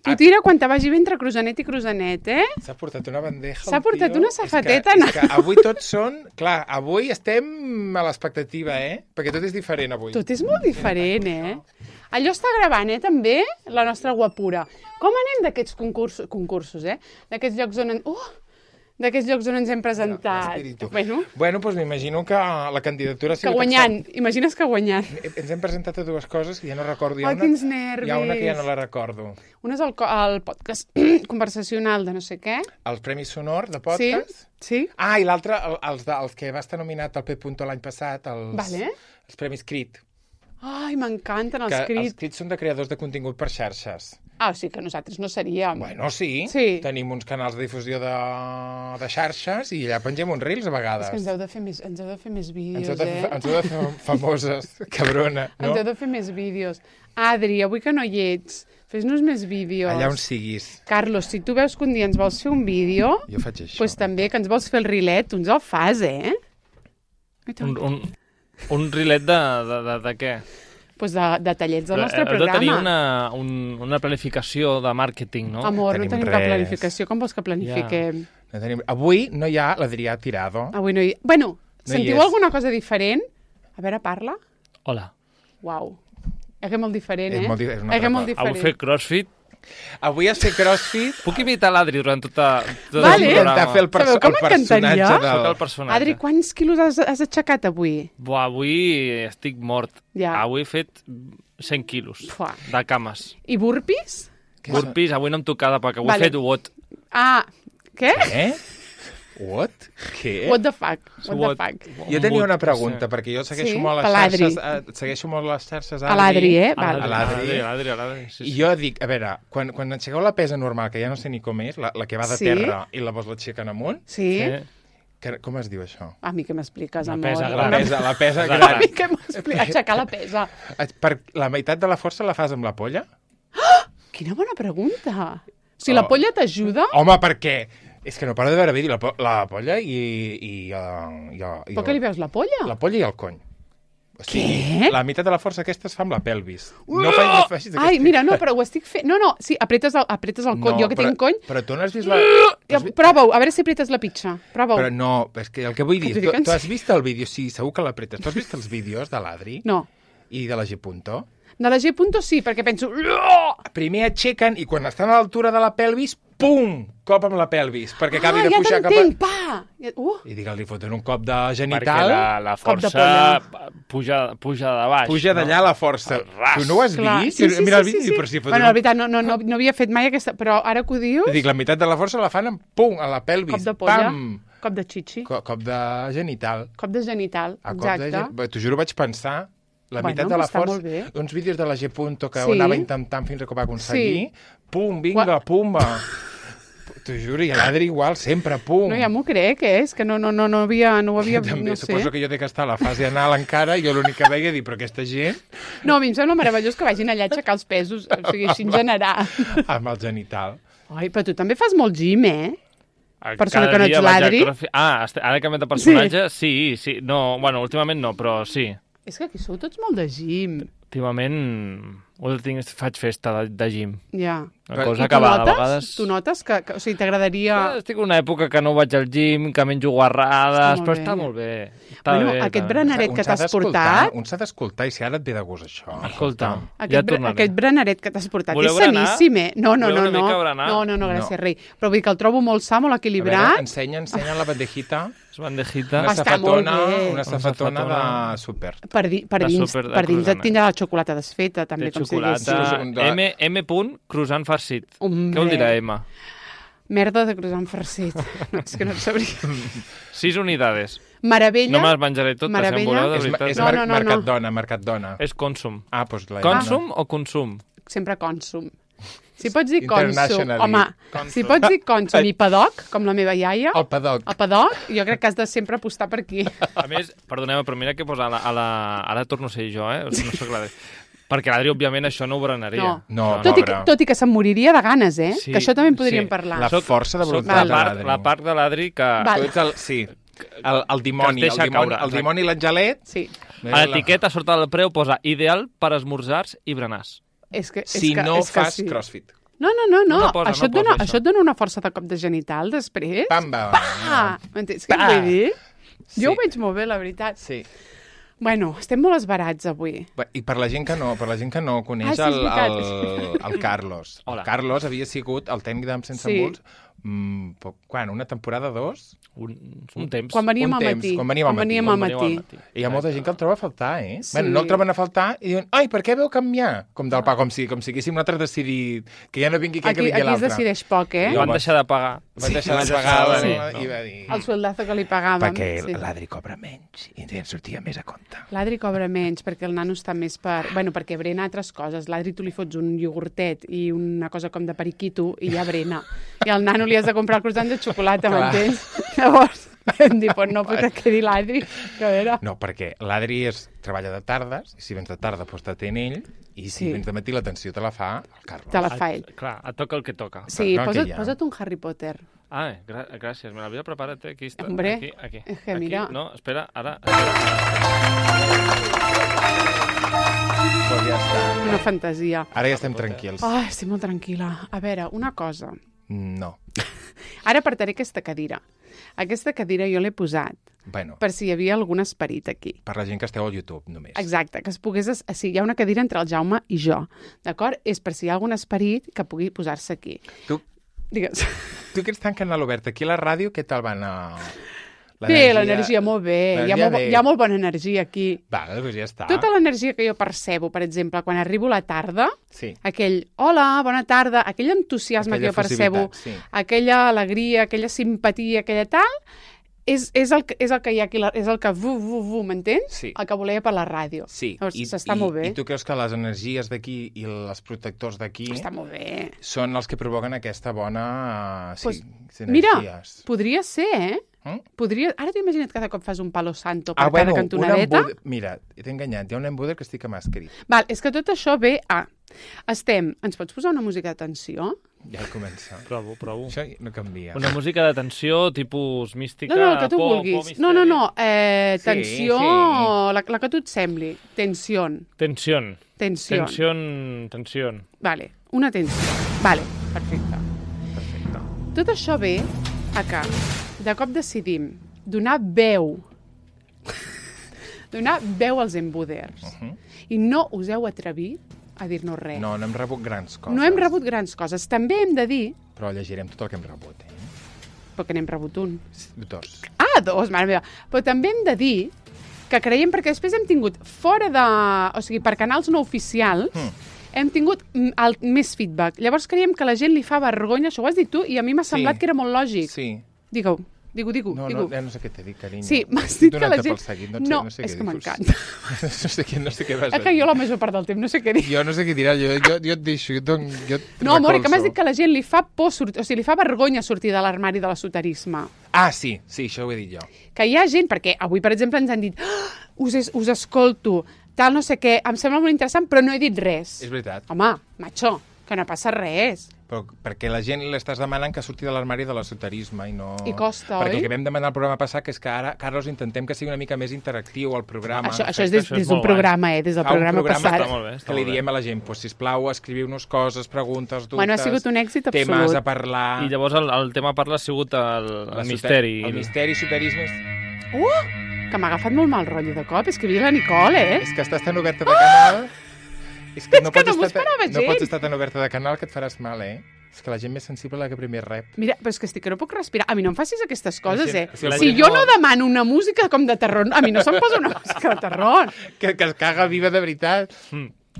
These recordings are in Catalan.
Tu tira quan te vagi bé entre Cruzanet i Cruzanet, eh? S'ha portat una bandeja. S'ha portat una safateta. És que avui tots són... Clar, avui estem a l'expectativa, Perquè tot és diferent avui. Tot és molt diferent, Allò està gravant, també, la nostra guapura. Com anem d'aquests concursos, D'aquests llocs on... D'aquests llocs on ens hem presentat. Bueno, doncs m'imagino que la candidatura... Que guanyant. Imagines que guanyant. Ens hem presentat a dues coses que ja no recordo. Quins nervis. Hi ha una que ja no la recordo. Una és el podcast conversacional de no sé què. Els Premis Sonor de podcast. Sí. Ah, i l'altre, els que va estar nominat al P. l'any passat, els Premis Crit. Ai, m'encanten els Crit. Els Crit són de creadors de contingut per xarxes. Ah, o sigui que nosaltres no seríem... Bueno, sí. Tenim uns canals de difusió de xarxes i allà pengem uns reels a vegades. És que ens heu de fer més vídeos, Ens heu de fer famoses, cabrona, no? Ens heu de fer més vídeos. Adri, avui que no hi ets, fes-nos més vídeos. Allà on siguis. Carlos, si tu veus que un dia ens vols fer un vídeo... Jo faig això. Doncs també que ens vols fer el rilet, tu ens el fas, Un rilet de què? Pues de tallets del nostre programa. Heu de tenir una planificació de màrqueting, no? Amor, no tenim cap planificació. Com vols que planifiquem? No tenim... Avui no hi ha l'Adrià Tirado. Avui no hi ha... Bueno, sentiu alguna cosa diferent? A veure, parla. Hola. Uau. És que molt diferent, És molt diferent. Avui fer crossfit. Avui has fet crossfit. Puc imitar l'Adri durant tot el programa? Fer el personatge del... Adri, quants quilos has aixecat avui? Avui estic mort. Avui he fet 100 quilos de cames. I burpees? Burpees, avui no em tocava perquè ho he fet what. Ah, què? What? Què? What the fuck? Jo tenia una pregunta, perquè jo segueixo molt les xarxes a l'Adri, A l'Adri. I jo dic, a veure, quan aixequeu la pesa normal, que ja no sé ni com és, la que va de terra i la vols l'aixequen amunt, com es diu això? A mi què m'expliques, amor? La pesa gran. A mi què m'expliques? Aixecar la pesa. La meitat de la força la fas amb la polla? Quina bona pregunta. O sigui, la polla t'ajuda? Home, per què? És que no paro de veure vídeo, la polla i... Per què li veus la polla? La polla i el cony. Què? La meitat de la força aquesta es fa amb la pelvis. No facis Ai, mira, no, però ho estic fent... No, sí, apretes el cony. Jo que tinc cony... Però tu no has vist la... Prova-ho, a veure si apretes la pitxa. Prova-ho. Però no, és que el que vull dir... Tu has vist el vídeo? Sí, segur que l'apretes. Tu has vist els vídeos de l'Adri? No. I de la G. De la G. sí, perquè penso... Primer aixequen i quan estan a l'altura de la pelvis, pum! Cop amb la pelvis, perquè acabi de pujar cap a... Ja t'entenc, pa! I digue-li, foten un cop de genital... Perquè la força puja de baix. Puja d'allà la força. Tu no ho has vist? Sí. Mira el vídeo, però si foten... Bueno, la veritat, no havia fet mai aquesta... Però ara que ho dius... Dic, la meitat de la força la fan amb pum, a la pelvis. Cop de polla. Pam! Cop de xixi. Cop de genital. Cop de genital, exacte. T'ho juro, vaig pensar... La meitat de la força, uns vídeos de la G. que ho anava intentant fins que ho va aconseguir, pum, vinga, pumba. T'ho juro, i l'Adri igual, sempre, pum. No, ja m'ho crec, és que no havia... També suposo que jo he d'estar a la fase anal encara, i jo l'únic que veia dir, però aquesta gent... No, a mi em sembla meravellós que vagin allà a aixecar els pesos, o sigui, així en general. Amb el genital. Ai, però tu també fas molt gym, Persona que no ets l'Adri. Ara he canviat de personatge? Sí. No, bueno, últimament no, però sí. És que aquí sou tots molt de gym. Últimament faig festa de gym. Ja. Una cosa acabada, a vegades... Tu notes que o sigui, t'agradaria... Estic en una època que no vaig al gym, que menjo guarrades, però està molt bé. Aquest berenaret que t'has portat... Un s'ha d'escoltar i si ara et ve de gust, això. Escolta, ja tornaré. Aquest berenaret que t'has portat és saníssim, No, gràcies, rei. Però vull dir que el trobo molt sa, molt equilibrat. A veure, ensenya la bandejita. Bandejita. Una safatona de súper. Per dins et tindrà la xocolata desfeta, també, com si diguéssim. M. croissant farcit. Què vol dir la M? Merda de croissant farcit. No, és que no et sabria. 6 unidades. Meravella. No me les menjaré totes, em voleu, de veritat. És Mercadona. És Consum. Doncs Consum o Consum? Sempre Consum. Si pots dir Consum, home, si pots dir Consum i Padoc, com la meva iaia... El Padoc, jo crec que has de sempre apostar per aquí. A més, perdoneu, però mira què posa ara torno a ser jo, no soc l'Adri. Perquè l'Adri, òbviament, això no ho berenaria. No, tot i que se'm moriria de ganes, Sí, que això també en podríem parlar. La força de voluntat de l'Adri. La part de l'Adri que... Sí, el dimoni. El dimoni i l'angelet. Sí. A l'etiqueta, sota del preu, posa ideal per esmorzars i berenars. Si no fas crossfit. No. Això et dona una força de cop de genital després. Pamba! M'entens què vull dir? Sí. Jo ho veig molt bé, la veritat. Sí. Bueno, estem molt esbarats avui. I per la gent que no coneix el Carlos. Hola. El Carlos havia sigut el tècnic d'Am Sense Embuts, quan? Una temporada, 2? Un temps. Quan veníem al matí. Quan veníem al matí. I hi ha molta gent que el troba a faltar, eh? Sí. Bueno, no el troben a faltar i diuen, ai, per què veu canviar? Com del pa, com si haguéssim nosaltres decidit que ja no vingui aquell, que vingui l'altre. Aquí es decideix poc, eh? I van deixar de pagar. Van deixar de pagar i va dir... El sueldazo que li pagàvem. Perquè l'Adri cobra menys i ens sortia més a compte. L'Adri cobra menys perquè el nano està més per... Bueno, perquè brena altres coses. L'Adri tu li fots un iogurtet i una cosa com de periquito i ja brena. I al nano li has de comprar el croissant de xocolata, m'entens? Llavors, vam dir, pues no, perquè quedi l'Adri. No, perquè l'Adri treballa de tardes, i si vens de tarda, doncs t'atén ell, i si vens de matí l'atenció te la fa el Carlos. Te la fa ell. Clar, et toca el que toca. Sí, posa't un Harry Potter. Gràcies, me l'havia preparat, aquí està. Hombre, aquí. És que mira... No, espera, ara... Pues ja està. Una fantasia. Ara ja estem tranquils. Estic molt tranquil·la. A veure, una cosa. No. Ara apartaré aquesta cadira. Aquesta cadira jo l'he posat per si hi havia algun esperit aquí. Per la gent que esteu al YouTube, només. Exacte, que es pogués... Sí, hi ha una cadira entre el Jaume i jo, d'acord? És per si hi ha algun esperit que pugui posar-se aquí. Digues. Tu que ets tan canal obert aquí a la ràdio, què tal va anar... Bé, l'energia molt bé. Hi ha molt bona energia aquí. Doncs ja està. Tota l'energia que jo percebo, per exemple, quan arribo a la tarda, sí. Aquell hola, bona tarda, aquell entusiasme que jo percebo, sí. Aquella alegria, aquella simpatia, aquella tal, és el que hi ha aquí, és el que m'entens? Sí. El que volia per la ràdio. Sí. S'està molt bé. I tu creus que les energies d'aquí i els protectors d'aquí són els que provoquen aquesta bona energies? Mira, podria ser, eh? Ara t'ho imagina't cada cop fas un palo santo per cada cantonadeta? Mira, t'he enganyat, hi ha un embuder que estic amb escrit. Val, és que tot això ve a... Ens pots posar una música de tensió? Ja comença. Provo. Això no canvia. Una música de tensió, tipus mística... No, el que tu vulguis. No. Tensió, la que tu et sembli. Tensió. Vale, una tensió. Vale, perfecte. Tot això ve a que de cop decidim donar veu als embuders. I no us heu atrevit a dir-nos res. No hem rebut grans coses. També hem de dir... Però llegirem tot el que hem rebut, Però que n'hem rebut un. 2. 2, mare meva. Però també hem de dir que creiem, perquè després hem tingut o sigui, per canals no oficials, hem tingut més feedback. Llavors creiem que a la gent li fa vergonya, això ho has dit tu, i a mi m'ha semblat que era molt lògic. Sí. Digue-ho. No, ja no sé què t'he dit, carinyo. Sí, m'has dit que la gent... No és que m'encanta. No sé què vas dir. Que jo la major part del temps no sé què dir. Jo no sé què dirà, jo et deixo, No, amor, que m'has dit que la gent li fa por sortir, o sigui, li fa vergonya sortir de l'armari de l'esoterisme. Sí, això ho he dit jo. Que hi ha gent, perquè avui, per exemple, ens han dit us escolto, tal, no sé què, em sembla molt interessant, però no he dit res. És veritat. Home, macho, que no passa res. Però perquè la gent l'estàs demanant que surti de l'armari de l'esoterisme i no... I costa, perquè oi? el que vam demanar al programa passat que és que ara, Carlos, intentem que sigui una mica més interactiu el programa. Això és des d'un programa, des del programa passat. Que li diem a la gent, sisplau, escriviu-nos coses, preguntes, dubtes... Bueno, ha sigut un èxit absolut. Temes a parlar... I llavors el tema a parlar ha sigut el misteri. El misteri, soterisme... Que m'ha agafat molt mal rotllo de cop, és que havia la Nicole, És que estàs tan oberta de canal... És que no m'ho esperava gens. No pots estar tan oberta de canal que et faràs mal, És que la gent més sensible la que primer rep. Mira, però és que no puc respirar. A mi no em facis aquestes coses, Si jo no demano una música com de terror, a mi no se'm posa una música de terror. Que es caga viva de veritat.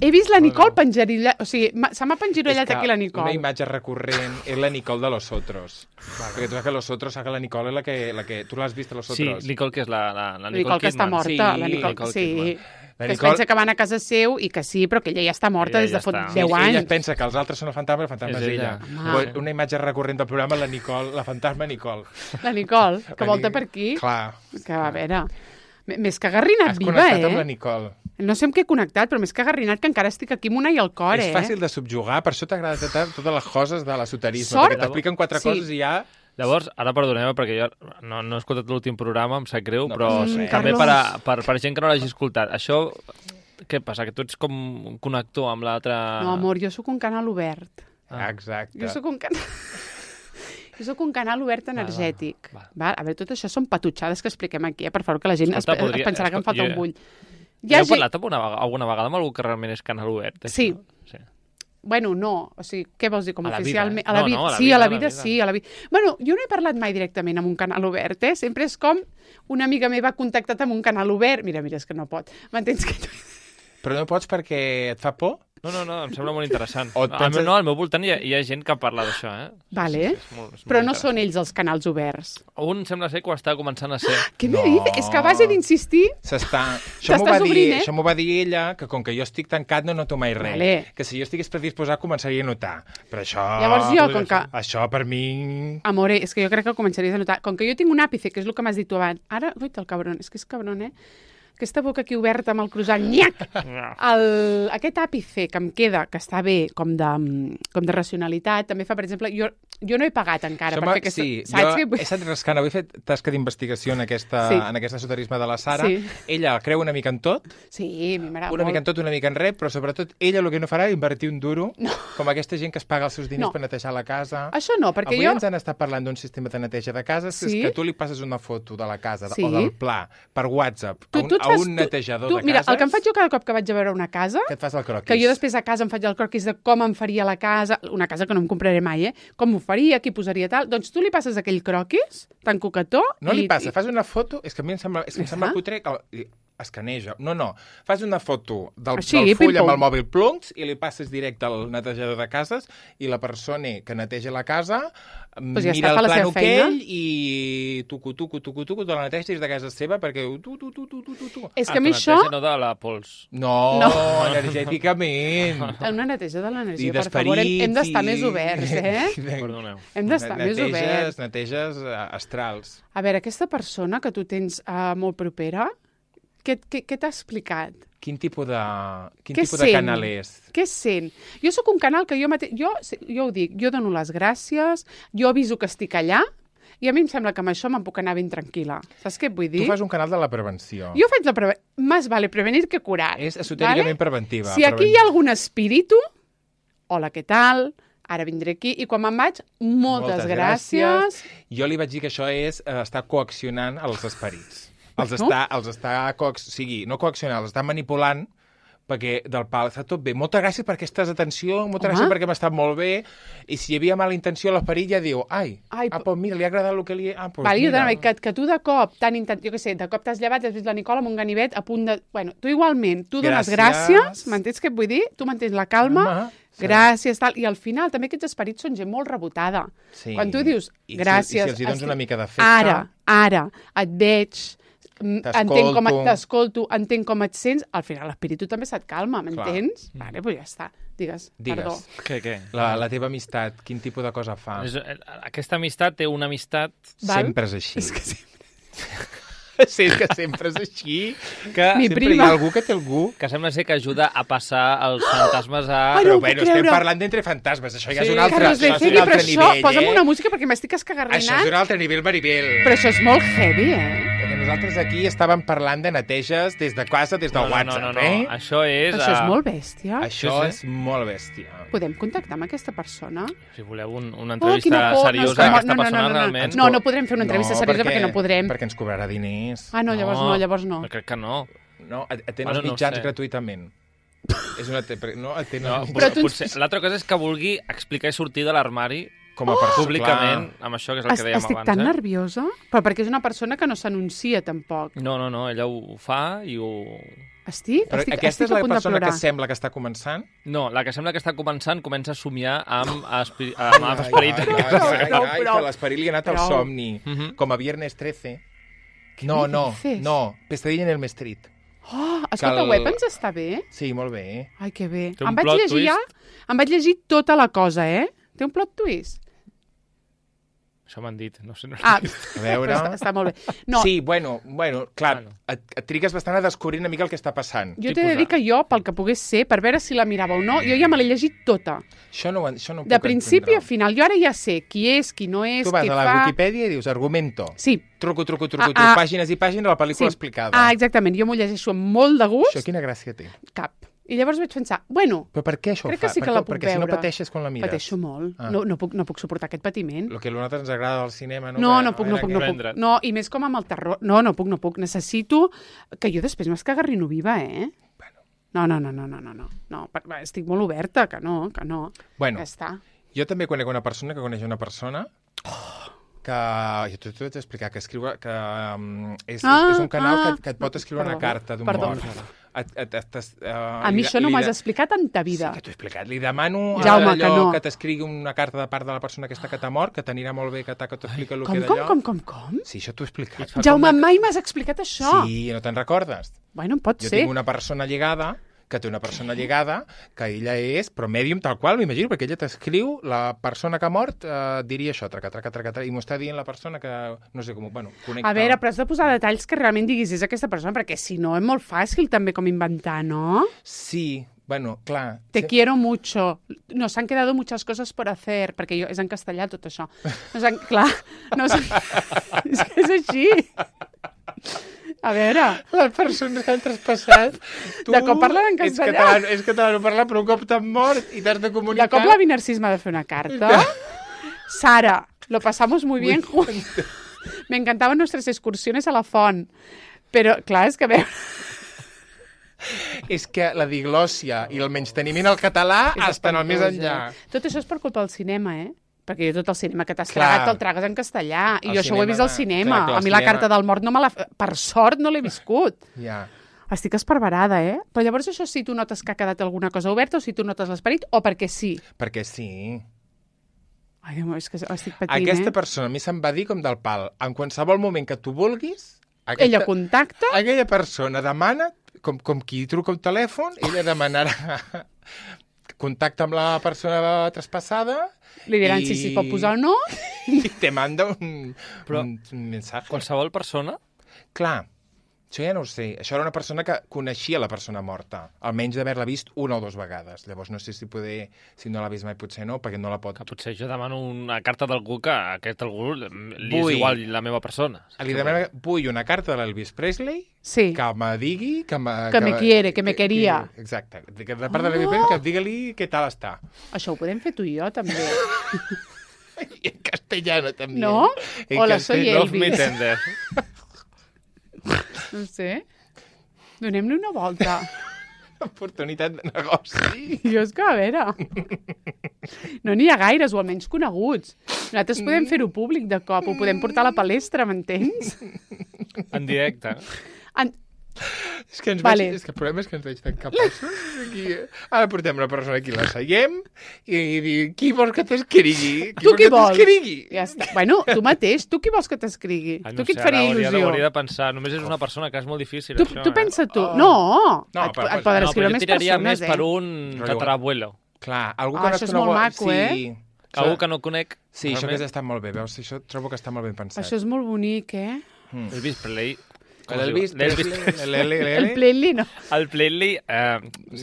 He vist la Nicole penjarillat... O sigui, se m'ha penjarillat aquí la Nicole. Una imatge recurrent és la Nicole de Los Otros. Perquè tu saps que Los Otros, saps que la Nicole és la que... Tu l'has vist a Los Otros? Sí, Nicole, que és la Nicole Kidman. Que està morta. La Nicole, sí. Que es pensa que van a casa seu i que sí, però que ella ja està morta des de fa 10 anys. Ella pensa que els altres són el fantasma és ella. Una imatge recurrent del programa, la fantasma Nicole. La Nicole, que volta per aquí. Clar. Que, a veure, més que garrinat viva, Has connectat amb la Nicole. No sé amb què he connectat, però més que garrinat, que encara estic aquí amb una i al cor, És fàcil de subjugar, per això t'agrada totes les coses de l'esoterisme, perquè t'expliquen 4 coses i ja... Llavors, ara perdoneu, perquè jo no he escoltat l'últim programa, em sap greu, però també per gent que no l'hagi escoltat. Això, què passa, que tu ets com un connector amb l'altre... No, amor, jo sóc un canal obert. Exacte. Jo sóc un canal obert energètic. Va. A veure, tot això són patutxades que expliquem aquí, per favor, que la gent es pensarà que em falta un bull. Heu parlat alguna vegada amb algú que realment és canal obert? Sí. Bueno, no. O sigui, què vols dir? Com oficialment? A la vida. Sí, a la vida, sí. Bueno, jo no he parlat mai directament amb un canal obert, eh? Sempre és com una amiga meva ha contactat amb un canal obert. Mira, és que no pot. M'entens que... Però no pots perquè et fa por? No, em sembla molt interessant. Al meu voltant hi ha gent que parla d'això, eh? Vale. Però no són ells els canals oberts. Un sembla ser que ho està començant a ser. Què me dius? És que a base d'insistir... Això m'ho va dir ella, que com que jo estic tancat no noto mai res. Vale. Que si jo estigués predisposat començaria a notar. Però això... Llavors jo, com que... Això per mi... Amore, és que jo crec que començaries a notar. Com que jo tinc un àpice, que és el que m'has dit tu abans. Ara, uita, el cabron, és que és cabron, eh? Aquesta boca aquí oberta amb el croissant, nyac! Aquest àpice que em queda, que està bé, com de racionalitat, també fa, per exemple, jo no he pagat encara. Sí, jo he estat rascant, avui he fet tasca d'investigació en aquest esoterisme de la Sara. Sí. Ella creu una mica en tot. Sí, a mi m'agrada molt. Una mica en tot, una mica en res, però sobretot ella el que no farà és invertir un duro, com aquesta gent que es paga els seus diners per netejar la casa. Això no, perquè avui ens han estat parlant d'un sistema de neteja de cases, és que tu li passes una foto de la casa o del pla per WhatsApp a un netejador de cases. Mira, el que em faig jo cada cop que vaig a veure una casa... Que et fas el croquis. Que jo després a casa em faig el croquis de com em faria la casa, una casa que no em compraré mai, com ho faria, qui posaria tal... Doncs tu li passes aquell croquis, tan coquetó... No li passa, fas una foto... És que a mi em sembla cutre... Escaneja. No. Fas una foto del full amb el mòbil pluncs i li passes directe al netejador de cases i la persona que neteja la casa mira el plano aquell i tucu, te la neteja des de casa seva perquè tu. És que a mi això... No de la pols. No, energèticament. Una neteja de l'energia, per favor. Hem d'estar més oberts, Perdoneu. Hem d'estar més oberts. Neteges astrals. A veure, aquesta persona que tu tens molt propera, què t'ha explicat? Quin tipus de canal és? Què sent? Jo sóc un canal que jo mateix... Jo ho dic, jo dono les gràcies, jo aviso que estic allà, i a mi em sembla que amb això me'n puc anar ben tranquil·la. Saps què vull dir? Tu fas un canal de la prevenció. Jo faig la prevenció. Más vale prevenir que curar. És esotèricament preventiva. Si aquí hi ha algun espíritu, hola, què tal? Ara vindré aquí, i quan me'n vaig, moltes gràcies. Jo li vaig dir que això és estar coaccionant els esperits. Els està no coaccionant, els està manipulant perquè del pal està tot bé. Moltes gràcies per aquesta atenció, moltes gràcies perquè m'ha estat molt bé. I si hi havia mala intenció, l'esperit ja diu, pues mira, li ha agradat el que li... Que tu de cop, jo què sé, de cop t'has llevat, has vist la Nicole amb un ganivet a punt de... Bueno, tu igualment, tu dones gràcies, m'entens què et vull dir? Tu mantens la calma, gràcies, tal. I al final també aquests esperits són gent molt rebotada. Quan tu dius gràcies... I si els hi dones una mica d'efecte... Ara, et veig... T'escolto, entenc com et sents, al final l'espíritu també se't calma, m'entens? Vale, doncs ja està. Digues. Perdó. Què? La teva amistat, quin tipus de cosa fa? Aquesta amistat té una amistat... Sempre és així. És que sempre... Sí, que sempre és així. Sempre hi ha algú que té algú. Que sembla ser que ajuda a passar els fantasmes a... Però bueno, estem parlant d'entre fantasmes. Això ja és un altre nivell, Posa'm una música perquè m'estic escarrarinant. Això és un altre nivell, Maribel. Però això és molt heavy, Nosaltres aquí estàvem parlant de neteges des de casa, des del WhatsApp, Això és molt bèstia. Això és molt bèstia. Podem contactar amb aquesta persona? Si voleu una entrevista seriosa a aquesta persona, realment... No podrem fer una entrevista seriosa perquè no podrem. Perquè ens cobrarà diners. Llavors no. Crec que no. No, atén els mitjans gratuïtament. Potser l'altra cosa és que vulgui explicar i sortir de l'armari com a públicament, amb això que és el que dèiem abans. Estic tan nerviosa, però perquè és una persona que no s'anuncia tampoc. No, ella ho fa i ho... Però aquesta és la persona que sembla que està començant? No, la que sembla que està començant comença a somiar amb esperit. Que l'esperit li ha anat al somni, com a Viernes 13. No, Pesadilla en el Street. Escolta, Weapons està bé? Sí, molt bé. Ai, que bé. Em vaig llegir tota la cosa, Té un plot twist? Això m'han dit, no sé. A veure... Està molt bé. No. Sí, bueno, clar, et trigues bastant a descobrir una mica el que està passant. Jo t'he de dir que jo, pel que pogués ser, per veure si la mirava o no, jo ja me l'he llegit tota. Això no ho puc de principi a final. Jo ara ja sé qui és, qui no és, què fa. Tu vas a la Wikipedia i dius, argumento. Sí. Truco, pàgines i pàgines de la pel·lícula explicada. Exactament. Jo m'ho llegeixo amb molt de gust. Això quina gràcia té? Cap. I llavors vaig pensar, bueno, però per què això crec ho fa? que sí que la puc perquè veure. si no pateixes quan la mires. Pateixo molt. No puc suportar aquest patiment. El que a nosaltres ens agrada del cinema... No puc. No, i més com amb el terror. No puc. Necessito que jo després m'escagarrino viva, No. Estic molt oberta, que no. Bueno, ja està. Jo també conec una persona que coneix una persona que... Jo t'ho vaig explicar, que escriu... que és un canal que et pot escriure una carta d'un mort. A mi això no m'ho has explicat en ta vida. Sí que t'ho he explicat. Li demano Jaume, allò que t'escrigui una carta de part de la persona aquesta que t'ha mort, que t'anirà molt bé que t'explica el que d'allò. Com? Sí, això t'ho he explicat. Jaume, mai m'has explicat això. Sí, no te'n recordes? Bueno, pot Jo ser. tinc una persona lligada que té una persona lligada, que ella és, però mèdium tal qual, m'imagino, perquè ella t'escriu, la persona que ha mort diria això, traca, i m'ho està dient la persona que, no sé com, bueno, connecta. A veure, però has de posar detalls que realment diguis és aquesta persona, perquè si no és molt fàcil també com inventar, ¿no? Sí, bueno, clar. Te quiero mucho. Nos han quedado muchas cosas por hacer, perquè és en castellà tot això. Clar, és que és així. A veure... Les persones que han traspassat... Tu de cop parlen en castellà. És català, no parla, però un cop t'han mort i t'has de comunicar... De cop l'avi Narcís m'ha de fer una carta. Sara, lo pasamos muy bien juntos. Me encantaban nuestras excursiones a la font. Però, clar, és que... És que la diglòssia i el menysteniment al català estan al més enllà. Tot això és per culpa del cinema, Perquè jo tot el cinema que t'has tragat te'l tragues en castellà. I jo això ho he vist al cinema. A mi la carta del mort per sort no l'he viscut. Ja. Estic esparverada, Però llavors això si tu notes que ha quedat alguna cosa oberta o si tu notes l'esperit o perquè sí? Perquè sí. Ai, Déu meu, és que estic patint, Aquesta persona a mi se'm va dir com del pal. En qualsevol moment que tu vulguis... Ella contacta... Aquella persona demana, com qui truca un telèfon, ella demanarà contacte amb la persona traspassada... Li diran si pot posar o no. I te manda un missatge. Qualsevol persona? Clar, això ja no ho sé. Això era una persona que coneixia la persona morta, almenys d'haver-la vist una o dues vegades. Llavors no sé si no l'ha vist mai, potser no, perquè no la pot... Que potser jo demano una carta d'algú que a aquest algú li és igual la meva persona. Li demano, vull una carta de l'Elvis Presley que me digui... Que me quiere, que me quería. Exacte. De part de l'Elvis Presley, que digue-li què tal està. Això ho podem fer tu i jo, també. I en castellano, també. No? Hola, soy Elvis. Love me tender. No sé. Donem-li una volta. Oportunitat de negoci. Jo és que, a veure... No n'hi ha gaires, o almenys coneguts. Nosaltres podem fer-ho públic de cop, ho podem portar a la palestra, m'entens? En directe. És que el problema és que ens veig tan capaços. Ara portem una persona aquí, la seiem i diu, qui vols que t'escrigui? Tu qui vols? Ja està. Bueno, tu mateix, tu qui vols que t'escrigui? Tu qui et faria il·lusió? Hauria de pensar, només és una persona que és molt difícil, això. Tu pensa tu. No, et poden escriure més persones, tiraria més per un tatarabuelo. Clar, algú que no això és molt maco, Algú que no conec. Sí, això hauria estat molt bé, veus? Això trobo que està molt ben pensat. Això és molt bonic, Elvis Presley. El Presley no. El Presley...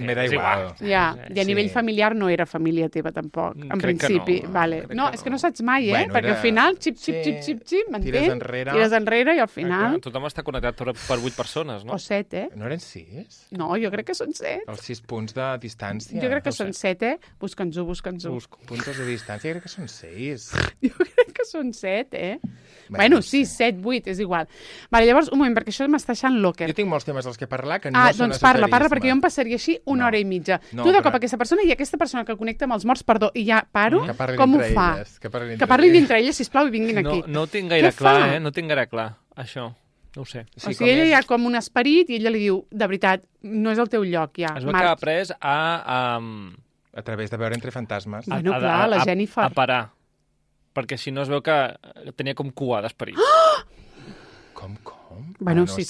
Me da igual. Ja, i a nivell familiar no era família teva, tampoc, en principi. Vale. No, és que no saps mai, perquè al final, xip, m'entens? Tires enrere i al final... Tothom està connectat per 8 persones, no? O 7, No eren 6? No, jo crec que són 7. Els 6 punts de distància. Jo crec que són 7, Busca'ns-ho. Punts de distància, crec que són 6. Jo crec que són 7, Bueno, 6, 7, 8, és igual. Vale, llavors, un moment, perquè això m'està deixant locker. Jo tinc molts temes dels que parlar que no són doncs parla, perquè jo em passaria així una hora i mitja. Tu de cop aquesta persona i aquesta persona que connecta amb els morts, perdó, i ja paro, com ho fa? Que parlin entre elles, sisplau, i vinguin aquí. No ho tinc gaire clar, no tinc gaire clar, això. No ho sé. O sigui, ella hi ha com un esperit i ella li diu, de veritat, no és el teu lloc, ja. Es veu que ha après a través de veure entre fantasmes. Bueno, clar, la Jennifer. A parar. Perquè si no es veu que tenia com cua d'esperits. Com? Bueno, sí.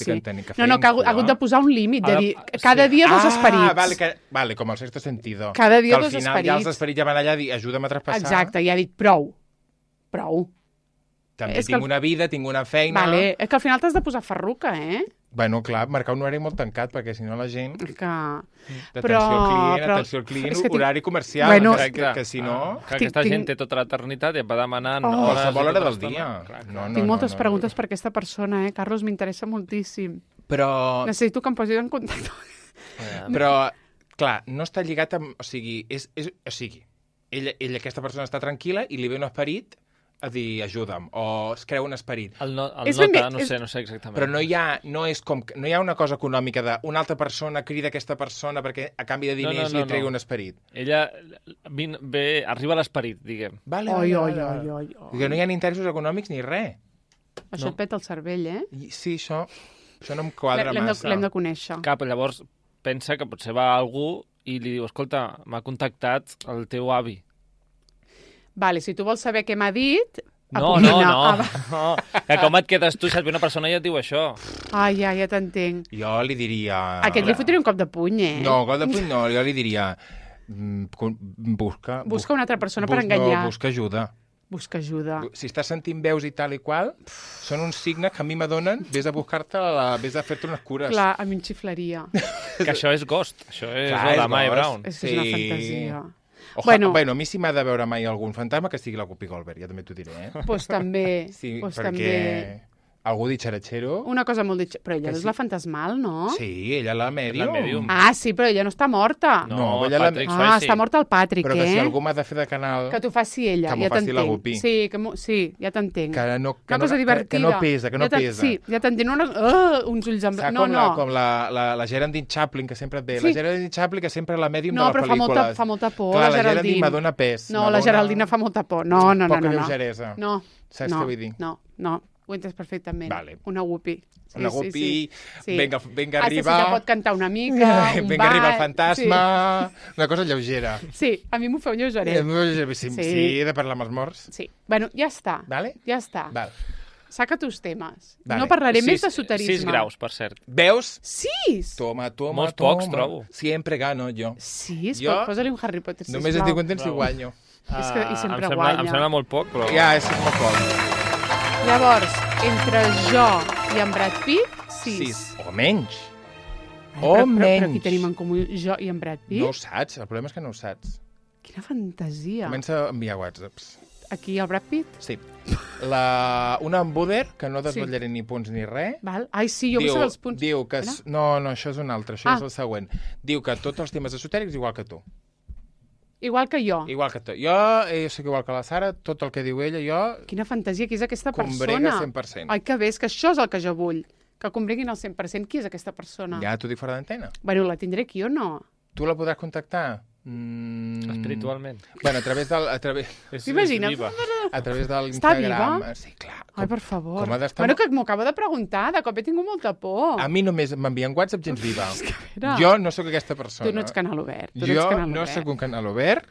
No, que ha hagut de posar un límit, de dir, cada dia 2 esperits. Vale, com el sexto sentido. Cada dia 2 esperits. Que al final ja els esperits ja van allà a dir, ajuda'm a traspassar. Exacte, i ha dit, prou. També tinc una vida, tinc una feina... Vale, és que al final t'has de posar ferruca, Bueno, clar, marcar un horari molt tancat, perquè si no la gent... Però... Atenció al client, horari comercial, bueno, que si no... Que aquesta gent té tota l'eternitat i et va demanant hores... Qualsevol hora del dia. Tinc moltes preguntes per aquesta persona, Carlos, m'interessa moltíssim. Però... Necessito que em posis en contacte. Però clar, no està lligat amb... O sigui, ella, aquesta persona està tranquil·la i li ve un esperit a dir, ajuda'm, o es creu un esperit. El nota, no sé exactament. Però no hi ha una cosa econòmica d'una altra persona crida aquesta persona perquè a canvi de diners li tregui un esperit. Ella arriba a l'esperit, diguem. Vale. Que no hi ha ni interessos econòmics ni res. Això et peta el cervell, eh? Sí, això no em quadra massa. L'hem de conèixer. Llavors pensa que potser va a algú i li diu, escolta, m'ha contactat el teu avi. Vale, si tu vols saber què m'ha dit... No. Que com et quedes tu si et ve una persona i et diu això? Ja t'entenc. Jo li diria... Aquest li fotria un cop de puny, eh? No, cop de puny no, jo li diria... Busca una altra persona per enganyar. No, busca ajuda. Busca ajuda. Si estàs sentint veus i tal i qual, són uns signes que a mi m'adonen, vés a buscar-te, vés a fer-te unes cures. Clar, a mi em xiflaria. Que això és Ghost, això és la Mae Brown. És una fantasia. Bueno, a mi si m'ha de veure mai algun fantasma, que sigui la Whoopi Goldberg, ja també t'ho diré, eh? Pues també. Sí, perquè algú ditxaratxero... Una cosa molt ditxaratxero. Però ella és la fantasmal, no? Sí, ella la mèdium. Sí, però ella no està morta. No, Patrick Swayze. Està morta el Patrick, Però que si algú m'ha de fer de canal... Que t'ho faci ella, ja t'entenc. Que m'ho faci la Whoopi. Sí, ja t'entenc. Una cosa divertida. Que no pesa. Sí, ja t'entenc. Uns ulls en blanc. Com la Geraldine Chaplin, que sempre et ve. La Geraldine Chaplin, que sempre la mèdium de les pel·lícules. No, però fa molta por, la Geraldine. La m'adona pes. No, la Geraldine fa molta por. No. Poca lleugeresa. No. Saps què vull dir? No. Ho entens perfectament. Vale. Una Whoopi. Una Whoopi, venga arriba... Si te pot cantar una mica, venga arriba el fantasma... Una cosa lleugera. Sí, a mi m'ho feu lleugeret. Sí, he de parlar amb els morts. Sí. Bueno, ja està. Vale? Ja està. Val. Saca tus temes. Vale. No parlaré més d'esoterisme. 6 graus, per cert. Veus? 6? Toma. Molts pocs, trobo. Siempre gano jo. 6? Posa-li un Harry Potter, sisplau. Només estic content si guanyo. I sempre guanya. Em sembla molt poc, però... Ja, és molt poc. Llavors, entre jo i en Brad Pitt, 6. O menys. Però qui tenim en comú, jo i en Brad Pitt? No ho saps, el problema és que no ho saps. Quina fantasia. Comença a enviar whatsapps. Aquí el Brad Pitt? Sí. Una embuder, que no desvetllaré ni punts ni res. Val. Ai, sí, jo vull saber els punts. Diu que... No, això és un altre, això és el següent. Diu que tots els temes esotèrics igual que tu. Igual que jo. Igual que tu. Jo soc igual que la Sara, tot el que diu ella, jo... Quina fantasia, qui és aquesta persona? Combrega 100%. Ai, que bé, és que això és el que jo vull. Que combreguin el 100%. Qui és aquesta persona? Ja t'ho dic fora d'antena. Bueno, la tindré aquí o no? Tu la podràs contactar? Espiritualment. Bueno, a través del... T'imagines? A través de l'Instagram. Està viva? Sí, clar. Ai, per favor. Com ha d'estar... Bueno, que m'ho acabo de preguntar, de cop he tingut molta por. A mi només m'envien WhatsApp gens viva. Jo no sóc aquesta persona. Tu no ets canal obert. Jo no sóc un canal obert.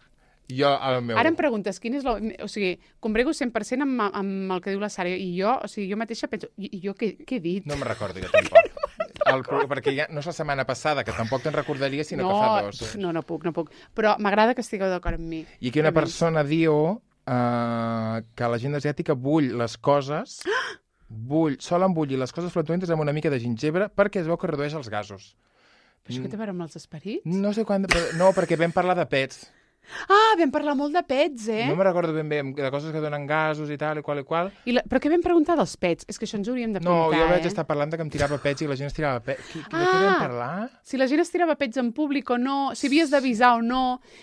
Ara em preguntes, quin és o sigui, combrego 100% amb el que diu la Sara, i jo, o sigui, jo mateixa penso, i jo què he dit? No me'n recordo, jo tampoc. Perquè ja no és la setmana passada, que tampoc te'n recordaria, sinó que fa 2. No puc. Però m'agrada que estigueu d'acord amb mi. I aquí una persona diu que la gent asiàtica bull les coses, solen bullir les coses flutuentes amb una mica de gingebre perquè es veu que redueix els gasos. Però això què té a veure amb els esperits? No sé quan... No, perquè vam parlar de pets. Vam parlar molt de pets, eh? No me'n recordo ben bé, de coses que donen gasos i tal, i qual. Però què vam preguntar dels pets? És que això ens hauríem de preguntar, No, jo vaig estar parlant de que em tirava pets i la gent es tirava pets. De què vam parlar? Si la gent es tirava pets en públic o no, si havies d'avisar o no.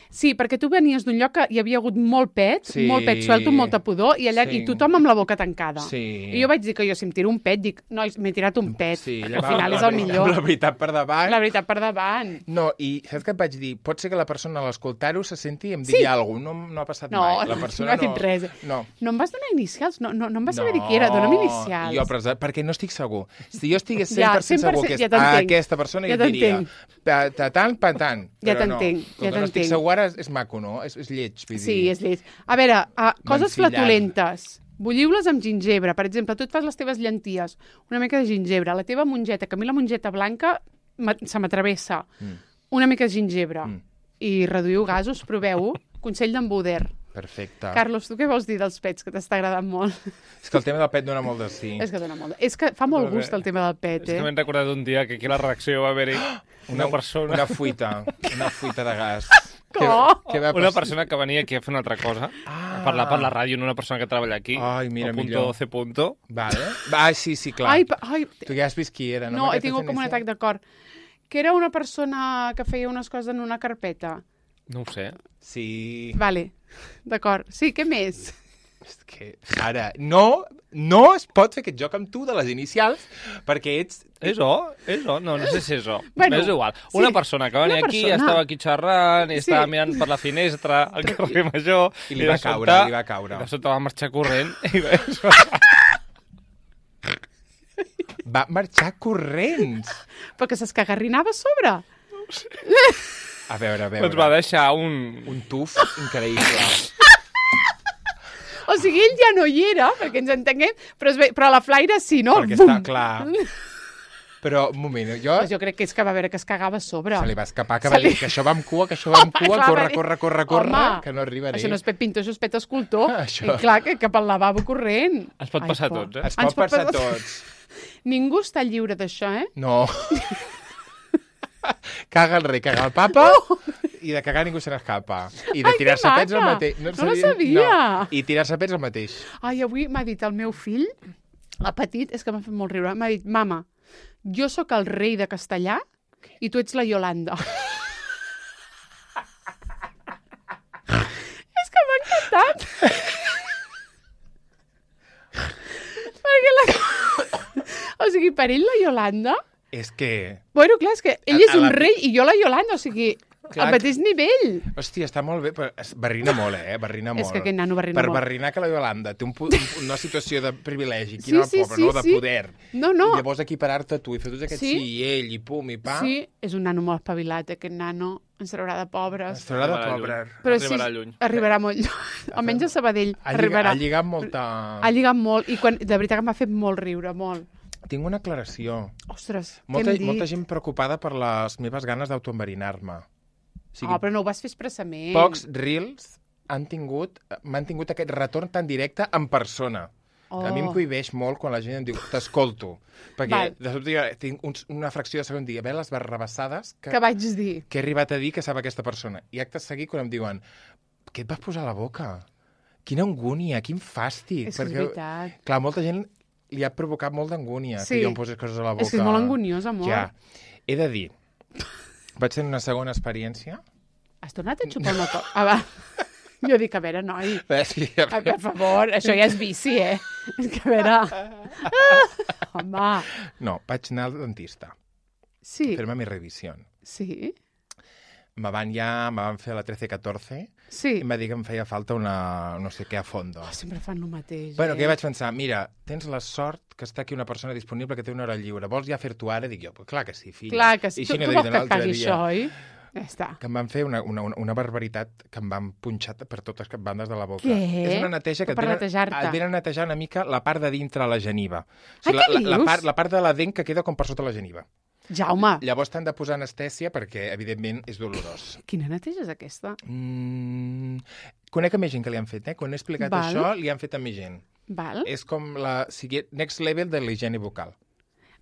Sí, perquè tu venies d'un lloc que hi havia hagut molt pet suelto, molta pudor, i allà i tothom amb la boca tancada. Sí. I jo vaig dir que si em tiro un pet, dic, nois, m'he tirat un pet. Sí, al final és el millor. La veritat per davant. La veritat per davant. No, i saps què et vaig dir? Pot ser que la persona a l'escoltar-ho se senti i em digui alguna cosa. No ha passat mai. La persona no ha dit res. No em vas donar inicials, no em vas saber dir qui era, dona'm inicials. Jo, perquè no estic segur. Si jo estigués 100% segur que és aquesta persona, jo diria tant. Ja t'entenc. Com que no estic segur ara, és maco, no? És lleig. Sí, és lleig. A veure, coses flatulentes. Bulliu-les amb gingebre. Per exemple, tu et fas les teves llenties, una mica de gingebre. La teva mongeta, que a mi la mongeta blanca se m'atravessa. Una mica de gingebre. I reduïu gasos, proveu-ho. Consell d'en Buder. Perfecte. Carlos, tu què vols dir dels pets, que t'està agradant molt? És que el tema del pet dona molt de sí. És que dona molt. És que fa molt gust el tema del pet, És que m'he recordat un dia que aquí a la redacció va haver-hi una persona... Una fuita de gas. Una persona que venia aquí a fer una altra cosa, a parlar per la ràdio, no una persona que treballa aquí. Ai, mira, millor. C. Vale. Sí, clar. Ai, tu ja has vist qui era, no? No, he tingut com un atac de cor. que era una persona que feia unes coses en una carpeta. No ho sé. Sí. Vale, d'acord. Sí, què més? És que, Sara, no es pot fer aquest joc amb tu de les inicials, perquè ets... És O? No sé si és O. Bueno, és igual. Una persona que venia aquí, estava aquí xerrant, i estava mirant per la finestra al carrer Major... I li va caure. I de sobte va marxar corrent. Va marxar corrents. Però que s'escagarrinava a sobre. A veure. Ens va deixar un tuf increïble. O sigui, ell ja no hi era, perquè ens entenguem, però la flaire sí, no? Perquè està clar. Però, un moment, jo crec que és que va veure que es cagava a sobre. Se li va escapar, que va dir que això va amb cua, corre, que no arribaré. Això no és Pep Pintor, això és Pep Escultor. Això. I clar, que cap al lavabo corrent. Es pot passar a tots, eh? Es pot passar a tots. Ningú està lliure d'això, eh? No. Caga el rei, caga el papa, i de cagar ningú se n'escapa. I de tirar-se pets el mateix. No la sabia. No. I tirar-se pets el mateix. Ai, avui m'ha dit el meu fill, el petit, és que m'ha fet molt riure, m'ha dit, mama, jo sóc el rei de Castellà i tu ets la Iolanda. És que m'ha encantat. Perquè o sigui, per ell la Iolanda... És que... Bueno, clar, és que ell és un rei i jo la Iolanda, o sigui, al mateix nivell. Hòstia, està molt bé, però barrina molt, Barrina molt. És que aquest nano barrina molt. Per barrinar que la Iolanda té una situació de privilegi, quina pobra, no? De poder. No. I llavors equiparar-te a tu i fer tots aquests sí i ell, i pum, i pa... Sí, és un nano molt espavilat, aquest nano. Ens traurà de pobres. Ens traurà de pobres. Però arribarà lluny. Arribarà molt lluny. Almenys a Sabadell arribarà. Ha lligat molta... Ha lligat molt, i de veritat que m'ha fet molt riure, molt. Tinc una aclaració. Ostres, què hem dit? Molta gent preocupada per les meves ganes d'autoenverinar-me. O sigui, però no ho vas fer expressament. Pocs reels m'han tingut aquest retorn tan directe en persona. A mi em cohibeix molt quan la gent em diu t'escolto. Perquè de sobte jo tinc una fracció de segon dia, les barrabassades que vaig dir. Que he arribat a dir que sap aquesta persona. I acte seguit quan em diuen què et vas posar a la boca? Quina angúnia, quin fàstic. És veritat. Clar, molta gent li ha provocat molt d'angúnia que jo em posés coses a la boca. És que és molt anguniosa, molt. Ja. He de dir, vaig tenir una segona experiència. Has tornat a xupar una cosa? Va. Jo dic, a veure, noi, sí, per favor, això ja és vici, És que, a veure... Home... No, vaig anar al dentista. Sí. Fer-me mi revisió. Sí. Me van fer la 13-14 sí. I em va dir que em feia falta una no sé què a fondo. Sempre fan el mateix. Bueno, que vaig pensar, mira, tens la sort que està aquí una persona disponible que té una hora lliure. Vols ja fer-ho ara? Dic jo, clar que sí, filla. Clar que sí. Tu vols que et pagui això, oi? Ja està. Que em van fer una barbaritat que em van punxar per totes les bandes de la boca. Què? És una neteja que et venen a netejar una mica la part de dintre la geniva. O sigui, què dius? La part de la dent que queda com per sota la geniva. Jaume. Llavors t'han de posar anestèsia perquè, evidentment, és dolorós. Quina neteja és aquesta? Conec a més gent que li han fet, Quan he explicat això, li han fet a més gent. Val. És com la next level de l'higiene bucal.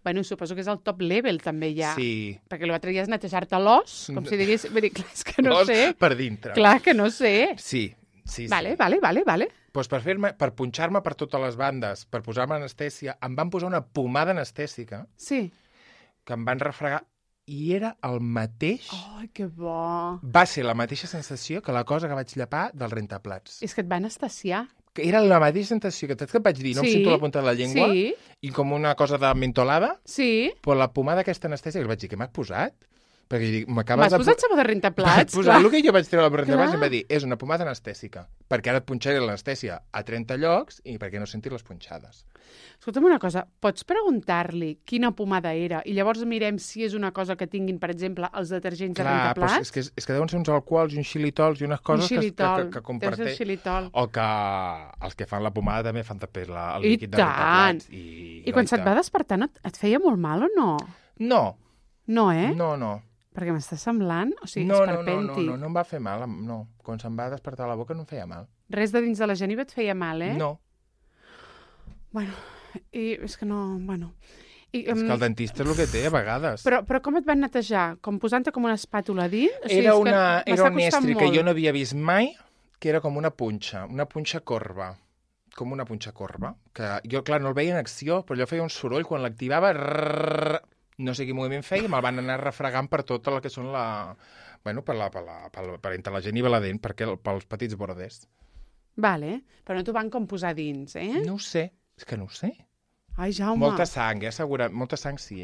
Bueno, suposo que és el top level, també, ja. Sí. Perquè l'altre ja és netejar-te l'os, com si digués... Vull dir, clar, és que no sé. L'os per dintre. Clar que no sé. Sí. Vale. Pues per punxar-me per totes les bandes, per posar-me anestèsia, em van posar una pomada anestèsica. Sí. Que em van refregar i era el mateix... Ai, que bo! Va ser la mateixa sensació que la cosa que vaig llepar del rentaplats. És que et va anestesiar. Que era la mateixa sensació que et vaig dir, no em sento la punta de la llengua, i com una cosa de mentolada, però la pomada aquesta anestèsia, que vaig dir, què m'has posat? Perquè m'has posat sabó de rentaplats? M'has posat el que jo vaig treure al rentaplats i em va dir, és una pomada anestèsica, perquè ara et punxaré l'anestèsia a 30 llocs i perquè no sentis les punxades. Escolta'm una cosa, pots preguntar-li quina pomada era i llavors mirem si és una cosa que tinguin, per exemple, els detergents de rentaplats? Clar, és que deuen ser uns alcohols i uns xilitols i unes coses que comparteix. O que els que fan la pomada també fan també el líquid de rentaplats. I quan se't va despertar et feia molt mal o no? No. No, No. Perquè m'està semblant, o sigui, esperpèntic. No em va fer mal, no. Quan se'm va despertar la boca no em feia mal. Res de dins de la geniva et feia mal, No. Bueno, i és que no... Bueno... És que el dentista és el que té, a vegades. Però com et van netejar? Com posant-te com una espàtula a dins? O sigui, era un estri que jo no havia vist mai, que era com una punxa corba. Com una punxa corba. Que jo, clar, no el veia en acció, però allò feia un soroll quan l'activava... no sé quin moviment feia, me'l van anar refregant per tot el que són per entre la gent i la dent, pels petits borders. Vale, però no t'ho van com posar dins, eh? No ho sé, és que no ho sé. Ai, Jaume. Molta sang, segurament. Molta sang sí,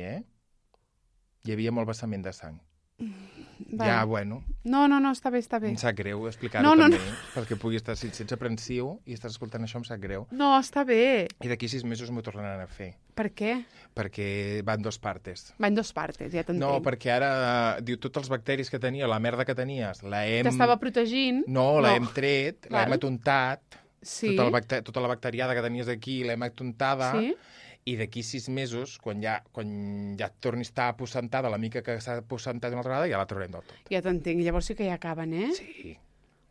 Hi havia molt vessament de sang. Vale. Ja, bueno. No, està bé. Em sap greu explicar-ho també, perquè pugui estar, si ets aprensiu i estàs escoltant això, em sap greu. No, està bé. I d'aquí 6 mesos m'ho tornaran a fer. Per què? Perquè van 2 partes. Van 2 partes, ja t'entenc. No, perquè ara, diu, tots els bacteris que tenia, la merda que tenies, t'estava protegint. No, l'hem tret, l'hem atontat. Sí. Tota la bacteriada que tenies aquí l'hem atontada. Sí. I d'aquí 6 mesos, quan ja et tornis a estar aposentada, la mica que s'ha aposentat una altra vegada, ja la traurem del tot. Ja t'entenc. Llavors sí que ja acaben, Sí.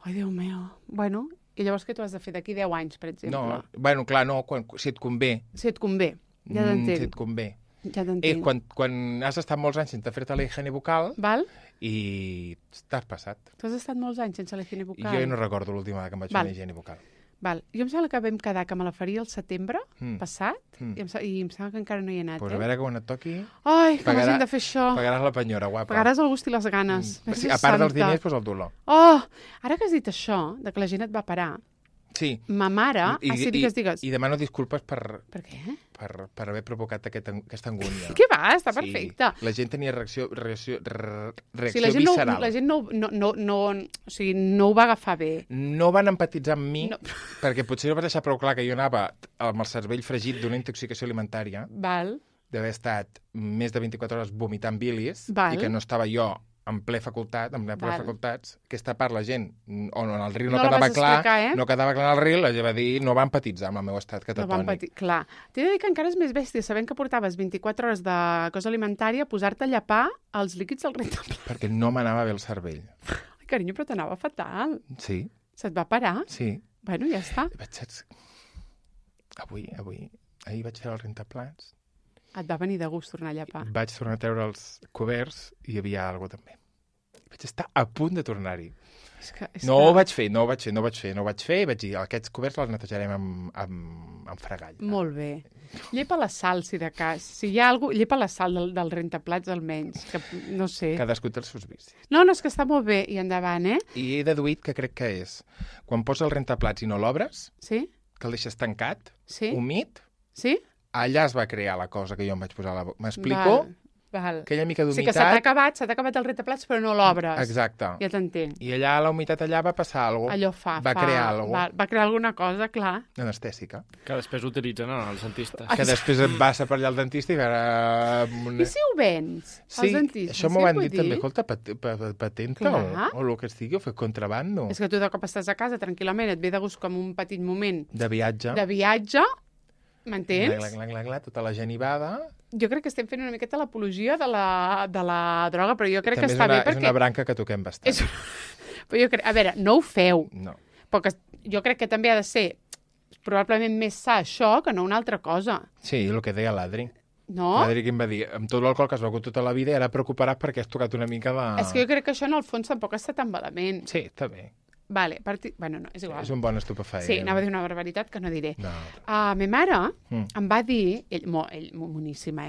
Ai, Déu meu. Bueno, i llavors què t'ho has de fer d'aquí 10 anys, per exemple? No, bueno, clar, no, si et convé. Si et convé. Ja t'entenc. Si et convé. Ja t'entenc. Quan has estat molts anys sense fer-te la higiene bucal i t'has passat. Tu has estat molts anys sense la higiene bucal? Jo no recordo l'última vegada que em vaig fer la higiene bucal. Val. Jo em sembla que vam quedar que me la faria el setembre passat i em sembla que encara no hi he anat. Pues a veure quan et toqui... Ai, que m'hagin de fer això. Pagaràs la penyora, guapa. Pagaràs el gust i les ganes. Sí, a part dels diners, doncs el dolor. Oh, ara que has dit això, de que la gent et va parar, sí. Ma mare... digues. I demano disculpes per què? Per haver provocat aquesta angúnia. Què va? Està perfecte. La gent tenia reacció la gent visceral. La gent no ho va agafar bé. No van empatitzar amb mi, perquè potser no va deixar prou clar que jo anava amb el cervell fregit d'una intoxicació alimentària, d'haver estat més de 24 hores vomitant bilis, i que no estava jo en ple facultats, aquesta part la gent, on el riu no quedava clar, no quedava clar el riu, la gent va dir, no va empatitzar amb el meu estat catatònic. Clar. T'he de dir que encara és més bèstia, sabent que portaves 24 hores de cosa alimentària, posar-te a llepar els líquids del rentaple. Perquè no m'anava bé el cervell. Ai, carinyo, però t'anava fatal. Sí. Se't va parar? Sí. Bueno, ja està. Ahir vaig fer el rentaplats. Et va venir de gust tornar a llepar. Vaig tornar a treure els coberts i hi havia alguna cosa també. Vaig estar a punt de tornar-hi. No ho vaig fer. Vaig dir, aquests coberts els netejarem amb fregall. Molt bé. Llepa la sal, si de cas. Si hi ha alguna cosa, llepa la sal del rentaplats, almenys. Que, no sé. Cadascú té els seus vicis. No, és que està molt bé. I endavant, I he deduït que crec que és quan poses el rentaplats i no l'obres, que el deixes tancat, humit, sí? Allà es va crear la cosa que jo em vaig posar a la boca. M'explico? Val. Aquella mica d'humitat... O sigui que s'ha acabat el rentaplats, però no l'obres. Exacte. Ja t'entenc. I allà, la humitat allà va passar alguna cosa. Va crear alguna cosa. Va crear alguna cosa, clar. Anestèsica. Que després utilitzen els dentistes. Que després et vas a per allà al dentista i veure... I si ho vens, als dentistes? Això m'ho van dir també. Escolta, patenta o el que estigui, o fer contrabando. És que tu de cop estàs a casa tranquil·lament, et ve de gust com un petit moment... De viatge. M'entens? Tota la genivada. Jo crec que estem fent una miqueta l'apologia de la droga, però jo crec que està bé perquè... És una branca que toquem bastant. Però jo crec... A veure, no ho feu. No. Però jo crec que també ha de ser probablement més sa això que no una altra cosa. Sí, el que deia l'Adri. No? L'Adri que em va dir, amb tot l'alcohol que has begut tota la vida, era preocupat perquè has tocat una mica de... És que jo crec que això en el fons tampoc està tan malament. Sí, està bé. Vale, bueno, no, és igual. És un bon estupefaent. Sí, anava a dir una barbaritat que no diré. No. Ma mare em va dir, ell moníssima,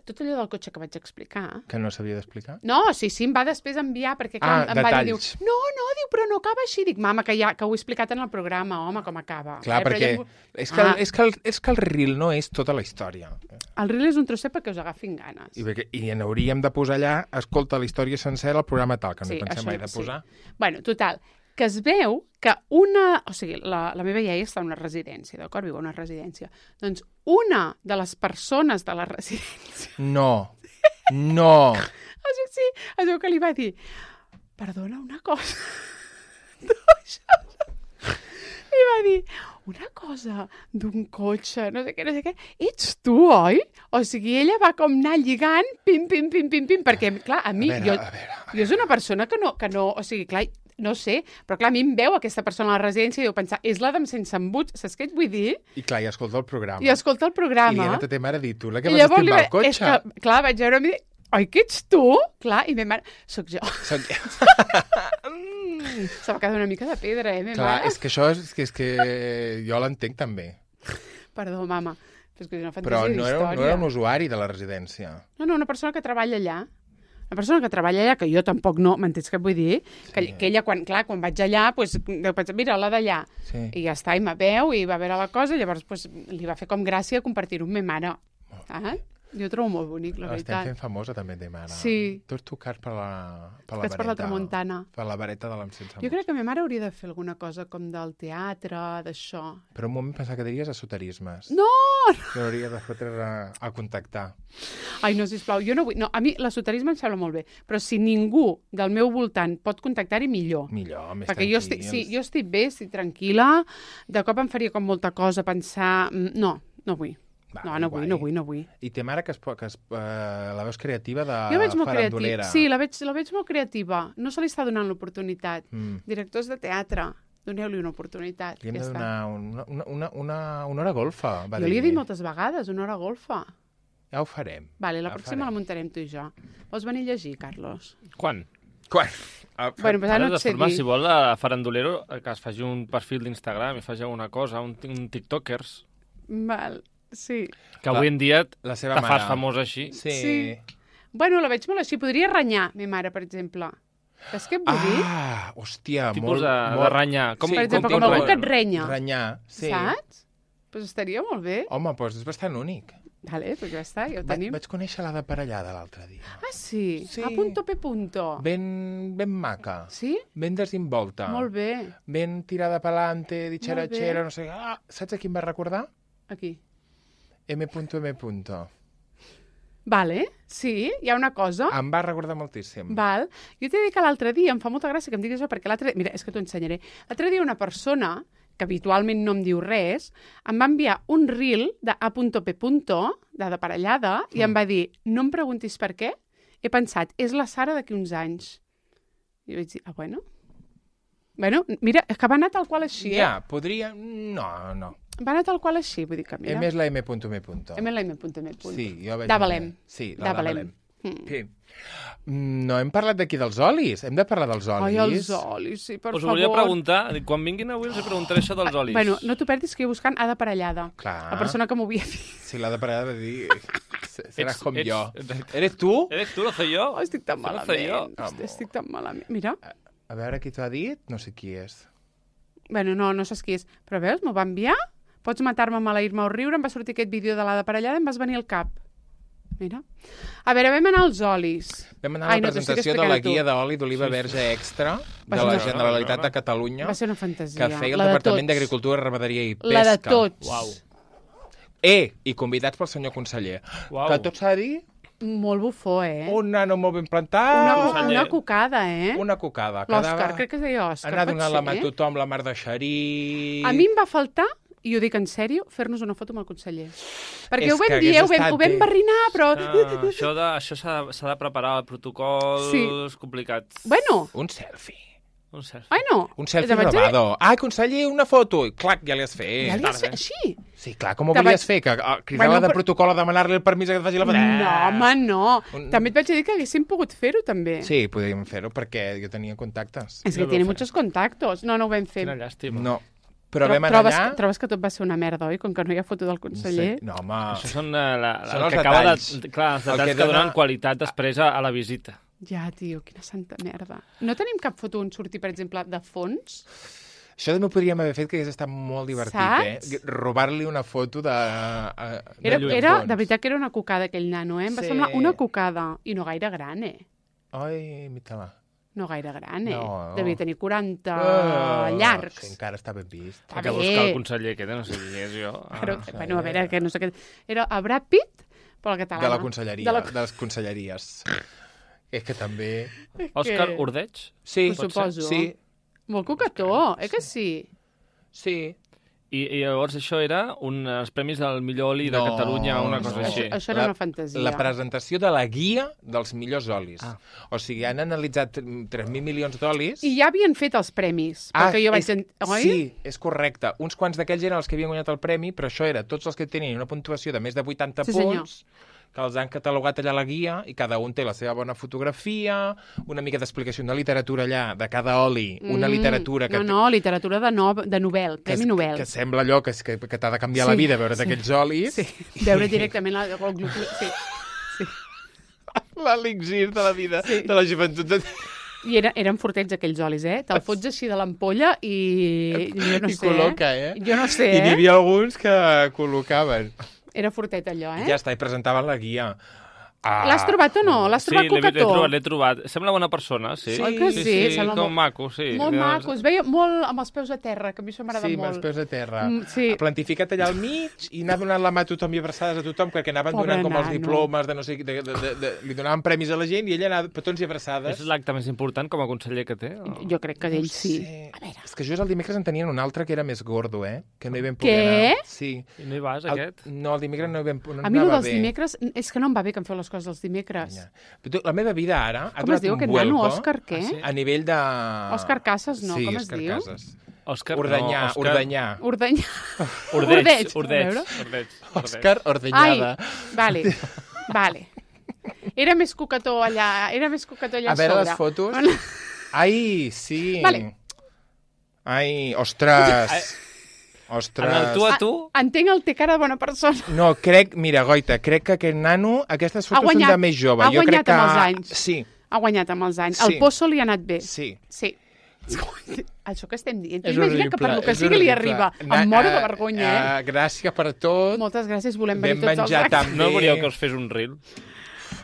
tot allò del cotxe que vaig explicar... Que no s'havia d'explicar? No, sí, em va després enviar, perquè clar, em va dir, diu, diu, però no acaba així. Dic, mama, que ho he explicat en el programa, home, com acaba. Clar, perquè és que el reel no és tota la història. El reel és un trosset perquè us agafin ganes. I n'hauríem de posar allà, escolta la història sencera al programa tal, que no hi pensem mai de posar. Bueno, total, que es veu que o sigui, la meva iaia està en una residència, d'acord? Viu a una residència. Doncs una de les persones de la residència... No. Sí, es veu que li va dir, perdona una cosa. I va dir, una cosa d'un cotxe, no sé què, ets tu, oi? O sigui, ella va com anar lligant, pim, perquè, clar, a mi... Jo és una persona que no, o sigui, clar, no sé, però clar, a mi em veu aquesta persona a la residència i deu pensar, és la d'en sense embuts, saps què et vull dir? I clar, i escolta el programa. I li ha anat a ta mare a dir, tu la que vas estimbar el cotxe. És que, clar, vaig veure i oi que ets tu? Clar, i ma mare, soc jo. Se va quedar una mica de pedra, ma mare. Clar, és que això és que jo l'entenc també. Perdó, mama. És que és una Però fantasia d'història. no era un usuari de la residència. No, una persona que treballa allà. Una persona que treballa allà, que jo tampoc no, m'entens què vull dir? Que ella, quan vaig allà, doncs, mira, la d'allà. Sí. I ja està, i me veu, i va veure la cosa, i llavors li va fer com gràcia compartir-ho amb ma mare. Saps? Jo ho trobo molt bonic, la veritat. Estem fent famosa també, de mare. Sí. Tots tocats per la Tocats per la tramuntana. Per la vareta de l'encensa. Jo crec que ma mare hauria de fer alguna cosa com del teatre, d'això. Per un moment pensava que diries esoterismes. No! Que hauria de fotre a contactar. Ai, no, sisplau, jo no vull... No, a mi l'esoterisme em sembla molt bé, però si ningú del meu voltant pot contactar-hi, millor. Millor, més perquè tranquils. jo estic bé, estic tranquil·la, de cop em faria com molta cosa pensar... No vull. Va, no vull. I té mare que la veus creativa de Jo veig molt farandolera. Sí, la veig molt creativa. No se li està donant l'oportunitat. Directors de teatre, doneu-li una oportunitat. Li hem de donar una hora golfa, va Jo dir. li he dit moltes vegades, una hora golfa. Ja ho farem. Vale, la pròxima la muntarem tu i jo. Vols venir a llegir, Carlos? Quan? Bueno, pues ara no et sé dir. Si vol, a Farandolero, que es faci un perfil d'Instagram i faci alguna cosa, un TikTokers. Val, sí. Que avui en dia la seva te fas mare. famós així. Sí. Bueno, la veig molt així. Podria renyar, ma mare, per exemple. Saps què et vull dir? Hòstia, Tipus de renyar. Per exemple, com algú que et renya. Renyar, sí. Saps? Pues estaria molt bé. Home, doncs és bastant únic. Vale, pues ja està, ja ho tenim. Vaig conèixer la de Parellada l'altre dia. Ah, sí? Sí. A punto P punto. Ben maca. Sí? Ben desinvolta. Molt bé. Ben tirada pelante, ditxeratxera, Molt no sé... Saps a qui em va recordar? Aquí. M. Vale, sí, hi ha una cosa. Em va recordar moltíssim. Val. Jo t'he dit que l'altre dia, em fa molta gràcia que em diguis això, perquè l'altre... Mira, és que t'ho ensenyaré. L'altre dia una persona, que habitualment no em diu res, em va enviar un reel de A.P. de Parellada, i em va dir, no em preguntis per què, he pensat, és la Sara d'aquí uns anys. I vaig dir, bueno. Bueno, mira, és que va anar tal qual així, Ja, podria... No. Va anar tal qual així, vull dir que mira... M és la M. M. Sí, jo vaig... Davalem. Sí, la Davalem. Sí. No hem parlat d'aquí dels olis. Hem de parlar dels olis. Ai, els olis, sí, per favor. Us volia preguntar, quan vinguin avui els preguntaré això dels olis. Bueno, no t'ho perdis que jo buscant A de Parellada. Clar. La persona que m'ho havia dit. Sí, la de Parellada va dir... Seràs com jo. Eres tu? Eres tu, lo soy yo. Oh, estic tan malament. Estic tan malament. Mira. A veure qui t'ho ha dit, no sé qui és. Bueno, no saps qui és. Però veus, m'ho va enviar. Pots matar-me, maleir-me o riure. Em va sortir aquest vídeo de la de Parellada i em vas venir al cap. Mira. A veure, vam anar als olis. Vam anar a la presentació de la guia d'oli d'oliva verge extra de la Generalitat de Catalunya. Va ser una fantasia. Que feia el Departament d'Agricultura, Ramaderia i Pesca. La de tots. Uau. I convidats pel senyor conseller. Uau. Que tot s'ha de dir... Molt bufó, Un nano molt ben plantat. Una cocada, Una cocada. L'Òscar, crec que es deia Òscar. Anar donant la mà a tothom, la mar de xerí... A mi em va faltar, i ho dic en sèrio, fer-nos una foto amb el conseller. Perquè És ho vam que dir, hagués estat ho vam barrinar, però... Això s'ha de preparar, protocols complicats. Bueno. Un selfie. Un selfie. Ai, no. Un selfie robado. Ai, conseller, una foto. I clac, ja li has fet. Ja li has fet així? Sí, clar, com ho volies fer? Que cridar-la de protocol a demanar-li el permís que et faci la foto? No, home, no. També et vaig dir que haguéssim pogut fer-ho, també. Sí, podríem fer-ho perquè jo tenia contactes. És que tiene muchos contactos. No ho vam fer. Quina llàstima. No. Però vam anar allà... Trobes que tot va ser una merda, oi? Com que no hi ha foto del conseller. No, home... Això són els detalls. Clar, els detalls que donen qualitat després a la visita. Ja, tio, quina santa merda. No tenim cap foto on surti, per exemple, de fons? Això també ho podríem haver fet, que hagués estat molt divertit, Saps? Robar-li una foto de De veritat que era una cocada, aquell nano, Em va semblar una cocada. I no gaire gran, Ai, mira-la. No gaire gran, No. Devia tenir 40 llargs. Sí, encara està ben vist. Hay que buscar el conseller aquest, no sé qui és jo. Però, bueno, a veure, que no sé què... Era a Brad Pitt, però la catalana. De la conselleria, de les conselleries. És que també... Òscar Ordeig? Sí, ho suposo. Sí. Molt cocató, que sí? Sí. I llavors això era els premis del millor oli de Catalunya, una cosa així. Això era una fantasia. La presentació de la guia dels millors olis. O sigui, han analitzat 3.000 milions d'olis... I ja havien fet els premis, perquè jo vaig... Oi? Sí, és correcte. Uns quants d'aquells eren els que havien guanyat el premi, però això era tots els que tenien una puntuació de més de 80 punts, que els han catalogat allà a la guia i cada un té la seva bona fotografia, una mica d'explicació, una literatura allà de cada oli, una literatura que... No, literatura de Nobel, Premi Nobel. Que sembla allò que t'ha de canviar la vida veure aquells olis. Sí, veure directament el glucó... Sí. L'elixir de la vida, de la joventut. I eren fortets aquells olis, Te'l fots així de l'ampolla i jo no sé. I col·loca, Jo no sé, I n'hi havia alguns que col·locaven. Era fortet allò, Ja està, i presentaven la guia. L'has trobat o no? L'has trobat cocató? Sí, l'he trobat. Sembla bona persona, sí. Oi que sí? Com maco, sí. Molt maco. Es veia molt amb els peus a terra, que a mi això m'agrada molt. Sí, amb els peus a terra. Sí. Plantificat allà al mig i anar donant la mà a tothom i abraçades a tothom, perquè anaven donant com els diplomes de no sé... Li donaven premis a la gent i ella anava petons i abraçades. És l'acte més important com a conseller que té? Jo crec que d'ell sí. A veure. És que just el dimecres en tenien un altre que era més gordo, Que no hi vam poder anar. Sí. I no hi vas, aquest? No, el dimecres no hi vam poder anar. A mi dels dimecres... És que no em va bé que em feu les coses els dimecres. La meva vida ara ha com es diu aquest nano? Òscar què? A nivell de... Òscar Casas, no? Com es diu? Òscar Ordanyà. Ordeig. Òscar Ordenyada. Ai, vale. Era més cocató allà a sobre. A veure les fotos. Ai, sí. Ai, ostres. En el tu a tu... Entenc el té cara de bona persona. No, mira, Goita, crec que aquest nano, aquestes fotos són de més jove. Ha guanyat amb els anys. Sí. Ha guanyat amb els anys. El pozo li ha anat bé. Sí. Això que estem dient. Imagina que per lo que sigui li arriba. Em moro de vergonya, Gràcies per tot. Moltes gràcies, volem venir tots els anys. No volíeu que us fes un reel?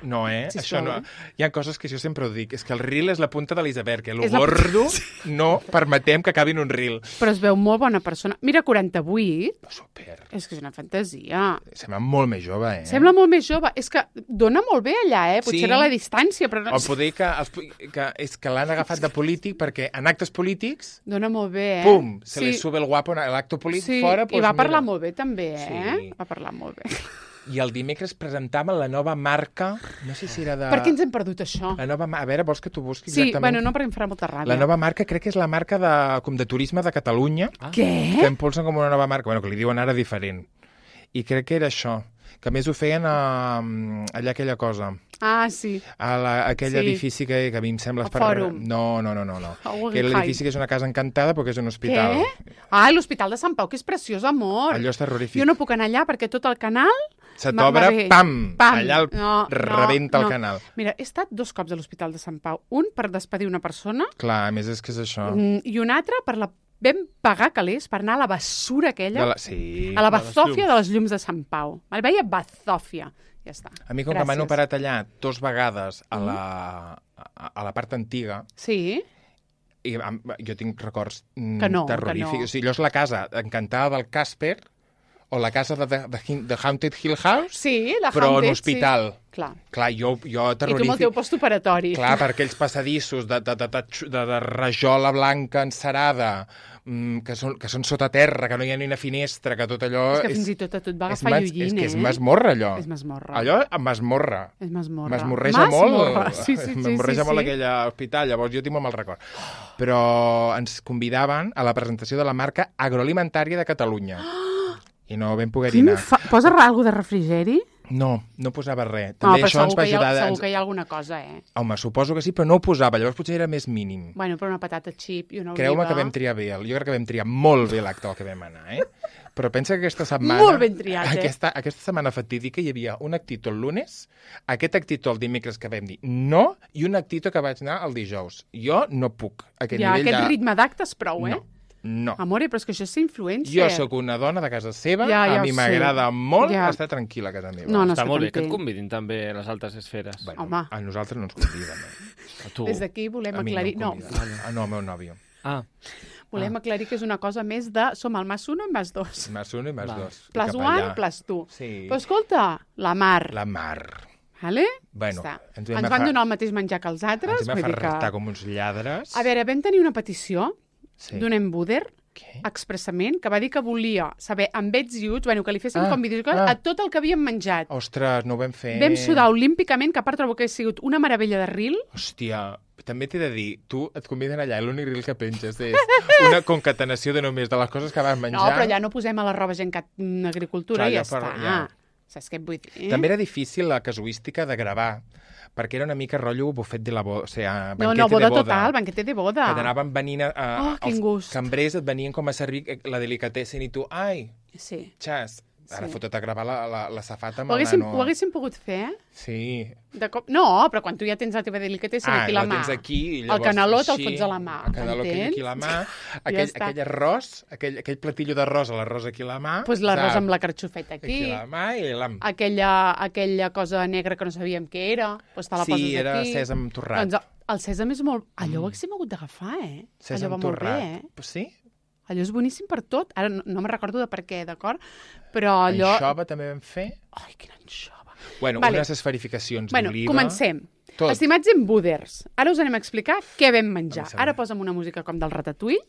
No, Això no. Hi ha coses que jo sempre ho dic. És que el reel és la punta de l'iceberg, el gordo no permetem que acabi en un reel. Però es veu molt bona persona. Mira, 48. Super. És que és una fantasia. Sembla molt més jove, Sembla molt més jove. És que dona molt bé allà, Potser era la distància, però no... O poder és que l'han agafat de polític perquè en actes polítics... Dona molt bé, Pum! Se li sube el guapo en l'acte polític fora... I va parlar molt bé, també, Va parlar molt bé. I el dimecres presentaven la nova marca, no sé si era de... Per què ens hem perdut això? La nova a veure, vols que t'ho busqui exactament? Sí, bueno, no, perquè em farà molta ràbia. La nova marca crec que és la marca com de turisme de Catalunya. Què? Que impulsen com una nova marca, bueno, que li diuen ara diferent. I crec que era això, que a més ho feien allà aquella cosa. Ah, sí. Aquell edifici que a mi em sembla... El Fòrum. No. Que l'edifici que és una casa encantada perquè és un hospital. Què? L'Hospital de Sant Pau, que és preciós, amor. Allò és terrorífic. Jo no puc anar allà perquè tot el canal... Se t'obre, pam! Allà rebenta el canal. Mira, he estat 2 cops a l'Hospital de Sant Pau. Un per despedir una persona. Clar, a més és que és això. I un altre per vam pagar calés per anar a la bessura aquella. Sí. A la bazòfia de les llums de Sant Pau. El veia bazòfia. Ja està. A mi, com que m'han operat allà 2 vegades a la part antiga... Sí. I jo tinc records terrorífics. O sigui, allò és la casa encantada del Casper... O la casa de Haunted Hill House, però en hospital. Sí. Clar, jo terrorífic. I tu amb el teu postoperatori. Clar, per aquells passadissos de rajola blanca encerada, que són sota terra, que no hi ha ni una finestra, que tot allò... És que fins i tot a tu et va agafar lluïnt, És que és masmorra, allò. És masmorra. Allò, masmorra. És masmorra. Masmorreja molt. Sí. Masmorreja molt aquell hospital, llavors jo tinc molt mal record. Però ens convidaven a la presentació de la marca agroalimentària de Catalunya. I no vam poder anar. Posa alguna de refrigeri? No posava res. També però això ens va ajudar... Segur que hi ha alguna cosa, Home, suposo que sí, però no ho posava. Llavors potser era més mínim. Bueno, però una patata xip i una oliva... Creu-me que vam triar bé. Jo crec que vam triar molt bé l'acte al que vam anar, Però pensa que aquesta setmana... Molt ben triat, Aquesta setmana fatídica hi havia un actito el lunes, aquest actito el dimecres que vam dir no, i un actito que vaig anar el dijous. Jo no puc. Aquest ritme d'actes prou, No. Amore, però és que això és influencer. Jo sóc una dona de casa seva, a mi m'agrada molt estar tranquil·la a casa meva. No està molt bé que et convidin també a les altres esferes. Bueno, a nosaltres no ens conviden. A tu. Des d'aquí volem aclarir... No, el meu nòvio. Volem aclarir que és una cosa més de... Som el +1 i +2. +1 i +2. +1, +2. Sí. Però escolta, la Mar. La Mar. Vale? Bueno, ens van donar el mateix menjar que els altres. Ens vam afartar com uns lladres. A veure, vam tenir una petició d'un embuder expressament, que va dir que volia saber amb ets i uts, que li fessin com vídeos a tot el que havíem menjat. Ostres, no ho vam fer. Vam sudar olímpicament, que a part trobo que ha sigut una meravella de reel. Hòstia, també t'he de dir, tu et conviden allà, l'únic reel que penges és una concatenació de només de les coses que vas menjar. No, però allà no posem a la roba gent en agricultura i ja està. Saps què et vull dir? També era difícil la casuística de gravar, perquè era una mica rotllo bufet de la boda, o sigui, No, boda total, banquete de boda. Que t'anaven venint els cambrers et venien com a servir la delicatessen i tu, ai, xas, ara fotut a gravar la safata amb el nano. Ho haguéssim pogut fer, eh? Sí. De cop... No, però quan tu ja tens la teva delicatessen aquí a la mà. Tens aquí, i llavors, el caneló te'l fots a la mà, el caneló aquí a la mà, aquell arròs, aquell platillo d'arròs, l'arròs aquí a la mà. Doncs l'arròs amb la carxofeta aquí. Aquí a la mà i l'am. Aquella cosa negra que no sabíem què era, doncs te la poses aquí. Sí, era sèsam torrat. Doncs el sèsam és molt... Allò ho haguéssim hagut d'agafar, eh? Sèsam torrat. Sí? Allò és boníssim per tot. Ara no me'n recordo de per què, d'acord? Però allò... Anxova també vam fer. Ai, quina anxova. Bueno, unes esferificacions d'oliva. Comencem. Tot. Estimats embuders, ara us anem a explicar què vam menjar. Ara posa'm una música com del Ratatouille.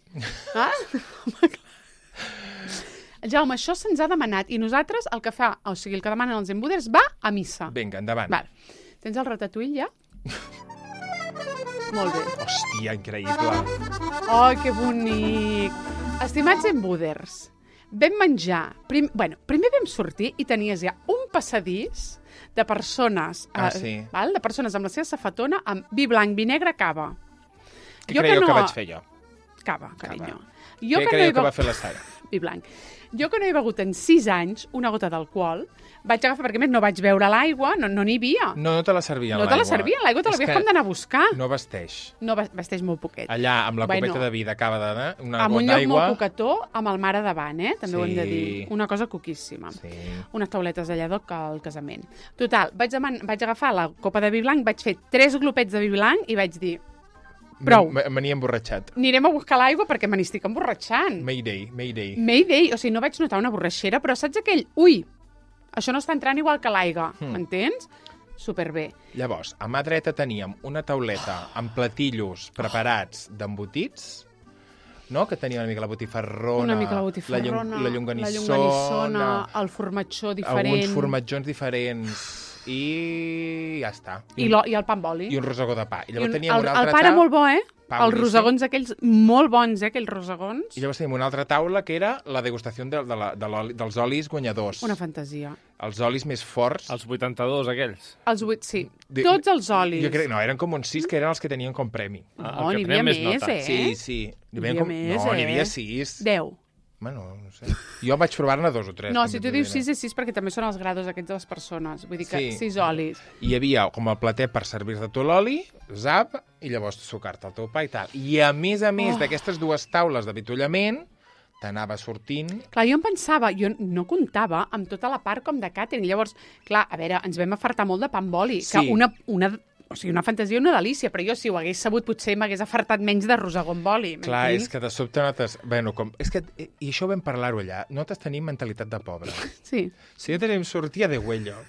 Jaume, això se'ns ha demanat i nosaltres el que fa, o sigui, el que demanen els embuders va a missa. Vinga, endavant. Tens el Ratatouille ja? Molt bé. Hòstia, increïble. Ai, que bonic. Estimats embuders, vam menjar... Primer vam sortir i tenies ja un passadís de persones... De persones amb la seva safatona amb vi blanc, vi negre, cava. Què creieu que vaig fer jo? Cava, carinyo. Què creieu que va fer la Sara? Vi blanc. Jo que no he begut en 6 anys una gota d'alcohol, vaig agafar, perquè més no vaig beure l'aigua, no n'hi havia. No te la servien, l'aigua. No te la servien, l'aigua te l'havies com d'anar a buscar. No vesteix. No vesteix molt poquet. Allà, amb la copeta de vi de cava d'anar, una gota d'aigua... Amb un lloc molt poquetó, amb el mar a davant, també ho hem de dir. Una cosa coquíssima. Sí. Unes tauletes allà al casament. Total, vaig agafar la copa de vi blanc, vaig fer 3 glopets de vi blanc i vaig dir... Prou. Me n'hi he emborratxat. Anirem a buscar l'aigua perquè me n'estic emborratxant. Mayday. Mayday, o sigui, no vaig notar una borratxera, però saps aquell... Ui, això no està entrant igual que l'aigua, m'entens? Superbé. Llavors, a mà dreta teníem una tauleta amb platillos preparats d'embotits, no? Que tenia una mica la botifarrona, la llonganissona, el formatjó diferent... Alguns formatjons diferents... I ja està. I el pa amb oli. I un rosegó de pa. I llavors teníem una altra taula... El pa era molt bo, Els rosegons aquells molt bons, aquells rosegons. I llavors teníem una altra taula que era la degustació dels olis guanyadors. Una fantasia. Els olis més forts. Els 82, aquells. Sí. Tots els olis. Jo crec, no, eren com uns 6 que eren els que tenien com premi. No, n'hi havia més, Sí. N'hi havia 6. 10. Bueno, no sé. Jo vaig provar-ne 2 o 3. No, si tu dius 6 és 6 perquè també són els grados aquests de les persones. Vull dir que 6 olis. I hi havia com el plater per servir-te tu l'oli, zap, i llavors sucar-te el teu pa i tal. I a més d'aquestes 2 taules d'avituallament, t'anava sortint... Clar, jo em pensava, jo no comptava amb tota la part com de càtering. Llavors, clar, a veure, ens vam afartar molt de pa amb oli. Sí. Que o sigui, una fantasia, una delícia, però jo si ho hagués sabut potser m'hagués afartat menys de rosegó amb oli. Clar, és que de sobte notes... Bueno, i això vam parlar-ho allà. Notes tenim mentalitat de pobre. Sí. Si jo tenim sortia de huello.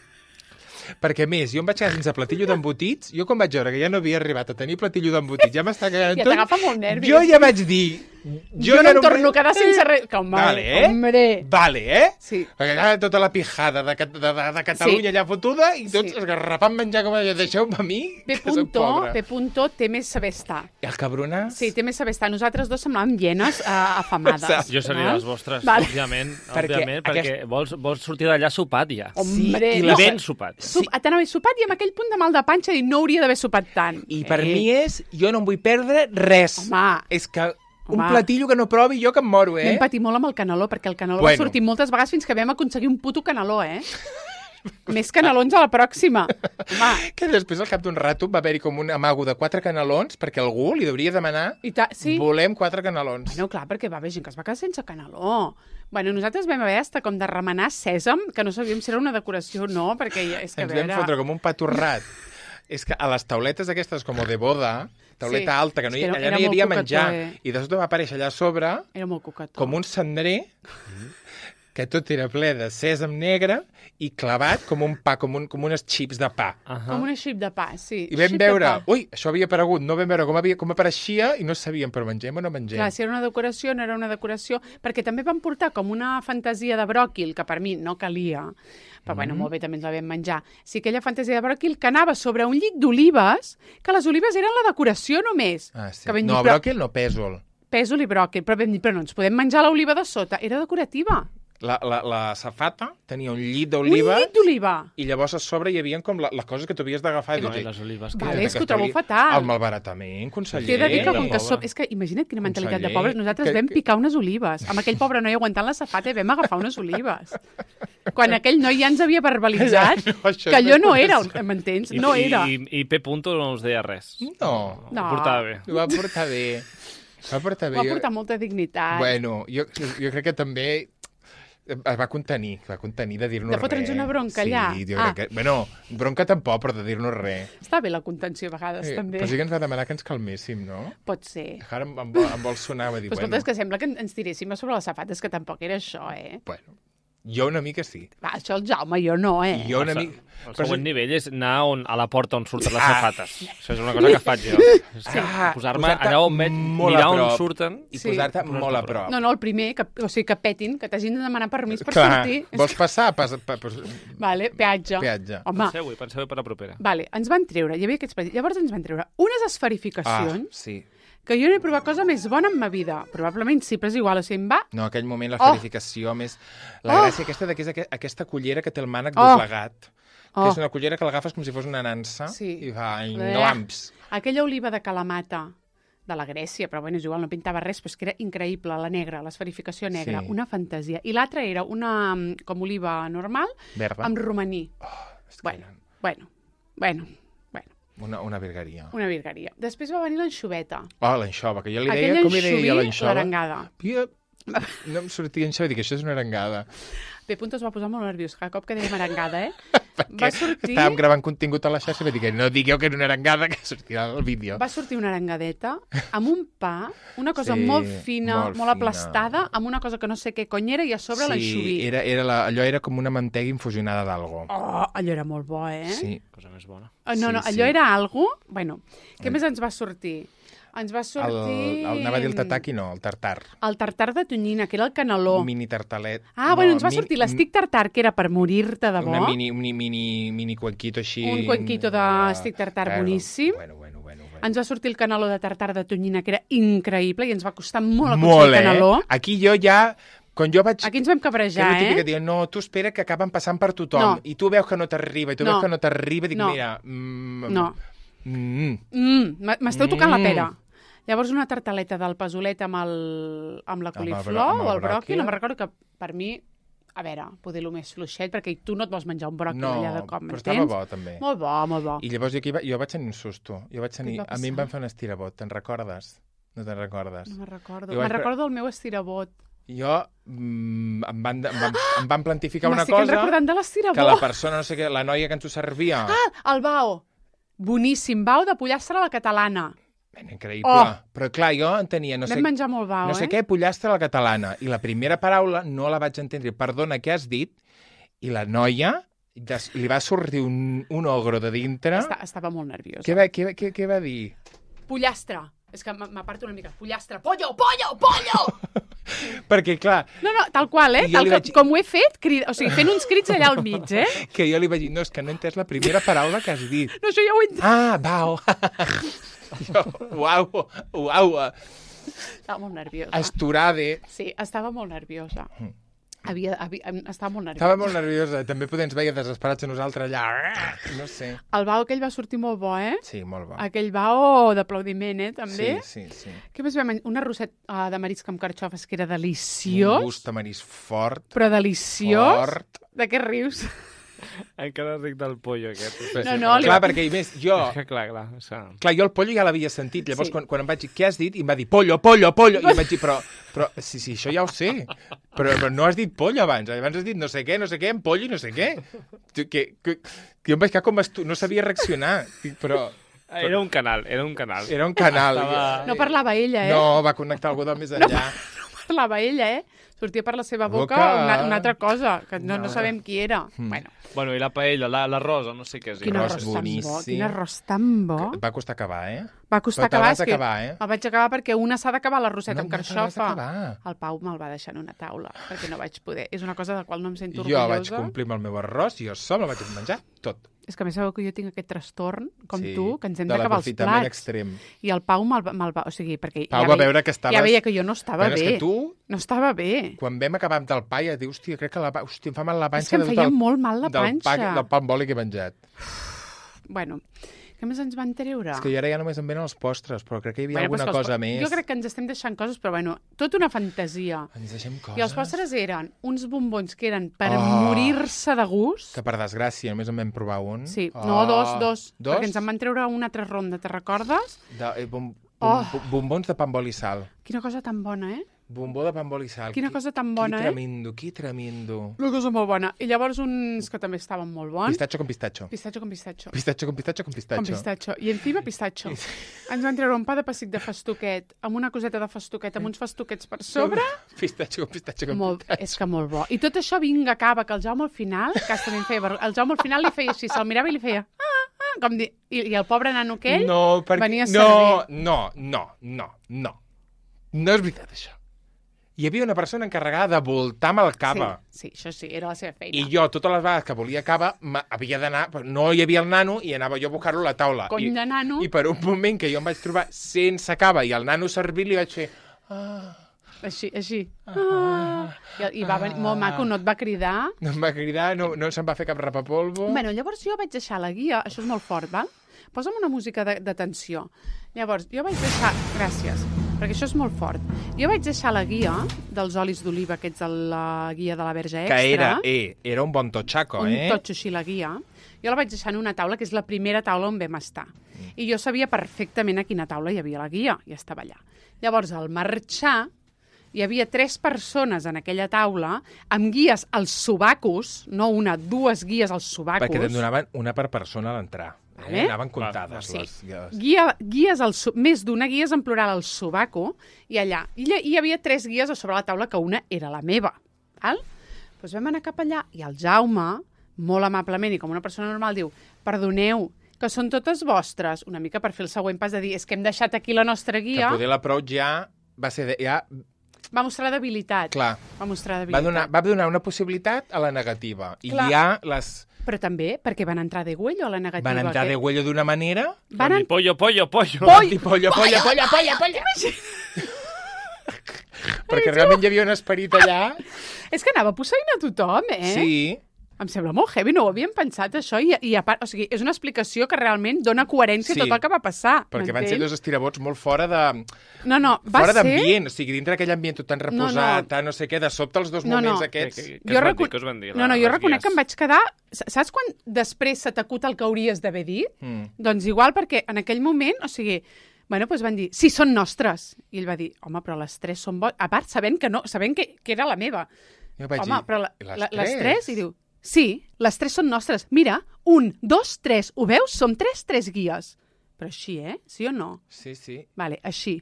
Perquè, més, jo em vaig quedar sense platillo d'embotits. Jo, quan vaig veure que ja no havia arribat a tenir platillo d'embotits, ja m'està quedant tot... Ja t'agafa molt nervis. Jo ja vaig dir... Jo no em torno a quedar sense res... Hombre. Vale, Sí. Perquè allà tota la pijada de Catalunya allà fotuda i tots esgarrapant menjar com allà. Deixeu-me a mi, que soc pobre. P. té més saber estar. I el cabronàs? Sí, té més saber estar. Nosaltres dos semblàvem hienes afamades. Jo seria les vostres, òbviament, perquè vols sortir d'allà sopat ja. Hombre. I ben sopat. T'anava sopat i amb aquell punt de mal de panxa i no hauria d'haver sopat tant. I per mi jo no em vull perdre res. Home. És que un platillo que no provi jo que em moro, Vam patir molt amb el caneló, perquè el caneló va sortir moltes vegades fins que vam aconseguir un puto caneló, Més canelons a la pròxima. Home. Que després, al cap d'un rato, va haver-hi com un amago de 4 canelons, perquè algú li hauria de demanar volem 4 canelons. Bueno, clar, perquè va haver gent que es va quedar sense caneló. Bueno, nosaltres vam haver com de remenar sèsam, que no sabíem si era una decoració o no, perquè és que ens vam fotre com un pa torrat. És que a les tauletes aquestes com de boda, tauleta alta, que allà no hi havia menjar, i de sobte va aparèixer allà a sobre com un cendrer, que tot era ple de sèsam negre i clavat com un pa, com unes xips de pa. Com una xip de pa, sí. I vam veure, això havia aparegut, no vam veure com apareixia i no sabíem, però mengem o no mengem. Clar, si era una decoració, no era una decoració, perquè també van portar com una fantasia de bròquil, que per mi no calia, però bueno, molt bé, també ens la vam menjar. Sí, aquella fantasia de bròquil que anava sobre un llit d'olives, que les olives eren la decoració només. Sí. Bròquil no, pèsol. Pèsol i bròquil, però vam dir, però no ens podem menjar l'oliva de sota, era decorativa. La safata tenia un llit d'oliva. Un llit d'oliva! I llavors a sobre hi havia com les coses que tu havies d'agafar. No, les olives. Vale, és que ho trobo fatal. El malbaratament, conseller. T'he de dir que com que som... És que imagina't quina mentalitat de pobres. Nosaltres vam picar unes olives. Amb aquell pobre noi aguantant la safata i vam agafar unes olives. Quan aquell noi ja ens havia verbalitzat que allò no era, m'entens? No era. I P. Punto no us deia res. No. Ho portava bé. Ho va portar bé. Va portar molta dignitat. Bueno, jo crec que també es va contenir de dir-nos res. De fotre'ns una bronca allà. Sí, jo crec que... Bueno, bronca tampoc, però de dir-nos res. Està bé la contenció a vegades, també. Però sí que ens va demanar que ens calméssim, no? Pot ser. Ara em vol sonar, va dir, però escolta, és que sembla que ens tiréssim a sobre les safates, que tampoc era això, Bueno, jo una mica sí. Va, això el Jaume, jo no, Jo una mica... El següent nivell és anar a la porta on surten les safates. Això és una cosa que faig jo. Posar-me allà on veig, mirar on surten. I posar-te molt a prop. No, el primer, que petin, que t'hagin de demanar permís per sortir. Vols passar? Vale, peatge. Home. Penseu-hi per la propera. Vale, ens van treure, hi havia aquests petits, llavors ens van treure unes esferificacions. Sí. Que jo no he provat cosa més bona en ma vida. Probablement sí, però és igual, o sigui, em va... No, aquell moment la esferificació més... La gràcia aquesta que és aquesta cullera que té el mànec doblegat, que és una cullera que l'agafes com si fos una nansa i fa nglamps. Aquella oliva de Kalamata, de la Grècia, però bueno, és igual, no pintava res, però és que era increïble, la negra, l'esferificació negra, una fantasia. I l'altra era una, com oliva normal, verda, amb romaní. Bueno. Una virgueria. Una virgueria. Després va venir l'anxoveta. L'anxova, que jo li deia... Com li deia l'anxova? L'arengada. No em sortia anxova, dic, això és una arengada. P. es va posar molt nerviós cada cop que dèiem arengada, Va sortir... Estàvem gravant contingut a la xarxa i va dir que no digueu que era una arengada, que sortirà al vídeo. Va sortir una arengadeta amb un pa, una cosa molt fina, molt aplastada, amb una cosa que no sé què cony era, i a sobre l'anxoví. Sí, allò era com una mantega infusionada d'algo. Allò era molt bo, Sí, cosa més bona. No, allò era algo... Bueno, què més ens va sortir? Ens va sortir... Anava a dir el tataki, no, el tartar. El tartar de tonyina, que era el caneló. Mini tartalet. Ens va sortir l'estic tartar, que era per morir-te de bo. Un mini cuenquito així... Un cuenquito d'estic tartar boníssim. Bueno. Ens va sortir el caneló de tartar de tonyina, que era increïble, i ens va costar molt aconseguir el caneló. Aquí jo ja... Aquí ens vam cabrejar, Que és el típic que diuen, no, tu espera que acaben passant per tothom, i tu veus que no t'arriba, dic, mira... M'esteu tocant la pera. Llavors una tartaleta del pesolet amb la coliflor o el bròquil, no me'n recordo, que per mi, a veure, poder el més fluixet, perquè tu no et vols menjar un bròquil allà de cop, m'entens? No, però estava bo, també. Molt bo. I llavors jo vaig tenir un susto. A mi em van fer un estirabot, te'n recordes? No te'n recordes? No me'n recordo. Me'n recordo el meu estirabot. Jo em van plantificar una cosa... M'estic recordant de l'estirabot. Que la persona, no sé què, la noia que ens ho servia... El bao. Boníssim, bao de pollastre a la catalana. Increïble. Però clar, jo entenia... Vam menjar molt bao, no sé què, pollastre a la catalana. I la primera paraula no la vaig entendre. Perdona, què has dit? I la noia li va sortir un ogro de dintre. Estava molt nerviosa. Què va dir? Pollastre. És que m'aparto una mica. Pollastre. Pollo! Perquè, clar... No, tal qual, com ho he fet, fent uns crits allà al mig, Que jo li vaig dir, no, és que no he entès la primera paraula que has dit. No, això ja ho he entès. Bao. Uau. Estava molt nerviosa. Esturade. Sí, estava molt nerviosa. Estava molt nerviosa. Estava molt nerviosa. També ens veia desesperats a nosaltres allà. No sé. El bao aquell va sortir molt bo, Sí, molt bo. Aquell bao d'aplaudiment, també. Sí. Què més vam menjar? Un arrosset de marisc amb carxofes, que era deliciós. Un gust de marisc fort. Però deliciós. Fort. De què rius? Encara ric del pollo, aquest. No, clar, perquè a més, jo... Clar, jo el pollo ja l'havia sentit. Llavors, quan em vaig dir, què has dit? I em va dir, pollo. I em vaig dir, però sí, això ja ho sé. Però no has dit pollo abans. Abans has dit no sé què, en pollo i no sé què. Que jo em vaig quedar com... No sabia reaccionar. Però... Era un canal. No parlava ella, No, va connectar algú del més enllà. No parlava ella, Sortia per la seva boca una altra cosa, que no sabem qui era. Bueno, i la paella, l'arròs, no sé què és. Quin arròs tan bo. Va costar acabar, Va costar acabar. El vaig acabar perquè una s'ha d'acabar l'arrosset amb carxofa. No, el Pau me'l va deixar en una taula, perquè no vaig poder. És una cosa de la qual no em sento orgullosa. Jo vaig complir amb el meu arròs i jo sol me'l vaig menjar tot. És que a més sabeu que jo tinc aquest trastorn, com Sí, tu, que ens hem de d'acabar els l'aprofitament plats. extrem. I el Pau me'l va... O sigui, perquè Pau va veure que estaves... ja veia que jo no estava Bueno, és bé. que tu, No estava bé. quan vam acabar amb el pa, ja dius, hòstia, crec que em fa mal la panxa. És que em feia molt mal la panxa. Del pa amb oli que he menjat. Bueno, què més ens van treure? És que ara ja només em venen els postres, però crec que hi havia alguna cosa més. Jo crec que ens estem deixant coses, però bueno, tota una fantasia. Ens deixem coses. I els postres eren uns bombons que eren per morir-se de gust. Que per desgràcia només en vam provar un. Sí, no, dos. Dos? Perquè ens en van treure una altra ronda, te recordes? Bombons de pa amb oli i sal. Quina cosa tan bona, eh? Bombó de pa amb oli i sal. Quina cosa tan bona, Qui tremendo. Una cosa molt bona. I llavors uns que també estaven molt bons. Pistatxo con pistatxo. Pistatxo con pistatxo. Pistatxo con pistatxo con pistatxo. Con pistatxo. I encima pistatxo. Ens van treure un pa de pessic de festuquet, amb una coseta de festuquet, amb uns festuquets per sobre. Pistatxo con pistatxo con pistatxo. És que molt bo. I tot això vinga, acaba, que el Jaume al final, que també em feia el Jaume al final li feia així, se'l mirava i li feia... com dir, i el pobre nano aquell venia a servir. No és veritat, això. Hi havia una persona encarregada de voltar amb el cava. Sí, això sí, era la seva feina. I jo, totes les vegades que volia cava, havia d'anar... No hi havia el nano i anava jo a buscar-lo a la taula. Cony de nano. I per un moment que jo em vaig trobar sense cava i el nano servir, li vaig fer... Així. I va venir molt maco, no et va cridar. No em va cridar, no se'm va fer cap rapapolvo. Bueno, llavors jo vaig deixar la guia, això és molt fort, val? Posa'm una música de tensió. Llavors, jo vaig deixar... Gràcies, perquè això és molt fort. Jo vaig deixar la guia dels olis d'oliva, aquests de la guia de la Verge Extra. Que era un bon totxaco, un totxo així, la guia. Jo la vaig deixar en una taula, que és la primera taula on vam estar. I jo sabia perfectament a quina taula hi havia la guia, i estava allà. Llavors, al marxar, hi havia 3 persones en aquella taula amb guies als sobacos, no una, 2 guies als sobacos. Perquè te'n donaven una per persona a l'entrar. Anaven comptades les guies. Guies més d'una guies en plural al sobaco, i allà. I hi havia 3 guies a sobre la taula, que una era la meva. Val? Doncs vam anar cap allà, i el Jaume, molt amablement i com una persona normal, diu, perdoneu, que són totes vostres, una mica per fer el següent pas de dir, és que hem deixat aquí la nostra guia. Que poder l'approach ja va ser... Va mostrar debilitat. Clar. Va mostrar debilitat. Va donar una possibilitat a la negativa. I clar. ja les... Però també, perquè van entrar de huello a la negativa. Van entrar de huello d'una manera... Van dir pollo. Van dir pollo. Perquè realment hi havia un esperit allà. És que anava posseint a tothom, Sí. Em sembla molt heavy, no ho havíem pensat, això, i a part, o sigui, és una explicació que realment dona coherència a tot el que va passar. Perquè van ser 2 estirabots molt fora de... No, fora d'ambient, o sigui, dintre d'aquell ambient tot tan reposat, no sé què, de sobte els 2 moments aquests... Què us van dir? Jo reconec que em vaig quedar... Saps quan després se t'acut el que hauries d'haver dit? Doncs igual, perquè en aquell moment, o sigui... Bueno, doncs van dir, sí, són nostres. I ell va dir, home, però les 3 són bones. A part, sabent que era la meva. Jo vaig dir, però les 3? I diu, sí, les 3 són nostres. Mira, 1, 2, 3. Ho veus? Som 3 guies. Però així, Sí o no? Sí. Vale, així.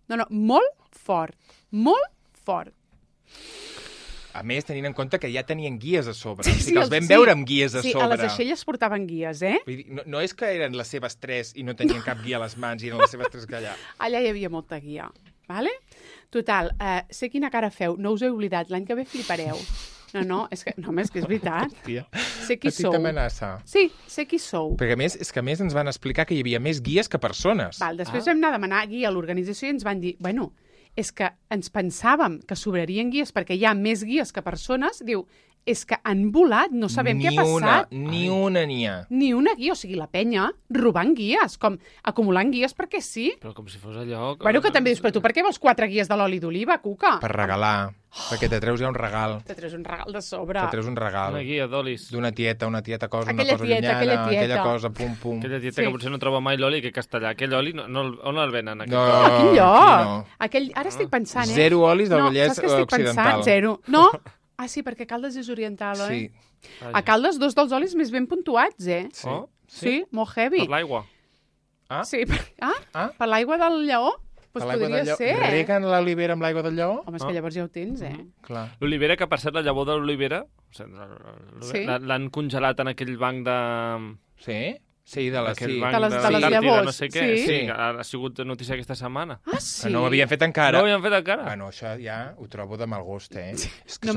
No, molt fort. Molt fort. A més, tenint en compte que ja tenien guies a sobre. O sigui, els vam veure amb guies a sobre. Sí, a les aixelles portaven guies, Vull dir, no és que eren les seves 3 i no tenien cap guia a les mans i eren les seves 3 que allà. Allà hi havia molta guia, vale? Total, sé quina cara feu, no us he oblidat, l'any que ve flipareu. No, és que és veritat. Sé qui sou. Petita amenaça. Sí, sé qui sou. Perquè a més ens van explicar que hi havia més guies que persones. Val, després vam anar a demanar guia a l'organització i ens van dir, bueno, és que ens pensàvem que sobrarien guies perquè hi ha més guies que persones. Diu, és que han volat, no sabem què ha passat. Ni una n'hi ha. Ni una guia, o sigui, la penya robant guies, com acumulant guies perquè sí. Però com si fos allò... Bueno, que també dius, però tu per què vols 4 guies de l'oli d'oliva, Cuca? Per regalar, perquè te treus ja un regal. Te treus un regal de sobre. Te treus un regal. Una guia d'olis. D'una tieta cosa, aquella una cosa tieta, llunyana, aquella cosa, pum. Aquella tieta que potser no troba mai l'oli que castellà. Aquell oli, on el venen? No, a quin lloc? No. Ara estic pensant, 0 olis del Vallès Occidental. Pensant? 0. No? Ah, sí, perquè Caldes és oriental, Sí. A Caldes 2 dels olis més ben puntuats, Sí. Sí, molt heavy. Per l'aigua. Sí, per l'aigua del lleó? Doncs podria ser, Reguen l'olivera amb l'aigua del lleó? Home, és que llavors ja ho tens, Clar. L'olivera, que per cert, la llavor de l'olivera, l'han congelat en aquell banc de... Sí? Sí, de les llavors. No sé què. Sí, ha sigut notícia aquesta setmana. Ah, sí? No ho havien fet encara. No ho havien fet encara? Bueno, això ja ho trobo de mal gust, És que no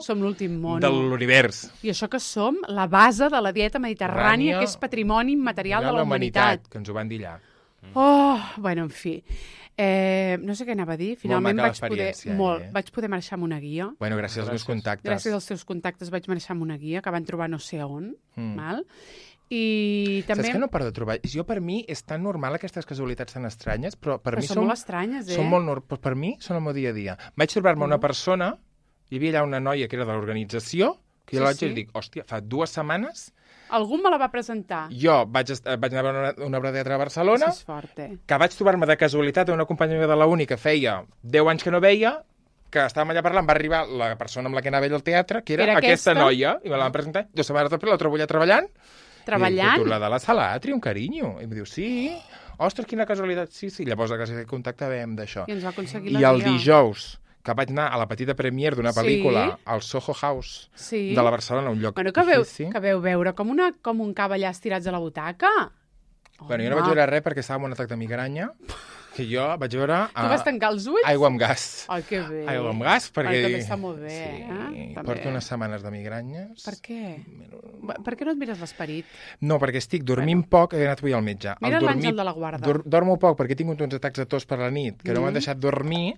som l'últim mono de l'univers. I això que som la base de la dieta mediterrània, que és patrimoni immaterial de la humanitat. Que ens ho van dir allà. Bueno, en fi. No sé què anava a dir. Finalment vaig poder marxar amb una guia. Bueno, gràcies als meus contactes. Gràcies als teus contactes vaig marxar amb una guia que van trobar no sé on. Val? I també... Saps que no paro de trobar? Jo, per mi, és tan normal aquestes casualitats tan estranyes, però per mi són molt estranyes, Són molt però per mi són el meu dia a dia. Vaig trobar-me una persona, hi havia allà una noia que era de l'organització, que jo la vaig dir, dic, hòstia, fa 2 setmanes... Algú me la va presentar. Jo vaig anar a veure una obra de teatre a Barcelona, és fort, que vaig trobar-me de casualitat una companya meva de la uni que feia 10 anys que no veia, que estàvem allà parlant, va arribar la persona amb la que anava ell al teatre, que era aquesta noia, i me la van presentar, 2 setmanes després la trobo allà treballant. Treballant? I tu, la de la sala Atri, un carinyo. I em diu, sí, ostres, quina casualitat. Sí, llavors gràcies a aquest contacte vam d'això. I ens va aconseguir la guia. I el dijous, que vaig anar a la petita premiere d'una pel·lícula al Soho House de la Barcelona, un lloc difícil. Que veu veure com un cava allà estirats a la butaca. Bueno, jo no vaig veure res perquè estava amb un atac de migranya, que jo vaig veure... Tu vas tancar els ulls? Aigua amb gas. Ai, que bé. Aigua amb gas, perquè... També està molt bé, Sí, porto unes setmanes de migranyes. Per què? Per què no et mires l'esperit? No, perquè estic dormint poc, he anat avui al metge. Mira l'àngel de la guarda. Dormo poc perquè he tingut uns atacs de tos per la nit, que no m'han deixat dormir,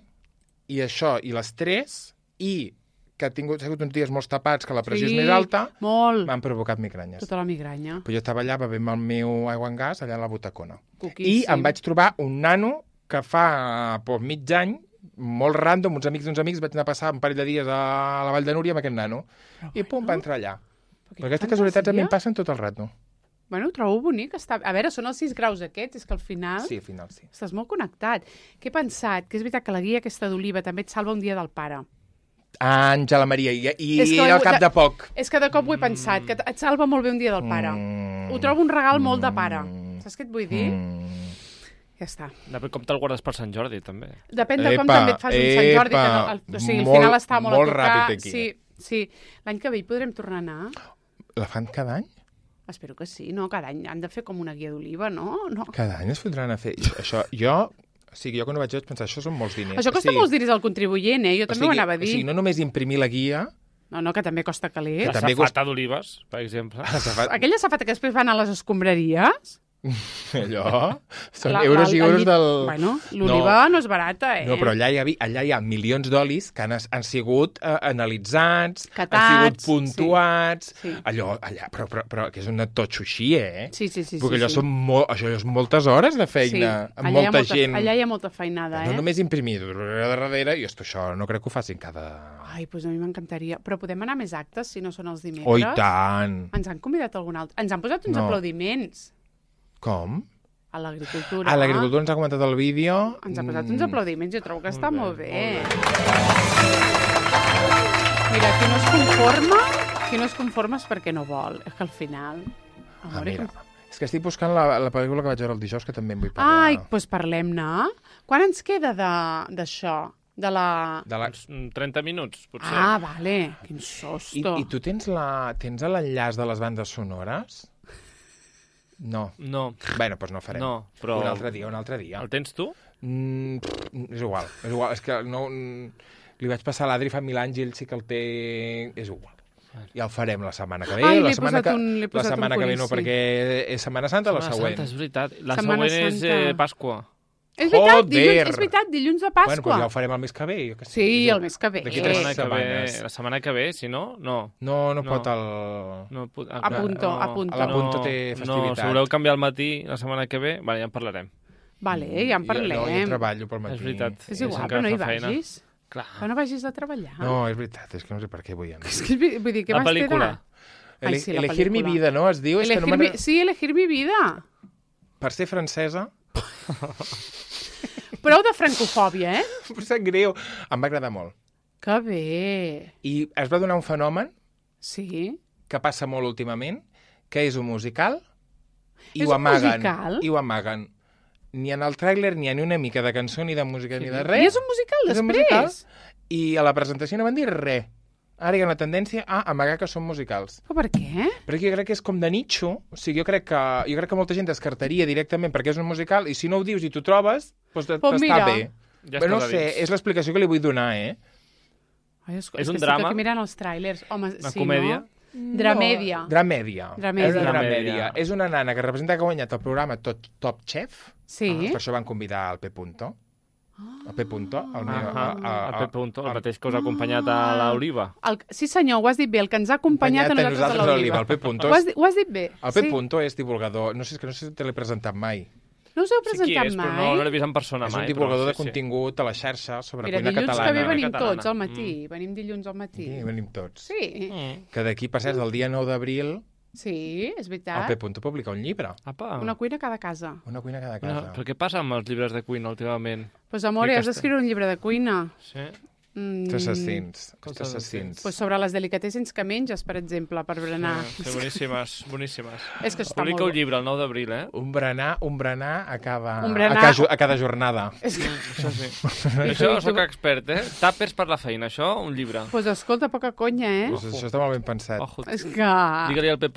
i això, i l'estrès, i que ha sigut uns dies molt tapats, que la pressió és més alta, m'han provocat migranyes. Tota la migranya. Però jo estava allà bevent el meu aigua amb gas, allà a la butacona. I em vaig trobar un nano que fa mig any, molt random, uns amics d'uns amics, vaig anar a passar un parell de dies a la Vall de Núria amb aquest nano. I pum, va entrar allà. Però aquestes casualitats a mi em passen tot el rato. Bueno, ho trobo bonic. A veure, són els 6 graus aquests, és que al final... Sí, al final sí. Estàs molt connectat. Què he pensat? Que és veritat que la guia aquesta d'Oliva també et salva un dia del pare. Àngela Maria, i al cap de poc. És que de cop ho he pensat, que et salva molt bé un dia del pare. Ho trobo un regal molt de pare. Saps què et vull dir? Ja està. Depèn com te'l guardes per Sant Jordi, també. Depèn de com també et fas un Sant Jordi. O sigui, al final està molt a tocar. Ràpid aquí. Sí. L'any que ve hi podrem tornar a anar. La fan cada any? Espero que sí, no? Cada any han de fer com una guia d'Oliva, no? Cada any es fotran a fer... Això, o sigui, jo quan ho vaig pensar, això són molts diners. Això costa molts diners al contribuent, Jo també ho anava a dir. O sigui, no només imprimir la guia... No, que també costa calés. La safata d'olives, per exemple. Aquella safata que després van a les escombraries... Allò... Són euros i euros del... Bueno, l'oliva no és barata, No, però allà hi ha milions d'olis que han sigut analitzats, catats, han sigut puntuats... Sí. Allò, però que és un totxo així, Sí. Perquè allò és moltes hores de feina, amb molta gent. Allà hi ha molta feinada, No només imprimir de darrere, i això no crec que ho facin cada... Ai, doncs a mi m'encantaria. Però podem anar a més actes, si no són els dimecres? Oh, i tant! Ens han convidat algun altre. Ens han posat uns aplaudiments. Com? A l'agricultura. A l'agricultura ens ha comentat el vídeo. Ens ha posat uns aplaudiments, jo trobo que està molt bé. Mira, qui no es conforma és perquè no vol. És que al final... Mira, és que estic buscant la pel·lícula que vaig veure el dijous, que també en vull parlar. Ai, doncs parlem-ne. Quan ens queda d'això? De la... 30 minuts, potser. Ah, vale. Quin sosto. I tu tens l'enllaç de les bandes sonores? No. Bueno, doncs no farem. No, però... Un altre dia. El tens tu? És igual. És que no... Li vaig passar a l'Adri fa 1000 anys i ell sí que el té... És igual. Ja el farem la setmana que ve. Ai, la setmana que ve no, perquè és Setmana Santa, la següent. Santa, és veritat. La següent és Pasqua. És veritat, dilluns de Pasqua. Bueno, doncs ja ho farem el mes que ve. Sí, el mes que ve. D'aquí 3 setmanes. La setmana que ve, si no, no. No pot el... Apunto. A l'Apunto té festivitat. No, si voleu canviar el matí la setmana que ve, ja en parlarem. Vale, ja en parlem. Jo treballo pel matí. És veritat. És igual, però no hi vagis. Clar. Però no vagis a treballar. No, és veritat, és que no sé per què vull anar. És que, vull dir, què la pel·lícula. Elegir mi vida, no? Es diu? Sí, elegir mi vida. Per ser francesa... Prou de francofòbia, Em sap greu. Em va agradar molt. Que bé. I es va donar un fenomen que passa molt últimament, que és un musical i ho amaguen. Musical? I ho amaguen. Ni en el tràiler ni en una mica de cançó, ni de música, ni de res. I és un musical, després? I a la presentació no van dir res. Ara hi ha una tendència a amagar que són musicals. Però per què? Perquè jo crec que és com de nicho, o sigui, jo crec que molta gent descartaria directament perquè és un musical, i si no ho dius i t'ho trobes, doncs t'està bé. Ja però no sé, és l'explicació que li vull donar, Ai, és un drama? Estic aquí mirant els tràilers. Home, una comèdia? No? Dramèdia. Dramèdia. És una dramèdia. És una nana que representa que ha guanyat el programa Top Chef. Sí. Per això van convidar el P. El P. El P. El mateix que us ha acompanyat a l'Oliva. Sí, senyor, ho has dit bé. El que ens ha acompanyat a nosaltres a l'Oliva. El P. Ho has dit bé. El P. és divulgador. No sé si te l'he presentat mai. No us heu presentat mai? Però no l'he vist en persona mai. És un divulgador de contingut a la xarxa sobre cuina catalana. Dilluns que ve venim tots al matí. Venim dilluns al matí. Sí, venim tots. Sí. Que d'aquí, per cert, el dia 9 d'abril... Sí, és veritat. El P. publica un llibre. Una cuina a cada casa. Una cuina a cada casa. Però què passa amb els llibres de cuina últimament? Pues, amor, has d'escriure un llibre de cuina. Sí. Assassins. Pues sobre les delicatessens que menges, per exemple, per berenar. Sí, boníssimes. És que està molt bé. Publica un llibre el 9 d'abril, Un berenar a cada jornada. Això sí. Això soc expert, Tàpers per la feina, això, un llibre. Pues escolta, poca conya, Pues això està molt ben pensat. És que... Digue-li al P.